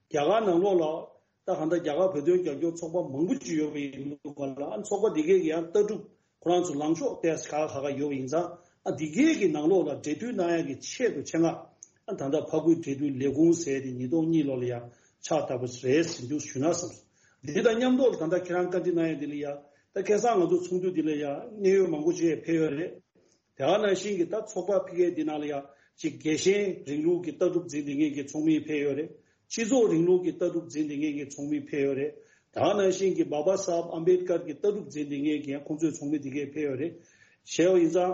རྒྱ་གར་ནང་ལོགས་ལ་ད་གང་ལྟར་རྒྱ་གར་བོད་དོན་རྒྱབ་སྐྱོར་ཚོགས་པ་མང་པོ་ཅིག་ཡོད་པ་ཡིན་འདུག་ག་ལ། ཨ་ནི་ཚོགས་པ་འདི་གས་ཀྱི་ཡང་ལྟ་གྲུབ་ཁོ་རང་ཚོ་ལངས་ཕྱོགས་ཏོག་ཙམ་ཁག་ཁག་ཁག་ཡོད་པ་ཡིན་ཙང་། ཨ་འདི་གས་ཀྱི་ནང་ལོགས་ལ་འབྲེལ་མཐུད་གནང་ཡ་གི་ཆེད་དུ་ཆེད་མངགས། ཨ་ད་ལྟ་འཕགས་བོད་འབྲེལ་མཐུད་ལས་ཁུངས་ཟེར་དེ་ཉིས་སྟོང་གཉིས་ལོ་ལ་ཡ་ཕྱག་བཏབ་པ་རེད་ཟེར་འདུག་ཞུ་ན་བསམ་སོང་། འདི་དང་མཉམ་དུ་ད་ལྟ་ཁྱེད་རང་བཀའ་འདྲི་གནང་ཡ་འདི་ལ་ཡ། ད་ཁ་སང་ང་ཚོ་ཚོགས་འདུ་འདི་ལ་ཡ་གནད་ཡོད་མང་པོ་ཅིག་ཕེབས་ཡོད་རེད། དེ་ག་ནང་བཞིན་གྱི་ད་ཚོགས་པ་ཕ་གིའི་འདི་ནང་ལ་ཡ་ཅིག་རྒྱལ་ཞེན་རིང་ལུགས་ཀྱི་ལྟ་གྲུབ་འཛིན་བསྡད་མཁན་གྱི་ཚོགས་མི་ཕེབས་ཡོད་རེད། སྤྱི་ཚོགས་རིང་ལུགས་ཀྱི་ལྟ་གྲུབ་འཛིན་བསྡད་མཁན་གྱི་ཚོགས་མི་ཕེབས་ཡོད་རེད། དེ་ག་ནང་བཞིན་གྱི་བྷ་བྷ་སཱ་ཧབ་ཨམ་བེད་ཀར་གྱི་ལྟ་གྲུབ་འཛིན་བསྡད་མཁན་གྱི་ཡང་ཁོང་ཚོའི་ཚོགས་མི་འདི་གས་ཕེབས་ཡོད་རེད། བྱས་པ་ཡིན་ཙང་།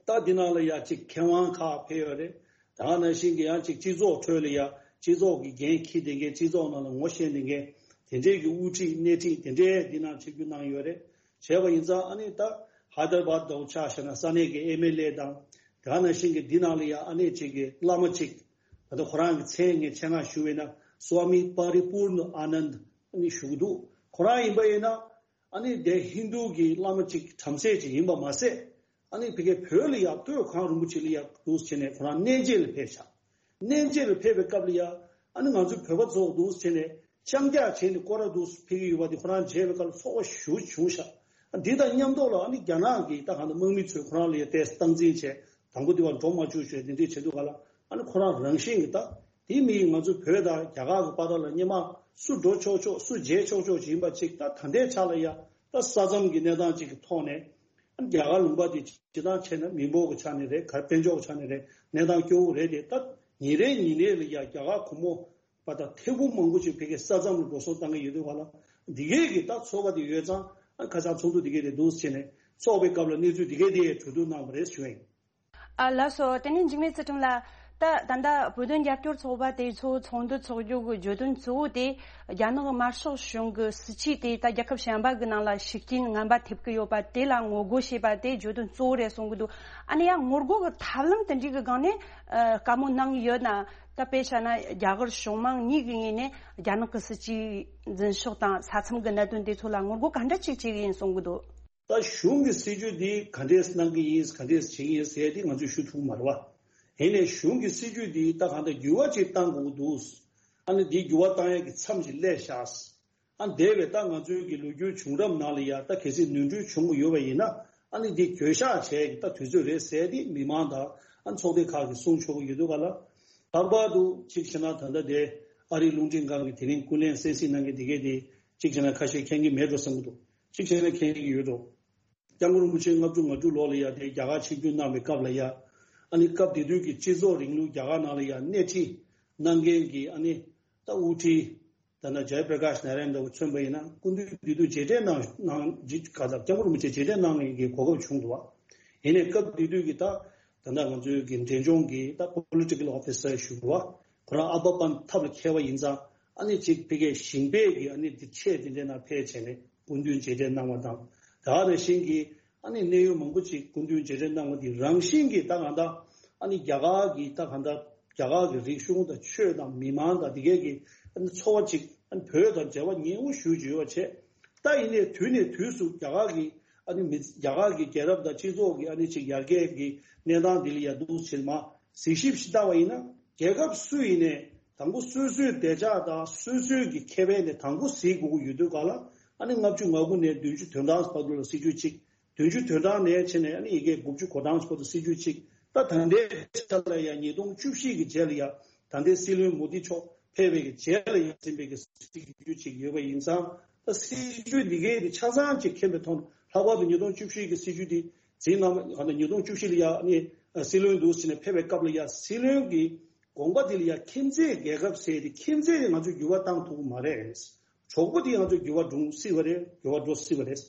ད་འདི་ནང་ལ་ཡ་ཅིག་མཁས་དབང་ཁག་ཕེབས་ཡོད་རེད། དེ་ག་ནང་བཞིན་གྱི་ཡང་ཅིག་སྤྱི་ཚོགས་ཁྲོད་ལ་ཡ་སྤྱི་ཚོགས་ཀྱི་འགན་འཁྱེར་བསྡད་མཁན། སྤྱི་ཚོགས་ནང་ལ་ངོ་ཤེས་བསྡད་མཁན། དེ་འདྲས་ཀྱི་དབུ་ཁྲིད་སྣེ་ཁྲིད་དེ་འདྲས་འདི་ནང་ཆིབས་བསྒྱུར་གནང་ཡོད་རེད། བྱས་པ་ཡིན་ཙང་། ཨ་ནི་ད་ཧའི་ད་ར་བཱད་དང་ཆ་བཞག་ན་ས་གནས་ཀྱི་ཨེམ་ཨེལ་ཨེ་དང་། དེ་ག་ནང་བཞིན་གྱི་འདི་ནང་ལ་ཡ་ཨ་ནི་ཅིག་གི་བླ་མ་ཅིག་ད་ལྟ་ཁོ་རང་གི་མཚན་ངས་ཆེད་མངགས་ཞུ་བས་ན་སྭ་མི་པ་རི་པུར་ན་ཨ་ནནྡ་ཨ་ནི་ཞུ་གི་འདུག་ཁོ་རང་ཡིན་པ་ཡིན་ན། ཨ་ནི་དེ་ཧིན་རྡུ་གི་བླ་མ་ཅིག་བྲམ་ཟེ་ཅིག་ཡིན་པ་མ་ཟད། ཨ་ནི་ཕ་གིའི་བོད་ལ་ཡ་སྟོད་གངས་རིན་པོ་ཆེ་ལ་ཡ་འདུག་སེ་བྱས་ནས་ཁོ་རང་གནས་མཇལ་ལ་ཕེབས་ཤག་གནས་མཇལ་ལ་ཕེབས་པའི་སྐབས་ལ་ཡ། ཨ་ནི་ང་ཚོའི་བོད་པ་ཚོ་འདུག་སེ་བྱས་ནས་ལྕང་སྐྱག་བྱས་ནས་སྐོར་ར་འདུག་སེ་ཕེབས་ཀྱི་ཡོད་པ་དེ་ཁོ་རང་མཇལ་བའི་སྐབས་ལ་ཚོར་བ་ཞེ་པོ་བྱུང་ཤག་འདི་དང་མཉམ་དུ་ལ་ཨ་ནི་རྒྱ་ནག་གི་ད་གང་ལྟར་དམག་མི་ཚོས་ཁོ་རང་ལ་ཡ་ཏོག་ཙམ་སྟངས་འཛིན་བྱས། དང་པོ་དེ་བ་འགྲོ་མ་བཅུག་བྱས་དེ་འདྲས་བྱེད་འདུག་ག་ལ། ཨ་ནི་ཁོ་རང་རང་བཞིན་གྱི་ད་དེ་མི་ང་ཚོ་བོད་དང་རྒྱ་གར་གྱི་བར་ལ་སྔོན་མ་སུ་འགྲོ་ཆོག་ཆོག་སུ་མཇལ་ཆོག་ཆོག་ཅིག་ཡིན་པ་ཅིག་ད་ད་ལྟའི་ཆ་ལ་ཡ་ད་ས་མཚམས་ཀྱི་གནས་སྟངས་ཅིག་གི་ཐོག་ནས། ཨ་ནི་རྒྱ་གར་ལུང་པ་དེ་སྤྱིར་བཏང་བྱས་ན་མི་འབོར་གྱི་ཆ་ནས་རེད། ག་དཔལ་འབྱོར་གྱི་ཆ་ནས་རེད། གནས་སྟངས་སྐྱོ་བོ་རེད་དེ། ད་ཉིན་རེ་ཉིན་རེ་ལ་ཡ་རྒྱ་གར་སྒོར་མོ་བ་དང་ཐེར་འབུམ་མང་པོ་ཅིག་ཕ་གིའི་ས་མཚམས་ལ་འགྲོ་སོང་བཏང་གི་ཡོད་དུས་ག་ལ། འདི་གས་ཀྱི་ད་ཚོར་བ་དེ་ཡོད་ཙང་། ཨ་ཁ་སང་ཚོགས་འདུ་འདི་གས་དེ་འདུག་སེ་བྱས་ནས་ཚོགས་པའི་སྐབས་ལ་གནས་ཚུལ་འདི་གས་དེ་གྲོས་བསྡུར་གནང་བ་རེད་ཞུ་ཡིན། ཨ་ལགས་སོ། དེ་ནས་འཇིགས་མེད་ཚུལ་ཁྲིམས་ལགས། ད་ད་ལྟ་བོད་དོན་རྒྱབ་སྐྱོར་ཚོགས་པ་དེ་ཚོ་ཚོགས་འདུ་འཚོགས་རྒྱུ་གི་བརྗོད་དོན་གཙོ་བོ་དེ། རྒྱ་ནག་དམར་ཤོག་གཞུང་གི་སྲིད་བྱུས་དེ་ད་རྒྱལ་ཁབ་གཞན་པ་གི་ནང་ལ་ཤུགས་རྐྱེན་ངན་པ་ཐེབས་ཀྱི་ཡོད་པ་དེ་ལ་ངོ་རྒོལ་བྱེད་པ་དེ་བརྗོད་དོན་གཙོ་བོ་རེད་གསུང་གི་འདུག་ཨ་ནི་ཡང་ངོ་རྒོལ་གི་ཐབས་ལམ་དེ་འདྲའི་གི་སྒང་ནས་ཨ་བཀའ་མོལ་གནང་གི་ཡོད་ན། ད་དཔེ་བཞག་ན་རྒྱ་གར་གཞུང་མང་གཉིས་ཀྱི་ངོས་ནས་རྒྱ་ནག་གི་སྲིད་བྱུས་འཛིན་ཕྱོགས་དང་ས་མཚམས་ཀྱི་གནད་དོན་དེ་ཚོ་ལ་ངོ་རྒོལ་ག་འདྲ་ཅིག་བྱེད་ཀྱི་ཡིན་གསུང་གི་འདུག་ད་གཞུང་གི་སྲིད་བྱུས་འདི་ག་འདྲས་གནང་གི་ཡིན། ག་འདྲས་བྱེད་ཀྱི་ཡིན་ཟེར་དེ་ང་ཚོས་ཞུ་ཐུབ་མ་རེད་བ། ཡིན་ནའི་གཞུང་གི་སྲིད་བྱུས་འདི་ད་གང་ལྟར་འགྱུར་བ་ཅིག་བཏང་དགོས་ཀྱི་འདུག་ཨ་ནི་འདི་འགྱུར་བ་བཏང་ཡག་གི་མཚམས་ཤིག་སླེབས་ཤག་ཨ་འདས་པའི་ད་ང་ཚོའི་གི་ལོ་རྒྱུས་བྱུང་རབས་ནང་ལ་ཡ་ད་གལ་སྲིད་ནོར་འཁྲུལ་བྱུང་གི་ཡོད་པ་ཡིན་ན། ཨ་ནི་འདི་འགྱོད་བཤགས་བྱས་ཀྱི་ད་དུས་ཚོད་རེད་ཟེར་དེ་མི་མང་དང་ཨ་ཚོགས་སྡེ་ཁག་གིས་གསུང་ཆོག་གི་ཡོད་འདུག་ག་ལ། ལྷག་པར་དུ་གཅིག་བྱས་ན་ད་ལྟ་དེ་ཨ་རིའི་རླུང་འཕྲིན་ཁང་གི་དེ་རིང་ཀུན་གླེང་གསན་གཟིགས་གནང་མཁན་དེ་གས་དེ་གཅིག་བྱས་ན་ཁ་ཤས་མཁྱེན་གྱི་མེད་འགྲོ་བསམ་གྱི་འདུག་གཅིག་བྱས་ན་མཁྱེན་གྱི་ཡོད་འགྲོ། སྐྱབས་མགོན་རིན་པོ་ཆེ་ལྔ་བཅུ་ང་དྲུག་ལོ་ལ་ཡ་དེ་རྒྱ་གར་ཆིབས་བསྒྱུར་གནང་བའི་སྐབས་ལ་ཡ། ཨ་ནི་སྐབས་དེ་དུས་ཀྱི་སྤྱི་ཚོགས་རིང་ལུགས་རྒྱ་གར་ནང་ལ་ཡ་སྣེ་ཁྲིད་གནང་མཁན་གྱི་ཨ་ནི་ད་དབུ་ཁྲིད་ ད་ལྟ་ཇའི་པྲ་ཀཱཤ་ནཱ་ར་ཡན་ད་མཚོན་པ་ཡིན་ན་སྐུ་མདུན་དེ་དུས་མཇལ་འཕྲད་གནང་གནང་ཅིག་ག་ད་སྐྱབས་མགོན་རིན་པོ་ཆེ་མཇལ་འཕྲད་གནང་མཁན་གྱི་གོ་སྐབས་བྱུང་འདུག་བ། ཡིན་ནའི་སྐབས་དེ་དུས་ཀྱི་ད་ད་ལྟ་ང་ཚོའི་གི་འབྲས་ལྗོངས་ཀྱི་ད་པོ་ལི་ཊི་ཀལ་ཨོ་ཕི་སར་ཞུ་བ། ཁོ་རང་ཨ་ཕ་པན་ཐབ་ལ་མཁས་པ་ཡིན་ཙང་ཨ་ནི་ཅིག་ཕ་གིའི་ཞིང་པའི་གི་ཨ་ནི་དེ་ཆེད་དེ་འདྲའི་ནང་ཕེབས་བྱས་ནས་སྐུ་མདུན་མཇལ་འཕྲད་གནང་བ་དང་། ད་ག་ནང་བཞིན་གྱི་ཨ་ནི་གནད་ཡོད་མང་པོ་ཅིག་སྐུ་མདུན་མཇལ་འཕྲད་གནང་བ་དེ་རང་བཞིན་གྱིས་ད་གང་ལྟར་ཨ་ནི་རྒྱ་གར་གྱི་ད་གང་ལྟར་རྒྱ་གར་གྱི་རིག་གཞུང་དང་ཆོས་དང་མི་མང་དང་དེ་གའི་གི་ཨ་ནི་ཚོར་བ་ཅིག་ཨ་ནི་བོད་དང་འབྲེལ་བ་ཉེ་བོ་ཞེ་པོ་ཅིག་ཡོད་པ་བྱས། ད་ཡིན་ནའི་དུས་ནས་དུས་སུ་རྒྱ་གར་གྱི་ཨ་ནི་མི་རྒྱ་གར་གྱི་རྒྱལ་རབས་དང་སྤྱི་ཚོགས་ཀྱི་ཨ་ནི་ཅིག་ཡར་རྒྱས་ཀྱི་གནས་སྟངས་འདི་ལ་ཡ་འདུག་ཕྱིར་མ་གཟིགས་ཞིབ་ཞིག་བཏང་བ་ཡིན་ན་རྒྱལ་ཁབ་སུ་ཡིན་ནའི་དང་པོ་སོ་སོའི་བདེ་འཇགས་དང་སོ་སོའི་གི་ཁེ་ཕན་དེ་དང་པོ་གཟིགས་དགོས་ཀྱི་ཡོད་དུས་ག་ལ་ཨ་ནི་ལྔ་བཅུ་ང་དགུ་ནས་བདུན་ཅུ་དོན་གྲངས་བར་དུ་ལ་སྲིད་ཇུས་གཅིག་བདུན་ཅུ་དོན་གྲངས་ནས་བྱས་ནས་ཨ་ནི་ཡི་གེ་དགུ་བཅུ་གོ་གྲངས་བར་དུ་སྲིད་ཇུས་གཅིག་ད་ད་ལྟའི་ཆ་ལ་ཡང་ཉིས་སྟོང་བཅུ་བཞི་གི་རྗེས་ལ་ཡང་ད་ལྟའི་སྲིད་བློན་མོ་དི་མཆོག་ཕེབས་པའི་གི་རྗེས་ལ་ཡང་ཟིན་པའི་གི་སྲིད་ཇུས་གཅིག་ཡོད་པ་ཡིན་ཙང་ད་སྲིད་ཇུས་འདི་གའི་དེ་ཆ་ཚང་གཅིག་མཁྱེན་པའི་ཐོག་ལྷག་པར་དུ་ཉིས་སྟོང་བཅུ་བཞི་གི་སྲིད་ཇུས་དེ་འཛིན་གནང་བ་ད་ཉིས་སྟོང་བཅུ་བཞི་ལ་ཡང་ཨ་ནི་སྲིད་བློན་འདུག་ཟེར་ནས་ཕེབས་པའི་སྐབས་ལ་ཡང་སྲིད་བློན་གྱི་དགོངས་པ་དེ་ལ་ཡང་ཁྱིམ་མཚེས་རྒྱལ་ཁབ་ཟེར་དེ་ཁྱིམ་མཚེས་དེ་ང་ཚོས་འགྱུར་བ་བཏང་ཐུབ་ཀྱི་མ་རེད། གྲོགས་པོ་དེ་ང་ཚོ་འགྱུར་བ་འགྲོ་སྲིད་པ་རེད། འགྱུར་བ་འགྲོ་སྲིད་པ་རེད།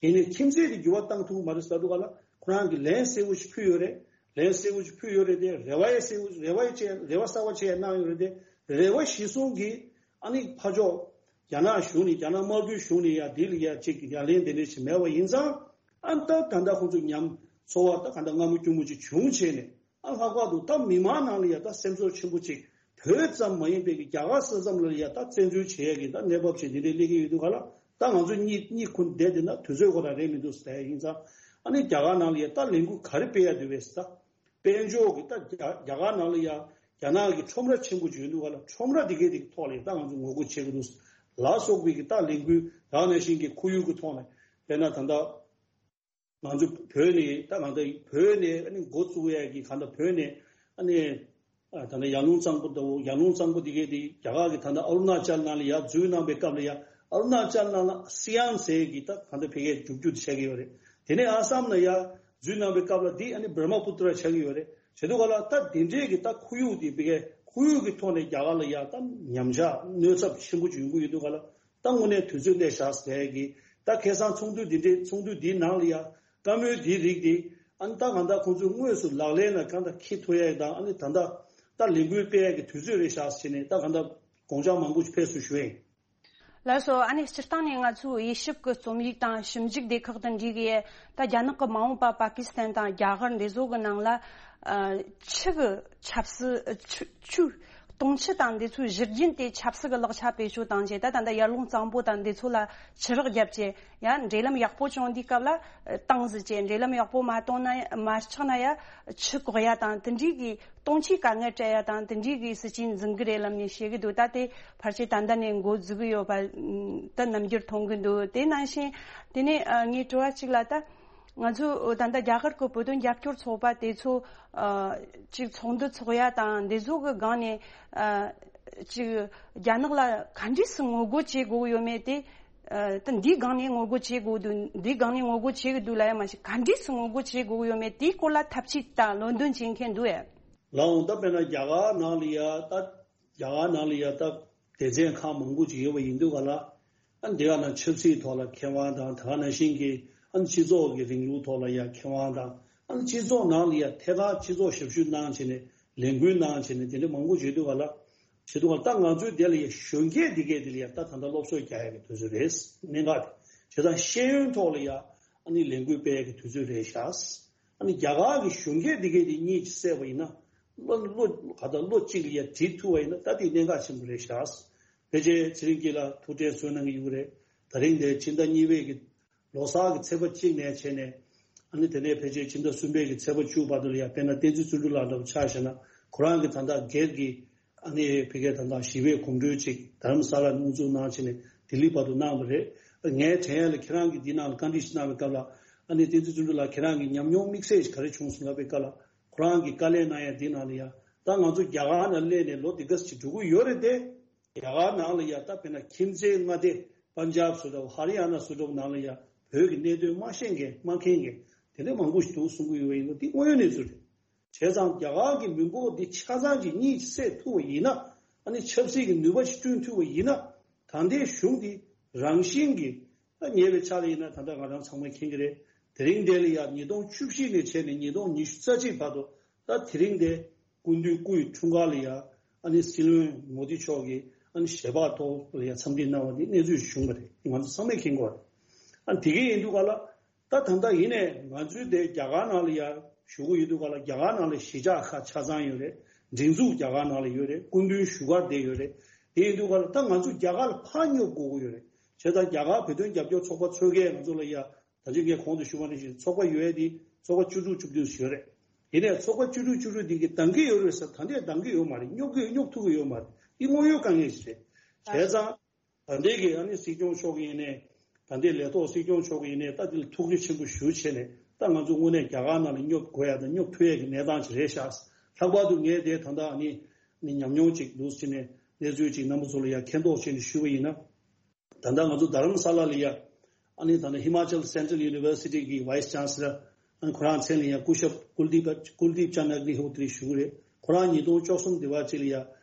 ཡིན་ནའི་ཁྱིམ་མཚེས་དེ་འགྱུར་བ་བཏང་ཐུབ་མ་རེད་ཟེར་དུས་ག་ལ་ཁོ་རང་གིས་ལན་གསལ་བོ་ཞིག་ཕུལ་ཡོད་རེད། ལན་གསལ་བོ་ཞིག་ཕུལ་ཡོད་རེད་དེ་རེ་བ་ཡང་གསལ་བོ་རེ་བ་ཡང་བྱས་རེ་བ་གསར་བ་བྱས་གནང་ཡོད་རེད་དེ་རེ་བ་གཞི་བཟུང་གིས་ཨ་ནི་ཕར་ཕྱོགས་རྒྱ་ནག་གཞུང་ནས་རྒྱ་ནག་དམར་པོའི་གཞུང་ནས་ཡང་འདི་ལ་ཡང་ཅིག་ཡ་ལན་དེ་འདྲ་ཞིག་མེད་པ་ཡིན་ཙང་ཨ་ད་ད་ལྟ་ཁོང་ཚོ་ཉམས་ཚོར་བ་ད་ག་འདྲ་སྔ་མོ་སྐྱུར་མོ་ཅིག་བྱུང་བྱས་ནས། ཨ་ལྷག་པར་དུ་ད་མི་མང་ནང་ལ་ཡ་ད་སེམས་ཚོར་ཆེན་པོ་ཅིག་བོད་ཙམ་མ་ཡིན་པའི་གི་རྒྱ་གར་ས་མཚམས་ལ་ཡ་ད་བཙན་འཛུལ་བྱེད་ཡ་གི་ད་གནས་བབ་ཅིག་འདི་འདྲའི་སླེབས་ཀྱི་ཡོད་དུས་ག་ལ་ད་ང་ཚོ་གཉིད་གཉིད་ཁུག་བསྡད་བསྡད་ན་དུས་ཚོད་ཁོ་རང་རེད་མི་འདུག་ཟེར་ཡ་ཡིན་ཙང་ཨ་ནི་རྒྱ་གར་ནང་ལ་ཡ་ད་ལས་འགུལ་ག་རེ་སྤེལ་ཡ་འདུག་བས་ད་དཔལ་འབྱོར་གི་ད་རྒྱ་རྒྱ་གར་ནང་ལ་ཡ་རྒྱ་ནག་གི་ཁྲོམ་ར་ཆེན་པོ་ཅིག་ཡོད་དུས་ག་ལ་ཁྲོམ་ར་འདི་གའི་དེ་གི་ཐོག་ལ་ཡ་ད་ང་ཚོ་ངོ་རྒོལ་བྱེད་ཀྱི་འདུག་ལ་སོགས་པའི་གི་ད་ལས་འགུལ་ད་ནང་བཞིན་གི་ཁོར་ཡུག་གི་ཐོག་ནས་དཔེར་ན་ད་ལྟ། ང་ཚོ་བོད་ནས་ད་གང་ལྟར་བོད་ནས་ཨ་ནི་འགོ་བཙུགས་ཡས་ཀྱི་གང་ལྟར་བོད་ནས་ཨ་ནི་ཨ་ད་ལྟ་ཡར་ཀླུང་གཙང་པོ་དང་ཡར་ཀླུང་གཙང་པོ་དེ་གའི་དེ་རྒྱ་གར་གྱི་ད་ལྟ་ཨ་རུ་ན་ཅལ་ནང་ལ་ཡར་འཛུལ་གནང་པའི་སྐབས་ལ་ཡ་ཨ་རུ་ན་ཅལ་ནང་ལ་སི་ཡང་ཟེར་གྱི་ད་གང་ལྟར་ཕ་གིའི་རྒྱུག་རྒྱུག་དེ་ཆགས་ཀྱི་ཡོད་རེད། དེ་ནས་ཨ་སམ་ལ་ཡར་འཛུལ་གནང་པའི་སྐབས་ལ་དེ་ཨ་ནི་བྷར་མ་པུ་ཏྲ་ཆགས་ཀྱི་ཡོད་རེད། བྱེད་དུས་ག་ལ་ད་དེ་འདྲས་ཀྱི་ད་ཁོར་ཡུག་དེ་ཕ་གིའི་ཁོར་ཡུག་གི་ཐོག་ནས་རྒྱ་གར་ལ་ཡ་ད་ཉམས་ཆག་གནོད་ཚབས་ཆེན་པོ་ཅིག་ཡོང་གི་ཡོད་དུས་ག་ལ། ད་དངོས་གནས་དུས་ཚོད་སླེབས་བཞག་ཟེར་གི། ད་ཁ་སང་ཚོགས་འདུ་འདི་འདྲའི་ཚོགས་འདུ་འདིའི་ནང་ལ་ཡ་བཀའ་མོལ་འདིའི་རིགས་འདི་ཨ་ནི་ད་གང་ལྟར་ཁོང་ཚོས་དངོས་སུ་ལག་ལེན་ལ་གང་ལྟར་འཁྱེར་ཐུབ་ཡ་དང་ཨ་ནི་ད་ལྟ་ད་ལས་འགུལ་སྤེལ་ཡ་གི་དུས་ཚོད་རེད་བཞག་ཟེར་ནས་ད་གང་ལྟར་དགོངས་འཆར་མང་པོ་ཞིག་ཕེབས་སུ་ཞུ་ཡིན། ལགས་སོ། ཨ་ནི་སྤྱིར་བཏང་ནས་ང་ཚོའི་དབྱེ་ཞིབ་ཀྱི་རྩོམ་ཡིག་དང་ཞིབ་འཇུག་སྡེ་ཁག་དང་འབྲེལ་གྱི་ད་རྒྱ་ནག་གི་མ་འོངས་པ་པ་ཀི་སི་ཐན་དང་རྒྱ་གར་འདི་ཚོ་གི་ནང་ལ་ཨ་ཆུ་གི་ཆབ་སྲིད་ཆུ་ཆུ། དུང་ཆུ་དང་འདི་ཚོའི་བཞུར་རྒྱུན་དེ་ཆབ་སྲིད་ཀྱི་ལག་ཆ་བེད་སྤྱོད་བཏང་རྗེས་ད་ད་ལྟ་ཡར་ཀླུང་གཙང་པོ་དང་འདི་ཚོ་ལ་ཆུ་རགས་བརྒྱབ་རྗེས་ཡང་འབྲེལ་ལམ་ཡག་པོ་བྱུང་དུས་སྐབས་ལ་བཏང་ཟིན་རྗེས་འབྲེལ་ལམ་ཡག་པོ་མ་བཏང་ན་མ་ཆགས་ན་ཡང་ཆུ་བཀག་ཡ་དང་དེ་འདྲའི་གི་དུང་ཆུའི་དཀའ་ངལ་སྤྲད་ཡ་དང་དེ་འདྲའི་གི་སྲིད་ཇུས་འཛིན་གི་རེད་ལབ་ནས་བཤད་གི་འདུག་ད་དེ་ཕལ་ཆེར་ད་ལྟ་ནས་འགོ་འཛུགས་གི་ཡོད་པ་ད་རྣམ་འགྱུར་མཐོང་གི་འདུག་དེ་ནང་བཞིན་དེ་ནས་ངའི་དྲི་བ་གཅིག་ལ་ད། ང་ཚོ་ད་ལྟ་རྒྱ་གར་གྱི་བོད་དོན་རྒྱབ་སྐྱོར་ཚོགས་པ་དེ་ཚོ་ཨ་ཅིག་ཚོགས་འདུ་ཚོགས་ཡ་དང་འདི་ཚོ་གི་སྒང་ནས་ཨ་ཅིག་རྒྱ་ནག་ལ་ག་འདྲས་སུ་ངོ་རྒོལ་བྱེད་དགོས་ཡོད་མེད་དེ་ཨ་ད་འདིའི་སྒང་ནས་ངོ་རྒོལ་བྱེད་དགོས་འདུག་འདིའི་སྒང་ནས་ངོ་རྒོལ་བྱེད་གི་འདུག་ལ་ཡ་མ་ཞིག་ག་འདྲས་སུ་ངོ་རྒོལ་བྱེད་དགོས་ཡོད་མེད་དེའི་སྐོར་ལ་ཐབས་ཇུས་དང་ལམ་སྟོན་བྱེད་མཁན་འདུག་ཨེ། ལགས་འོང་ད་དཔེར་ན་རྒྱ་གར་ནང་ལ་ཡ་ད། རྒྱ་གར་ནང་ལ་ཡ་ད་སྡེ་ཚན་ཁག་མང་པོ་ཅིག་ཡོད་པ་ཡིན་དུས་ག་ལ། ཨ་འདི་ག་ནང་ཆབ་སྲིད་ཐོག་ལ་མཁས་དབང་དང་ད་ག་ནང་བཞིན་གྱི་ཨ་སྤྱི་ཚོགས་ཀྱི་རིང་ལུགས་ཐོག་ལ་ཡ་མཁས་དབང་དང་ཨ་སྤྱི་ཚོགས་ནང་ལ་ཡ་ཐད་ཀར་སྤྱི་ཚོགས་ཞབས་ཞུ་གནང་བྱས་ནས་ལས་འགུལ་གནང་བྱས་ནས་དེ་འདྲ་མང་པོ་བྱེད་དུས་ག་ལ། བྱེད་དུས་ག་ལ་ད་ང་ཚོའི་དེ་ལ་ཡ་གཞོན་སྐྱེས་འདི་གས་དེ་ལ་ཡ་ད་ད་ལྟ་སློབ་གསོ་རྒྱག་ཡ་གི་དུས་ཚོད་རེད། གནད་འགག་དེ་བྱས་ཙང་ཤེས་ཡོན་ཐོག་ལ་ཡ་ཨ་ནི་ལས་འགུལ་སྤེལ་ཡ་གི་དུས་ཚོད་རེད་ཤག་ཨ་ནི་རྒྱ་གར་གྱི་གཞོན་སྐྱེས་འདི་གས་དེ་གཉིས་ཀྱིས་བསད་པ་ཡིན་ན། བློ་བློ་ག་ད་བློ་གཅིག་ལ་ཡ་བྲིས་ཐུབ་པ་ཡིན་ན་ད་དེ་གནད་འགག་ཆེན་པོ་རེད་ཤག་ཕལ་ཆེར་ཚེ་རིང་སྐྱིད་ལགས་ཐུགས་ཁྲལ་གསོ་གནང་གི་ཡོད་རེད། ད་རིང་འདིར་ཕྱི་ཟླ་གཉིས་པའི་གི་ལོ་གསར་གྱི་ཚེས་པ་གཅིག་ནས་བྱས་ནས་ཨ་ནི་དེ་ནས་ཕལ་ཆེར་ཕྱི་ཟླ་གསུམ་པའི་གི་ཚེས་པ་བཅུ་བར་དུ་ལ་ཡ་དཔེར་ན་བསྟན་འཛིན་བརྩོན་འགྲུས་ལགས་འདྲ་བོ་ཆ་བཞག་ན་ཁོ་རང་གི་ད་ལྟ་སྒེར་གྱི་ཨ་ནི་ཕ་གིའི་ད་ལྟ་ཞི་བའི་གོམ་བགྲོད་ཅིག་དྷ་རམ་ས་ལར་དབུ་འཛུགས་གནང་བྱས་ནས་ལྡི་ལི་བར་དུ་གནང་བ་རེད། ངས་དྲན་ཡ་ལ་ཁྱེད་རང་གིས་འདི་ནང་ལ་བཀའ་འདྲི་ཞིག་གནང་བའི་སྐབས་ལ་ཨ་ནི་བསྟན་འཛིན་བརྩོན་འགྲུས་ལགས་ཁྱེད་རང་གི་ཉམས་མྱོང་དམིགས་བསལ་ཞིག་ག་རེ་བྱུང་སོང་ལབ་པའི་སྐབས་ལ་ཁོ་རང་གིས་བཀའ་ལན་གནང་ཡ་འདི་ནང་ལ་ཡ་ད་ང་ཚོ་རྒྱ་གར་ནང་སླེབས་ནས་ལོ་འདི་ག་ཙམ་ཅིག་འགྲོ་གི་ཡོད་རེད་དེ། རྒྱ་གར་ནང་ལ་ཡ་ད་དཔེར་ན་ཁྱིམ་མཚེས་མངའ་སྡེ་པན་ཇབ་སུ་འདྲ་བོ་ཧ་རི་ཡ་ན་སུ་འདྲ་བོ་ནང་ལ་ཡ་བོད་ཀྱི་གནད་དོན་མ་ཤེས་མཁན་མ་མཁྱེན་མཁན་དེ་འདྲ་མང་པོ་ཞིག་འདུག་གསུང་གི་ཡོད་པ་ཡིན་ན་འདི་དངོས་ཡོད་གནས་ཚུལ་རེད། བྱས་ཙང་རྒྱ་གར་གྱི་མི་འབོར་འདི་ཆ་ཚང་གཅིག་གཉིས་ཀྱིས་བསད་ཐུབ་པ་ཡིན་ན། ཨ་ནི་ཆབ་སྲིད་ཀྱི་ནུས་པ་ཞིག་བསྐྲུན་ཐུབ་པ་ཡིན་ན། ད་ལྟའི་གཞུང་འདི་རང་བཞིན་གྱིས་ད་ཉེ་བའི་ཆར་ལ་ཡིན་ན་ད་ལྟ་ང་རང་ཚང་མས་མཁྱེན་གྱི་རེད། དེ་རིང་འདི་ལ་ཡ་ཉིས་སྟོང་བཅུ་བཞི་ནས་བྱས་ནས་ཉིས་སྟོང་ཉི་ཤུ་རྩ་གཅིག་བར་དུ་ད་དེ་རིང་འདི་སྐུ་མདུན་སྐུ་ཡི་འཁྲུངས་སྐར་ལ་ཡ་ཨ་ནི་སྲིད་བློན་མོ་དི་མཆོག་གིས་ཨ་ནི་ཞལ་འབག་ཐོག་ལ་ཡ་འཚམས་འདྲི་གནང་བ་འདི་གནས་ཚུལ་བྱུང་བ་རེད། ང་ཚོ་ཚང་མས་མཁྱེན་གྱི་ཡོད་རེད། ཨ་ནི་དེ་གས་ཡིན་དུས་ག་ལ། ད་ད་ལྟ་ཡིན་ནའི་ང་ཚོའི་དེ་རྒྱ་གར་ནང་ལ་ཡ་བཞུགས་ཀྱི་ཡོད་དུས་ག་ལ། རྒྱ་གར་ནང་ལ་གཞིས་ཆགས་ཁག་ཆ་ཚང་ཡོད་རེད། སྒྲིག་འཛུགས་རྒྱ་གར་ནང་ལ་ཡོད་རེད། སྐུ་མདུན་བཞུགས་སྒར་དེ་ཡོད་རེད། དེ་ཡིན་དུས་ག་ལ་ད་ང་ཚོ་རྒྱ་གར་ལ་ཕར་སྙོབ་དགོས་ཀྱི་ཡོད་རེད། བྱས་ཙང་རྒྱ་གར་བོད་དོན་རྒྱབ་སྐྱོར་ཚོགས་པ་ཚོས་ཀས་ང་ཚོ་ལ་ཡ་ད་ཅི་ངས་གོང་དུ་ཞུས་པ་ནང་བཞིན་ཚོགས་པ་ཡོད་ཡ་དེ་ཚོགས་པ་བཅུ་དྲུག་བཅུ་བདུན་ཞིག་ཡོད་རེད། ཡིན་ནའི་ཚོགས་པ་བཅུ་དྲུག་བཅུ་དྲུག་དེ་གི་འདང་གི་ཡོད་རེད་ཟེར། ད་ལྟའི་འདང་གི་ཡོད་མ་རེད། སྙོབ་གི་སྙོབ་ཐུབ་ཀྱི་ཡོད་མ་རེད། འདི་དངོས་ཡོད་དཀའ་ངལ་ཞིག་རེད། བྱས་ཙང་། ད་ལྟའི་གི་ཨ་ནི་སྲིད་སྐྱོང་མཆོག་གི་ཡིན་ནའི། ད་ལྟའི་ལས་ཐོག་སྲིད་སྐྱོང་མཆོག་གི་ཡིན་ནའི་ད་འདི་ལ་ཐུགས་རྗེ་ཆེན་པོ་ཞུ་བྱས་ནས། ད་ང་ཚོ་དངོས་གནས་རྒྱ་གར་ནང་ལ་སྙོབ་དགོས་ཡ་དང་སྙོབ་ཐུབ་ཡ་གི་གནས་སྟངས་ཅིག་རེད་ཤག། ལྷག་པར་དུ་ངས་དེ་ད་ལྟ་ཨ་ནི་ནི་ཉམས་མྱོང་ཅིག་འདུག་ཟེར་ནས་གནས་ཚུལ་ཅིག་རྣམ་པ་ཚོ་ལ་ཡ་མཁྱེན་རྟོགས་བྱས་ནས་ཞུས་པ་ཡིན་ན། ད་ལྟ་ང་ཚོ་རྡ་རམ་ས་ལ་ལ་ཡ། ཨ་ནི་ད་ལྟ་ཧི་མ་ཅལ་སེན་ཊྲལ་ཡུ་ནི་ཝར་སི་ཊི་གི་ཝའི་སི་ཅན་སི་ལར། ཨ་ནི་ཁོ་རང་མཚན་ལ་ཡ་སྐུ་ཞབས་ཀུལ་དིབ་ཀུལ་དིབ་ཅན་ཨག་ནི་ཧོ་ཏྲི་ཞུ་གི་རེད། ཁོ་རང་ཉིས་སྟོང་བཅུ་གསུམ་དེ་བར་ཅིག་ལ་ཡ།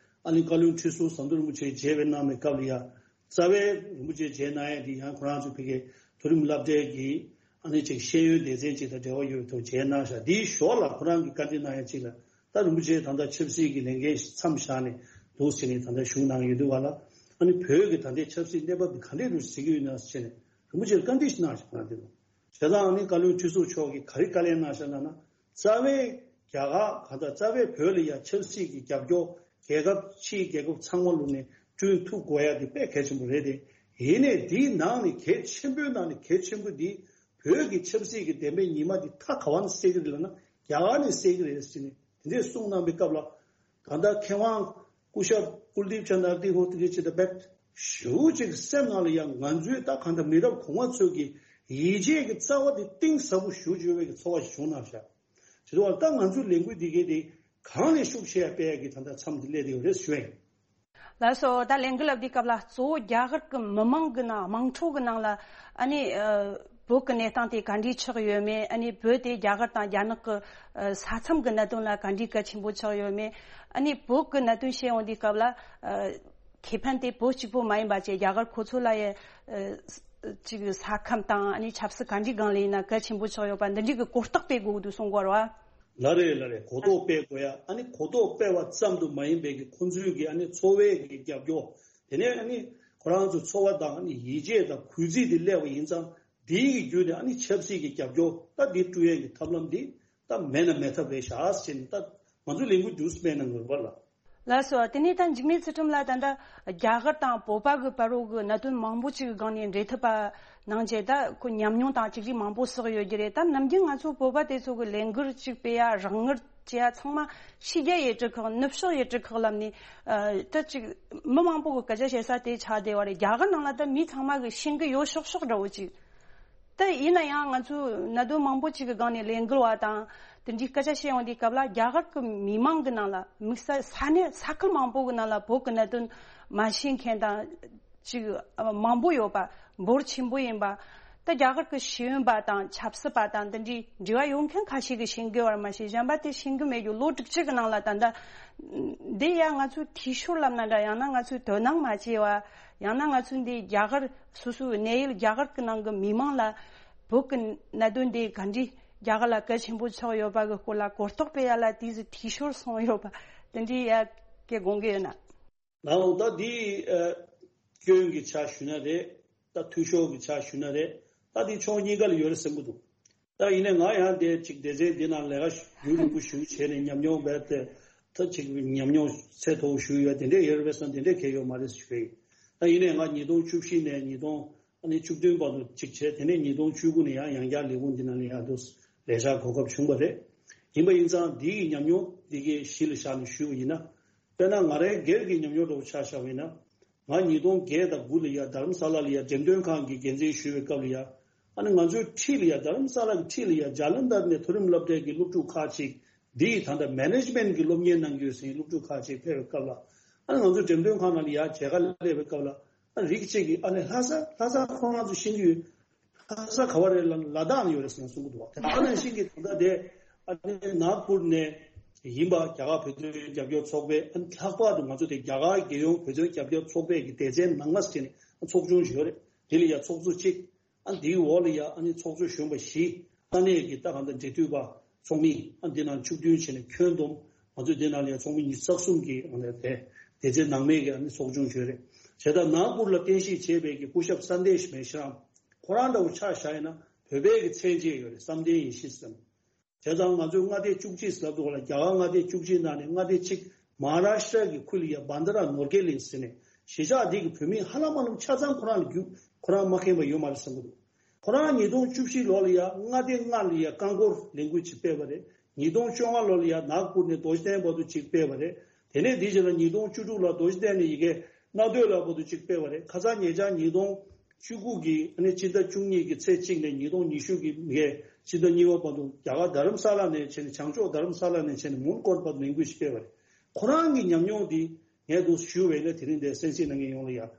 ཨ་ནི་བཀའ་བློན་ཁྲི་ཟུར་ཟམ་གདོང་རིན་པོ་ཆེ་མཇལ་བའི་གནང་བའི་སྐབས་ལ་ཡ། རྩ་བའི་རིན་པོ་ཆེ་མཇལ་གནང་ཡ་དེ་ཡང་ཁོ་རང་ཚོ་ཕ་གིའི་མཐོ་རིམ་སློབ་གྲྭའི་གི་ཨ་ནི་ཅིག་ཤེས་ཡོན་སྡེ་ཚན་ཅིག་དང་འབྲེལ་བ་ཡོད་པའི་ཐོག་མཇལ་གནང་ཤག། དེའི་ཞོར་ལ་ཁོ་རང་གིས་བཀའ་འདྲི་གནང་ཡ་ཅིག་ལ། ད་རིན་པོ་ཆེ་ད་ལྟ་ཆབ་སྲིད་ཀྱི་ལས་འགན་མཚམས་བཞག་ནས་འདུག་ཟེར་ནས་ད་ལྟ་ཞུགས་གནང་ཡོད་འདུག་བ་ལ། ཨ་ནི་བོད་ཀྱི་ད་ལྟའི་ཆབ་སྲིད་གནས་བབ་འདི་ག་འདྲས་རུ་གཟིགས་ཀྱི་ཡོད་ན་ཟེར་ནས་རིན་པོ་ཆེར་བཀའ་འདྲི་ཞིག་གནང་ཞིག་གནང་འདུག། བྱས་ཙང་ཨ་ནི་བཀའ་བློན་ཁྲི་ཟུར་མཆོག་གིས་ག་རེ་བཀའ་ལན་གནང་ཤག་ལབ་ན། རྩ་བའི་རྒྱ་གར་གང་ལྟར་རྩ་བའི་བོད་ལ་ཡ་ཆབ་སྲིད་ཀྱི་རྒྱབ་སྐྱོར་རྒྱལ་ཁབ་ཕྱིའི་རྒྱལ་ཁབ་ཚང་མ་ལུགས་ནས་བསྐྲུན་ཐུབ་དགོས་ཡ་དེ་དཔེ་གལ་ཆེན་པོ་རེད་དེ། ཡིན་ནའི་འདིའི་ནང་ནས་གལ་ཆེན་པོའི་ནང་ནས་གལ་ཆེན་པོ་འདི་བོད་ཀྱི་ཆབ་སྲིད་ཀྱི་བདེན་པའི་ཉི་མ་འདི་ད་ག་བ་ནས་གསལ་གྱི་རེད་ལབ་ན་རྒྱ་གར་ནས་གསལ་གྱི་རེད་ཟེར་ནས་དེ་འདྲས་གསུངས་གནང་པའི་སྐབས་ལ། ད་ལྟ་མཁས་དབང་སྐུ་ཞབས་ཀུལ་དིབ་ཅན་ཨག་ནི་ཧོ་ཏྲི་ཅེ་ད་བེད་ཞུ་ཅིག་སེམས་ནང་ལ་ཡང་ང་ཚོའི་ད་གང་ལྟར་མི་རབས་གོང་མ་ཚོས་ཀྱི་ཡིད་ཆེས་ཀྱི་རྩ་བ་དེ་གཏིང་ཟབ་པོ་ཞུ་བཅུག་པའི་གི་ཚོར་བ་ཞིག་བྱུང་གནང་ཤག། བྱས་ཙང་ད་ང་ཚོའི་ལས་འགུལ་འདི་གའི་དེ་གང་ལས་ཤུགས་ཆེ་ཡ་སྤེལ་ཡ་གི་ད་ལྟ་མཚམས་འདི་སླེབས་བསྡད་ཡོད་རེད་ཞུ་ཡིན། ལགས་སོ། ད་ལས་འགུལ་འདི་སྐབས་ལ་གཙོ་བོ་རྒྱ་གར་གྱི་མི་མང་གི་ནང་དམངས་ཁྲོད་ཀྱི་ནང་ལ་ཨ་ནི་ཨ་བོད་ཀྱི་གནས་སྟངས་དེ་ག་འདྲས་ཆགས་ཡོད་མེད། ཨ་ནི་བོད་དེ་རྒྱ་གར་དང་རྒྱ་ནག་གི་ཨ་ས་མཚམས་ཀྱི་གནད་དོན་ལ་ག་འདྲས་གལ་ཆེན་པོ་ཆགས་ཡོད་མེད། ཨ་ནི་བོད་ཀྱི་གནད་དོན་བཤད་ཡོང་དུས་སྐབས་ལ་ཨ་ཁེ་ཕན་དེ་བོད་གཅིག་པོ་མ་ཡིན་པ་བཅས་རྒྱ་གར་ཁོ་ཚོ་ལ་ཡང་ཨ་ཅིག་ས་ཁམས་དང་ཨ་ནི་ཆབ་སྲིད་ག་འདྲས་སྒང་ལ་ཡིན་ན་གལ་ཆེན་པོ་ཆགས་ཡོད་པ་འདི་འདྲས་ཀྱི་གོ་རྟོགས་སྤེལ་དགོས་འདུག་གསུང་གི་ཡོད་རེད་བ། ལགས་རེད་ལགས་རེད། གོ་རྟོགས་སྤེལ་དགོས་ཡ། ཨ་ནི་གོ་རྟོགས་སྤེལ་བ་ཙམ་དུ་མ་ཡིན་པའི་གི་ཁོང་ཚོའི་གི་ཨ་ནི་འཚོ་བའི་གི་རྒྱབ་སྐྱོར། དེ་ནས་ཨ་ནི་ཁོ་རང་ཚོ་འཚོ་བ་དང་ཨ་ནི་ཡིད་ཆེས་དང་གུས་བརྩི་དེ་སླེབས་པ་ཡིན་ཙང་དེའི་གི་བརྒྱུད་ནས་ཨ་ནི་ཆབ་སྲིད་ཀྱི་རྒྱབ་སྐྱོར་ད་འདི་བསྐྲུན་ཡས་ཀྱི་ཐབས་ལམ་འདི་ད་མེད་ན་མེད་ཐབས་རེད་ཤག་ཟེར་ནས་ད་ང་ཚོ་ལས་འགུལ་འདུག་སེ་སྤེལ་གནང་དགོས་པ་ལ། ལགས་སོ། དེ་ནས་ད་འཇིགས་མེད་ཚུལ་ཁྲིམས་ལགས་ད་ལྟ་རྒྱ་གར་དང་བོད་པ་གི་བར་རོ་གི་གནད་དོན་མང་པོ་ཅིག་གི་སྒང་ནས་འབྲེལ་མཐུད་པ་གནང་རྗེས་ད་ཁོ་ཉམས་མྱོང་དང་ཅིག་རིགས་མང་པོ་བསགས་ཡོད་ཀྱི་རེད། ད་ནམ་རྒྱུན་ང་ཚོ་བོད་པ་དེ་ཚོ་གི་ལས་འགུལ་ཅིག་སྤེལ་ཡ་རང་ངར་བྱེད་ཡ་ཚང་མ་ཕྱི་རྒྱལ་ཡུལ་གྲུ་ཁག་ནུབ་ཕྱོགས་ཡུལ་གྲུ་ཁག་ལབ་ནས་ཨ་ད་ཅིག་མི་མང་པོ་གི་སྐད་ཆ་བཤད་ས་དེ་ཆགས་བསྡད་པ་རེད། རྒྱ་གར་ནང་ལ་ད་མི་ཚང་མ་གི་ཤེས་ཀྱི་ཡོད་ཤོག་ཤོག་འདྲ་བོ་ཅིག་ད་ཡིན་ན་ཡང་ང་ཚོས་གནད་དོན་མང་པོ་ཅིག་གི་སྒང་ནས་ལས་འགུལ་བ་དང་དེ་འདྲའི་སྐད་ཆ་བཤད་ཡོང་དུས་སྐབས་ལ་རྒྱ་གར་གྱི་མི་མང་གི་ནང་ལ་དམིགས་བསལ་ས་གནས་ས་ཁུལ་མང་པོ་གི་ནང་ལ་བོད་ཀྱི་གནད་དོན་མ་ཤེས་མཁན་དང་ཅིག་མང་པོ་ཡོད་པ། འབོར་ཆེན་པོ་ཡིན་པ། ད་རྒྱ་གར་གྱི་ཤེས་ཡོན་པ་དང་ཆབ་སྲིད་པ་དང་དེ་འདྲའི་འབྲེལ་བ་ཡོད་མཁན་ཁ་ཤས་ཀྱིས་ཤེས་ཀྱི་ཡོད་པ་མ་ཤེས་གཞན་པ་དེ་ཤེས་ཀྱི་མེད་རྒྱུ། ལོ་དྲུག་ཅུ་གི་ནང་ལ་ད་ལྟ་འདི་ཡང་ང་ཚོའི་འཐུས་ཤོར་ལབ་ན་འདྲ། ཡང་ན་ང་ཚོའི་དོ་སྣང་མ་བྱས་པ། ཡང་ན་ང་ཚོའི་འདི་རྒྱ་གར་སོ་སོའི་གནས་ཡུལ་རྒྱ་གར་གྱི་ནང་གི་མི་མང་ལ་བོད་ཀྱི་གནད་དོན་འདི་ག་འདྲའི་རྒྱ་གར་ལ་གལ་ཆེན་པོ་ཆགས་ཡོད་པ་གི་སྐོར་ལ་གོ་རྟོགས་སྤེལ་ཡ་ལ་དེ་ཚོ་འཐུས་ཤོར་སོང་ཡོད་པ་དེ་འདྲའི་ཡ་སྐད་དགོངས་ཀྱི་ཡོད་ན། ལགས་འོང་། ད་འདི་ཨ་སྐྱོན་གྱི་ཆ་ཞུ་ན་རེད། ད་འཐུས་ཤོར་གྱི་ཆ་ཞུ་ན་རེད། ད་འདི་ཕྱོགས་གཉིས་ཀ་ལ་ཡོད་རེད་བསམ་གྱི་འདུག། ད་ཡིན་ནའི་ང་ཡང་དེ་ཅིག་སྡེ་ཚན་འདི་ནང་ལས་ཀ་རྒྱུན་རིང་པོ་ཞིག་བྱས་ནས་ཉམས་མྱོང་རྦད་དེ་ད་ཅིག་ཉམས་མྱོང་ཚད་མཐོ་བོ་ཞིག་ཡོད། དེ་འདྲས་ཡོད་རེད་བསམ། དེ་འདྲས་གང་ཡང་ཡོད་མ་རེད་ཞུ་ཡིན། ད་ཡིན་ནའི་ང་ཉིས་སྟོང་བཅུ་བཞི་ནས་ཉིས་སྟོང་ཨ་ནི་བཅུ་བདུན་བར་དུ་ཅིག་བྱས། དེ་ནས་ཉིས་སྟོང་བཅུ་དགུ་ནས་ཡང་ཡང་བསྐྱར་ལས་ཁུངས་འདི་ནང་ལ་ཡང་དུ་ལས་བྱ་གོ་སྐབས་བྱུང་བ་རེད། ཡིན་པ་ཡིན་ཙང་འདི་ཡི་ཉམས་མྱོང་འདི་གའི་གཞི་ལ་བཞག་ནས་ཞུས་པ་ཡིན་ན། དཔེར་ན་ང་རའི་སྒེར་གྱི་ཉམས་མྱོང་འདྲ་བོ་ཆ་བཞག་པ་ཡིན་ན། ང་ཉིས་སྟོང་བརྒྱད་དང་དགུ་ལ་ཡ་རྡ་རམ་ས་ལ་ལ་ཡ་འགྲེམས་སྟོན་ཁང་གི་འགན་འཛིན་ཞུ་བའི་སྐབས་ལ་ཡ། ཨ་ནི་ང་ཚོའི་འཁྲིས་ལ་ཡ་རྡ་རམ་ས་ལ་གི་འཁྲིས་ལ་ཡ་ཇ་ལན་དར་ནས་མཐོ་རིམ་སློབ་གྲྭའི་གི་སློབ་ཕྲུག་ཁག་ཅིག་འདི་ཡི་ད་ལྟ་མེ་ནེ་ཇི་མེན་གི་སློབ་གཉེར་གནང་གི་ཡོད་ཟེར་སློབ་ཕྲུག་ཁག་ཅིག་ཕེབས་པའི་སྐབས་ལ། ཨ་ནི་ང་ཚོ་འགྲེམས་སྟོན་ཁང་ནང་ལ་ཡ་མཇལ་ཁ་སླེབས་པའི་སྐབས་ལ། ཨ་རིགས་གཅིག་གིས་ཨ་ནི་ལྷ་ས་ལྷ་ས་ཁོ་རང་ཚོ་ཤེས་ཀྱི་ཡོད། ལྷ་ས་ག་བ་རེད་ལབ་ན་ལ་དྭགས་ནས་ཡོད་རེད་ཟེར་ནས་གསུང་གི་འདུག་བ། དེ་ནང་བཞིན་གྱི་ད་ལྟ་དེ་ཨ་ནི་ནཱག་པུར་ནས། ཡིན་པ། རྒྱ་གར་བོད་དོན་རྒྱབ་སྐྱོར་ཚོགས་པའི། ཨ་ནི་ལྷག་པར་དུ་ང་ཚོ་དེ་རྒྱ་གར་རྒྱལ་ཡོངས་བོད་དོན་རྒྱབ་སྐྱོར་ཚོགས་པའི་གི་སྡེ་ཚན་ནང་མ་ཟེར་ནས་ཚོགས་ཆུང་ཞིག་ཡོད་རེད། དེ་ལ་ཡ་ཚོགས་གཙོ་གཅིག་ཨ་ནི་དེའི་འོག་ལ་ཡ་ཨ་ནི་ཚོགས་གཙོ་གཞོན་པ་བཞི། ས་གནས་ཀྱི་ད་གང་ལྟར་འབྲེལ་མཐུད་པ་ཚོགས་མི། ཨ་འདི་ནང་བཅུ་བདུན་བྱས་ནས་ཁྱོན་བསྡོམས། ང་ཚོས་འདི་ནང་ལ་ཡ་ཚོགས་མི་ཉི་ཤུ་རྩ་གསུམ་གྱི་ཨ་ནི་དེ་སྡེ་ཚན་ནང་མའི་གི་ཨ་ནི་ཚོགས་ཆུང་ཞིག་ཡོད་རེད། བྱས་ཙང་ནཱག་པུར་ལ་རྟེན་གཞི་བྱས་པའི་གི་སྐུ་ཞབས་སན་དེ་ཤི་མེ་ཤི་རམ། ཁོ་རང་འདྲ་བོ་ཆ་བཞག་ཡིན་ན་བོད་པའི་གི་མཚན་བཅས་ཡོད་རེད། བསམ་གཏན་ཡེ་ཤེས་ཟེར། བྱས་ཙང་ང་ཚོས་མངའ་སྡེ་བཅུ་གཅིག་ལབ་འདུག་ལ། རྒྱ་གར་མངའ་སྡེ་བཅུ་གཅིག་ནང་ནས་མངའ་སྡེ་གཅིག་མ་ཧཱ་རཱ་ཤི་ཏྲ་གི་ཁུལ་ལ་ཡ་བྷན་དྷ་ར་ནོར་གྷེ་ལིང་ཟེར་ནས། གཞིས་ཆགས་འདི་གི་བོད་མི་ཧ་ལམ་ཧ་ལམ་ཆ་ཚང་ཁོ་རང་ལ་རྒྱུས་ཁོ་རང་མ་མཁྱེན་པ་ཡོད་མ་རེད་བསམ་གྱི་འདུག་ཁོ་རང་ཉིས་སྟོང་བཅུ་བཞི་ལོ་ལ་ཡ་མངའ་སྡེ་ལྔ་ལ་ཡ་རྐང་འཁོར་ལས་འགུལ་ཅིག་སྤེལ་བ་རེད། ཉིས་སྟོང་བཅོ་ལྔ་ལོ་ལ་ཡ་ནཱག་པུར་ནས་རྡོ་རྗེ་གདན་བར་དུ་ཅིག་སྤེལ་བ་རེད། དེ་ནས་དེའི་རྗེས་ལ་ཉིས་སྟོང་བཅུ་དྲུག་ལ་རྡོ་རྗེ་གདན་ནས་ཡ་གི་རྣ་ཐོས་ལ་བར་དུ་ཅིག་སྤེལ་བ་རེད། ཁ་སང་ཉེ་ཆར་ཉིས་སྟོང་བཅུ་དགུ་གི་ཨ་ནི་སྤྱི་ཟླ་བཅུ་གཉིས་ཀྱི་ཚེས་གཅིག་ནས་ཉིས་སྟོང་ཉི་ཤུ་གི་མི་ཧེ་སྤྱི་ཟླ་གཉིས་པ་བར་དུ་རྒྱ་གར་རྡ་རམ་ས་ལ་ནས་བྱས་ནས། བྱང་ཕྱོགས་རྡ་རམ་ས་ལ་ནས་བྱས་ནས་མོན་གྷོ་བར་དུ་ལས་འགུལ་ཞིག་སྤེལ་བ་རེད། ཁོ་རང་གི་ཉམས་མྱོང་འདི་ངས་འདུག་ཞུ་བས་ན། དེ་རིང་འདིར་གསན་གཟིགས་གནང་མཁན་ཡོངས་ལ་ཡ།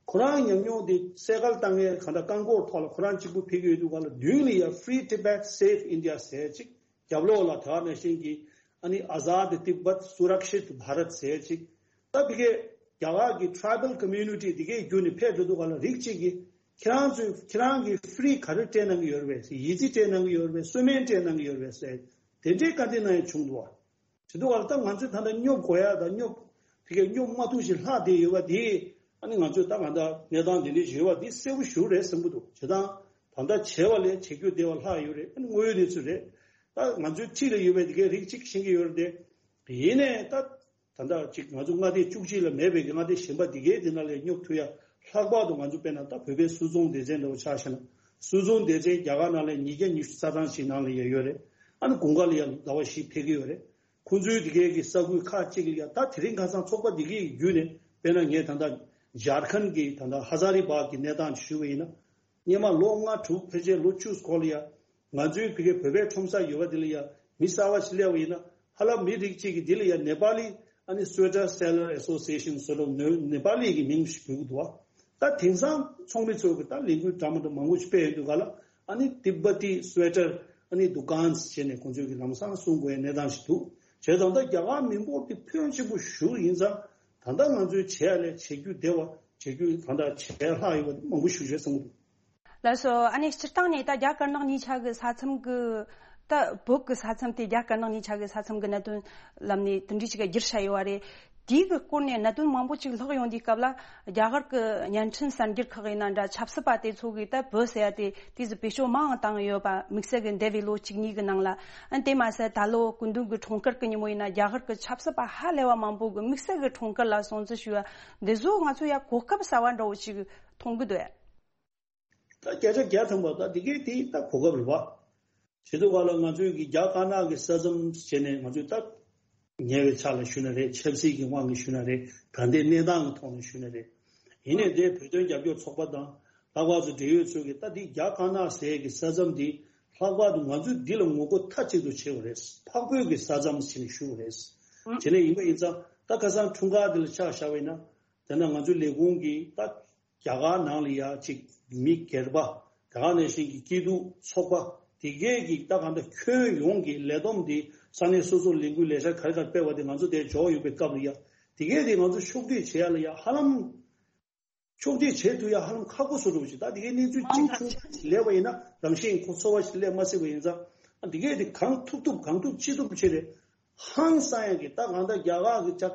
ཁོ་རང་ཉམས་མྱོང་འདི་སེ་ཀལ་བཏང་མཁན་གང་ལྟར་རྐང་འཁོར་ཐོག་ལ་ཁོ་རང་གཅིག་པུ་ཕེབས་ཀྱི་ཡོད་དུས་སྒང་ལ། མདུན་ལ་ཡ་Free Tibet, Save India ཟེར་ཅིག་རྒྱབ་ལོགས་ལ་དེ་ག་ནང་བཞིན་གྱི་ཨ་ནི་Azad Tibet, Surakshit Bharat ཟེར་ཅིག་ད་ཕ་གིའི་རྒྱ་གར་གྱི་Tribal Community འདི་གའི་བརྒྱུད་ནས་ཕེབས་འགྲོ་དུས་སྒང་ལ། རིགས་གཅིག་གིས་ཁྱེད་རང་ཚོས་ཁྱེད་རང་གིས་Free ག་རེ་སྤྲད་གནང་གི་ཡོད་རེད་པས། ཡི་ཙི་སྤྲད་གནང་གི་ཡོད་རེད་པས། གསོལ་སྨན་སྤྲད་གནང་གི་ཡོད་རེད་པས་ཟེར། དེ་འདྲའི་བཀའ་འདྲི་གནང་ཡ་བྱུང་འདུག་བ། བྱེད་དུས་སྒང་ལ་ད་ང་ཚོས་ད་ལྟ་སྙོབ་དགོས་ཡ་དང་། སྙོབ་ཕ་གིའི་སྙོབ་མ་ཐུབ་ཞིག་ལྷག་བསྡད་ཡོད་པ་འདི། ཨ་ནི་ང་ཚོས་ད་གང་ལྟར་གནས་སྟངས་འདི་འདྲའི་ཞིག་ཡོད་པ་འདི་གསལ་པོ་ཞིག་རེད་བསམ་གྱི་འདུག་བྱས་ཙང་ད་ལྟ་བྱས་པ་ལས་བྱེད་རྒྱུ་བདེ་བ་ལྷག་ཡོད་རེད། ཨ་ནི་དངོས་ཡོད་གནས་ཚུལ་རེད། ད་ང་ཚོའི་འཁྲིས་ལ་ཡོད་པའི་འདི་གའི་རིགས་གཅིག་ཤེས་ཀྱི་ཡོད་རེད་དེ། ཡིན་ནའི་ད་ད་ལྟ་ཅིག་ང་ཚོ་མངའ་སྡེ་བཅུ་གཅིག་ལ་མེད་པའི་གི་མངའ་སྡེ་གཞན་པ་འདི་གའི་འདི་ནང་ལ་སྙོབ་ཐུབ་ཡ། ལྷག་པར་དུ་ང་ཚོ་དཔེར་ན་ད་བོད་པའི་སུད་ཚོང་སྡེ་ཚན་འདྲ་བོ་ཆ་བཞག་ན། སུད་ཚོང་སྡེ་ཚན་རྒྱ་གར་ནང་ལ་ཉིས་བརྒྱ་ཉི་ཤུ་རྩ་གྲངས་ཤིག་ནང་ལ་ཡ་ཡོད་རེད། ཨ་ནི་དགུན་ཁ་ལ་ཡ་ཟླ་བ་བཞི་ཕེབས་ཀྱི་ཡོད་རེད། ཁོང་ཚོའི་འདི་གའི་གི་ས་ཁུལ་ཁག་ཅིག་ལ་ཡ། ད་དེ་རིང་ཁ་སང་ཚོགས་པ་འདི་གའི་བརྒྱུད་ནས། དཔེར་ན་ངས་ད་ལྟ་ཇར་ཁན་གྱི་ད་ལྟ་ཧ་ཛ་རི་བྷག་གི་གནས་སྟངས་ཞུས་པ་ཡིན་ན། སྔོན་མ་ལོ་ལྔ་དྲུག་ཕལ་ཆེར་ལོ་བཅུ་སྐོར་ལ་ཡ། ང་ཚོའི་ཕ་གིའི་བོད་པའི་ཁྲོམ་ས་ཡོད་པ་འདི་ལ་ཡ་མི་གསར་པ་ཞིག་སླེབས་པ་ཡིན་ན། ཧ་ལམ་མི་རིགས་གཅིག་གིས་འདི་ལ་ཡ་ནེ་པ་ལི། ཨ་ནི་Sweater Seller Association ཟེར་ལོ། ནེ་པ་ལི་གི་མིང་ཞིག་འབོད་ཀྱི་འདུག་བ། ད་དེང་སང་ཚོགས་མི་ཚོས་གི་ད་ལས་འགུལ་འདྲ་མི་འདྲ་མང་པོ་ཞིག་སྤེལ་ཡོང་དུས་སྒང་ལ། ཨ་ནི་Tibeti Sweater ཨ་ནི་Dukans བྱས་ནས་ཁོང་ཚོས་གི་ལམ་སང་གསུང་དགོས་ཡ་གནས་སྟངས་ཤིག་འདུག་བྱས་ཙང་ད་རྒྱ་གར་མི་འབོར་དེ་ཕོན་ཆེན་པོ་ཞིག་ཡིན་ཙང་། ད་ལྟ་ང་ཚོས་བྱས་ཡ་ལས་བྱེད་རྒྱུ་བདེ་བ། བྱེད་རྒྱུ་ད་ལྟ་བྱས་ལྷག་ཡོད་པ་མང་པོ་ཞིག་རེད་བསམ་གྱི་འདུག་ལགས་སོ། ཨ་ནི་སྤྱིར་བཏང་ནས་ད་རྒྱ་དཀར་ནག་གཉིས་ཆ་གི་ས་མཚམས་ཀྱི། ད་བོད་ཀྱི་ས་མཚམས་དེ་རྒྱ་དཀར་ནག་གཉིས་ཆ་གི་ས་མཚམས་ཀྱི་གནད་དོན་ལམ་ནས་དེ་འདྲའི་ཞིག་བསྒྱུར་བྱས་ཡོད་པ་རེད། དེའི་གི་སྐོར་ནས་གནད་དོན་མང་པོ་ཅིག་ལྷག་ཡོང་དུས་སྐབས་ལ། རྒྱ་གར་གྱི་བརྙན་འཕྲིན་གསར་འགྱུར་ཁག་ཡིན་ན་འདྲ། ཆབ་སྲིད་པ་དེ་ཚོ་གིས་ད་བོད་ཟེར་ཡ་དེ་དེ་ཟིག་བེད་སྤྱོད་མང་བཏང་ཡོད་པ། དམིགས་བསལ་གྱི་འདས་པའི་ལོ་གཅིག་གཉིས་ཀྱི་ནང་ལ། ཨ་ནི་དེ་མ་ཟད་ད་ལོ་སྐུ་མདུན་གྱི་འཁྲུངས་སྐར་གྱི་ཉིན་མོ་ཡིན་ན། རྒྱ་གར་གྱི་ཆབ་སྲིད་པ་ཧ་ལས་པ་མང་པོ་གིས་དམིགས་བསལ་གྱི་འཁྲུངས་སྐར་ལ་སྲུང་བརྩི་ཞུ་བ་འདི་ཚོ་ང་ཚོ་ཡ་གོ་སྐབས་གསར་པ་འདྲ་བོ་ཅིག་མཐོང་གི་འདུག་ཡ། ད་བརྒྱ་ཆ་བརྒྱ་ཐམ་པ་ད་འདི་གའི་དེ་ད་གོ་སྐབས་རེད་བ། བྱེད་དུས་སྒང་ལ་ང་ཚོའི་གི་རྒྱ་དཀར་ནག་གི་ས་མཚམས་བྱས་ནས། ང་ཚོས་ད་ཉེ་བའི་ཆ་ལ་ཞུས་ན་རེད། ཆབ་སྲིད་ཀྱི་དབང་གིས་ཞུས་ན་རེད། ད་ལྟའི་གནས་སྟངས་ཀྱི་ཐོག་ནས་ཞུས་ན་རེད། ཡིན་ནའི་དེ་བོད་དོན་རྒྱབ་སྐྱོར་ཚོགས་པ་དང་། ལྷག་པར་དུ་འབྲེལ་ཡོད་ཚོས་གི་ད་འདི་རྒྱ་དཀར་ནག་ཟེར་གི་ས་མཚམས་འདི་ལྷག་པར་དུ་ང་ཚོས་འདི་ལ་ངོ་རྒོལ་མཐའ་གཅིག་ཏུ་བྱེད་དགོས་རེད། འཕགས་བོད་ཀྱི་ས་མཚམས་ཟེར་ནས་ཞུ་དགོས་རེད། དེ་ནས་ཡིན་པ་ཡིན་ཙང་། ད་ཁ་སང་འཁྲུངས་སྐར་འདི་ལ་ཆ་བཞག་པ་ཡིན་ན། དེ་ན་ང་ཚོའི་ལས་ཁུངས་ཀྱིས་ད་རྒྱ་གར་ནང་ལ་ཡ་ཅིག་མི་སྒེར་པ། དེ་ག་ནང་བཞིན་གྱི་སྐྱིད་སྡུག་ཚོགས་པ་དེ་གས་ཀྱི་ད་གང་ལྟར་ཁྱོན་ཡོངས་ཀྱི་ལས་བསྡོམས་དེ། ས་གནས་སོ་སོར་ལས་འགུལ་ལས་འཆར་ག་རེ་ག་རེ་སྤེལ་བ་དེ་ང་ཚོ་དེར་འབྱོར་ཡོང་པའི་སྐབས་ལ་ཡ། དེ་གས་དེ་ང་ཚོ་ཕྱོགས་སྒྲིག་བྱེད་ཡ་ལ་ཡ་ཧ་ལམ། ཕྱོགས་སྒྲིག་བྱེད་ཐུབ་ཡ་ཧ་ལམ་ཁག་པོ་བཟོ་འགྲོ་གི། ད་དེ་གའི་གནས་ཚུལ་གཅིག་བྱུང་སླེབས་པ་ཡིན་ན། རང་བཞིན་གྱིས་ཚོར་བ་ཞིག་སླེབས་མ་སྲིད་པ་ཡིན་ཙང་། ཨ། དེ་གས་དེ་གང་ཐུབ་ཐུབ་གང་ཐུབ་ཅི་ཐུབ་བྱས་ཏེ། ཧང་སང་ཡ་གི། ད་གང་ལྟར་རྒྱ་གར་གྱི་ཅག་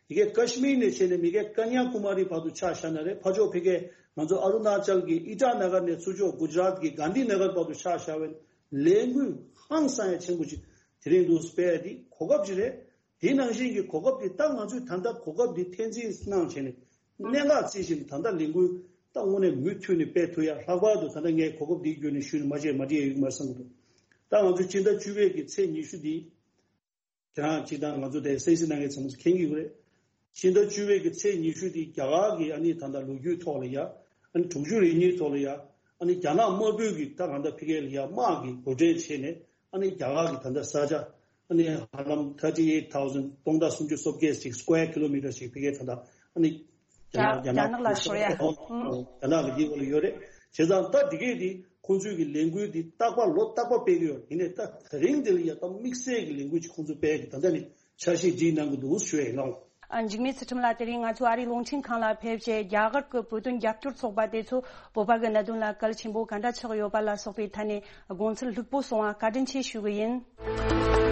དེ་གའི་ཀ་ཤི་མིར་ནས་བྱས་ནས་མི་གའི་ཀ་ཉ་ཀུ་མ་རི་བར་དུ་ཆ་བཞག་ན་རེད། ཕར་ཕྱོགས་ཕ་གའི་ང་ཚོ་ཨ་རུ་ན་ཅལ་གྱི་ཨི་ཊ་ན་གར་ནས་ཚུར་ཕྱོགས་གུ་ཇ་རཱཏ་གི་གྷན་དྷི་ན་གར་བར་དུ་ཆ་བཞག་པའི་ལས་འགུལ་ཧང་སང་ཡ་ཆེན་པོ་ཅིག་དེ་རིང་འདུག་སྤེལ་ཡ་དེ་གོ་སྐབས་ཅིག་རེད། དེ་ནང་བཞིན་གྱི་གོ་སྐབས་དེ། ད་ང་ཚོས་ད་ལྟ་གོ་སྐབས་དེ་འཐེན་འཛིན་གནང་བྱས་ནས། གནད་འགག་རྩི་བཞིན་ད་ལྟ་ལས་འགུལ་ད་དངོས་གནས་མུ་མཐུད་ནས་སྤེལ་ཐུབ་ཡ། ལྷག་པར་དུ་ད་ལྟ་ངས་གོ་སྐབས་འདིའི་བརྒྱུད་ནས་ཞུས་ནས་མ་བྱས་མ་བྲིས་ཡ་ཡོད་མ་རེད་བསམ་གྱི་འདུག་ད་ང་ཚོས་སྤྱི་ཟླ་བཅུ་པའི་གི་ཚེས་ཉི་ཤུ་འདི། ཁྱེད་རང་གཅིག་དང་ང་ཚོ་དེ་གསན་གཟིགས་གནང་མཁན་ཚང་མས་མཁྱེན་གྱི་ཡོད་རེད། སྤྱི་ཟླ་བཅུ་པའི་གི་ཚེས་ཉི་ཤུ་འདི་རྒྱ་གར་གྱི་ཨ་ནི་ད་ལྟ་ལོ་རྒྱུས་ཐོག་ལ་ཡ། ཨ་ནི་དྲུག་ཅུ་རེ་གཉིས་ཐོག་ལ་ཡ། ཨ་ནི་རྒྱ་ནག་དམར་པོས་གི་ད་གང་ལྟར་ཕ་གི་ལ་ཡ་དམག་གི་འགོ་ཁྲིད་བྱས་ནས། ཨ་ནི་རྒྱ་གར་གྱི་ད་ལྟ་ས་ཆ་ཨ་ནི་ཧ་ལམ་thirty eight thousand། སྟོང་ཕྲག་སུམ་ཅུ་སོ་བརྒྱད་ཅིག་square kilometre ཞིག་ཕ་གིའི་ད་ལྟ་ཨ་ནི་རྒྱ་རྒྱ་ནག་ལ་ཤོར་ཡ། ཨང་། རྒྱ་ནག་གི་འདི་འོག་ལ་ཡོད་རེད། བྱས་ཙང་ད་འདི་གས་འདི་ཁོང་ཚོའི་གི་ལས་འགུལ་འདི་རྟག་པར་ལོ་རྟག་པར་སྤེལ་གི་ཡོད་རེད། ཡིན་ནའི་ད་དེ་རིང་འདི་ལ་ཡ་ད་དམིགས་བསལ་གྱི་ལས་འགུལ་ཅིག་ཁོང་ཚོ་སྤེལ་གི། ད་ལྟ་ནི་ འཆར་གཞི་སྒྲིག་གནང་གི་འདུག་ཞུ་ཡ་ཡིན་ལགས། ཨ། འཇིགས་མེད་ཚུལ་ཁྲིམས་ལགས། དེ་རིང་ང་ཚོ་ཨ་རིའི་རླུང་འཕྲིན་ཁང་ལ་ཕེབས་བྱས། རྒྱ་གར་གྱི་བོད་དོན་རྒྱབ་སྐྱོར་ཚོགས་པ་དེ་ཚོ་བོད་པ་གི་གནད་དོན་ལ་གལ་ཆེན་པོ་ག་འདྲ་ཆགས་ཡོད་པ་ལ་སོགས་པའི་ཐད་ནས་དགོངས་ཚུལ་ལྷུག་པོ་གསུང་བ་བཀའ་དྲིན་ཆེ་ཞུ་གི་ཡིན།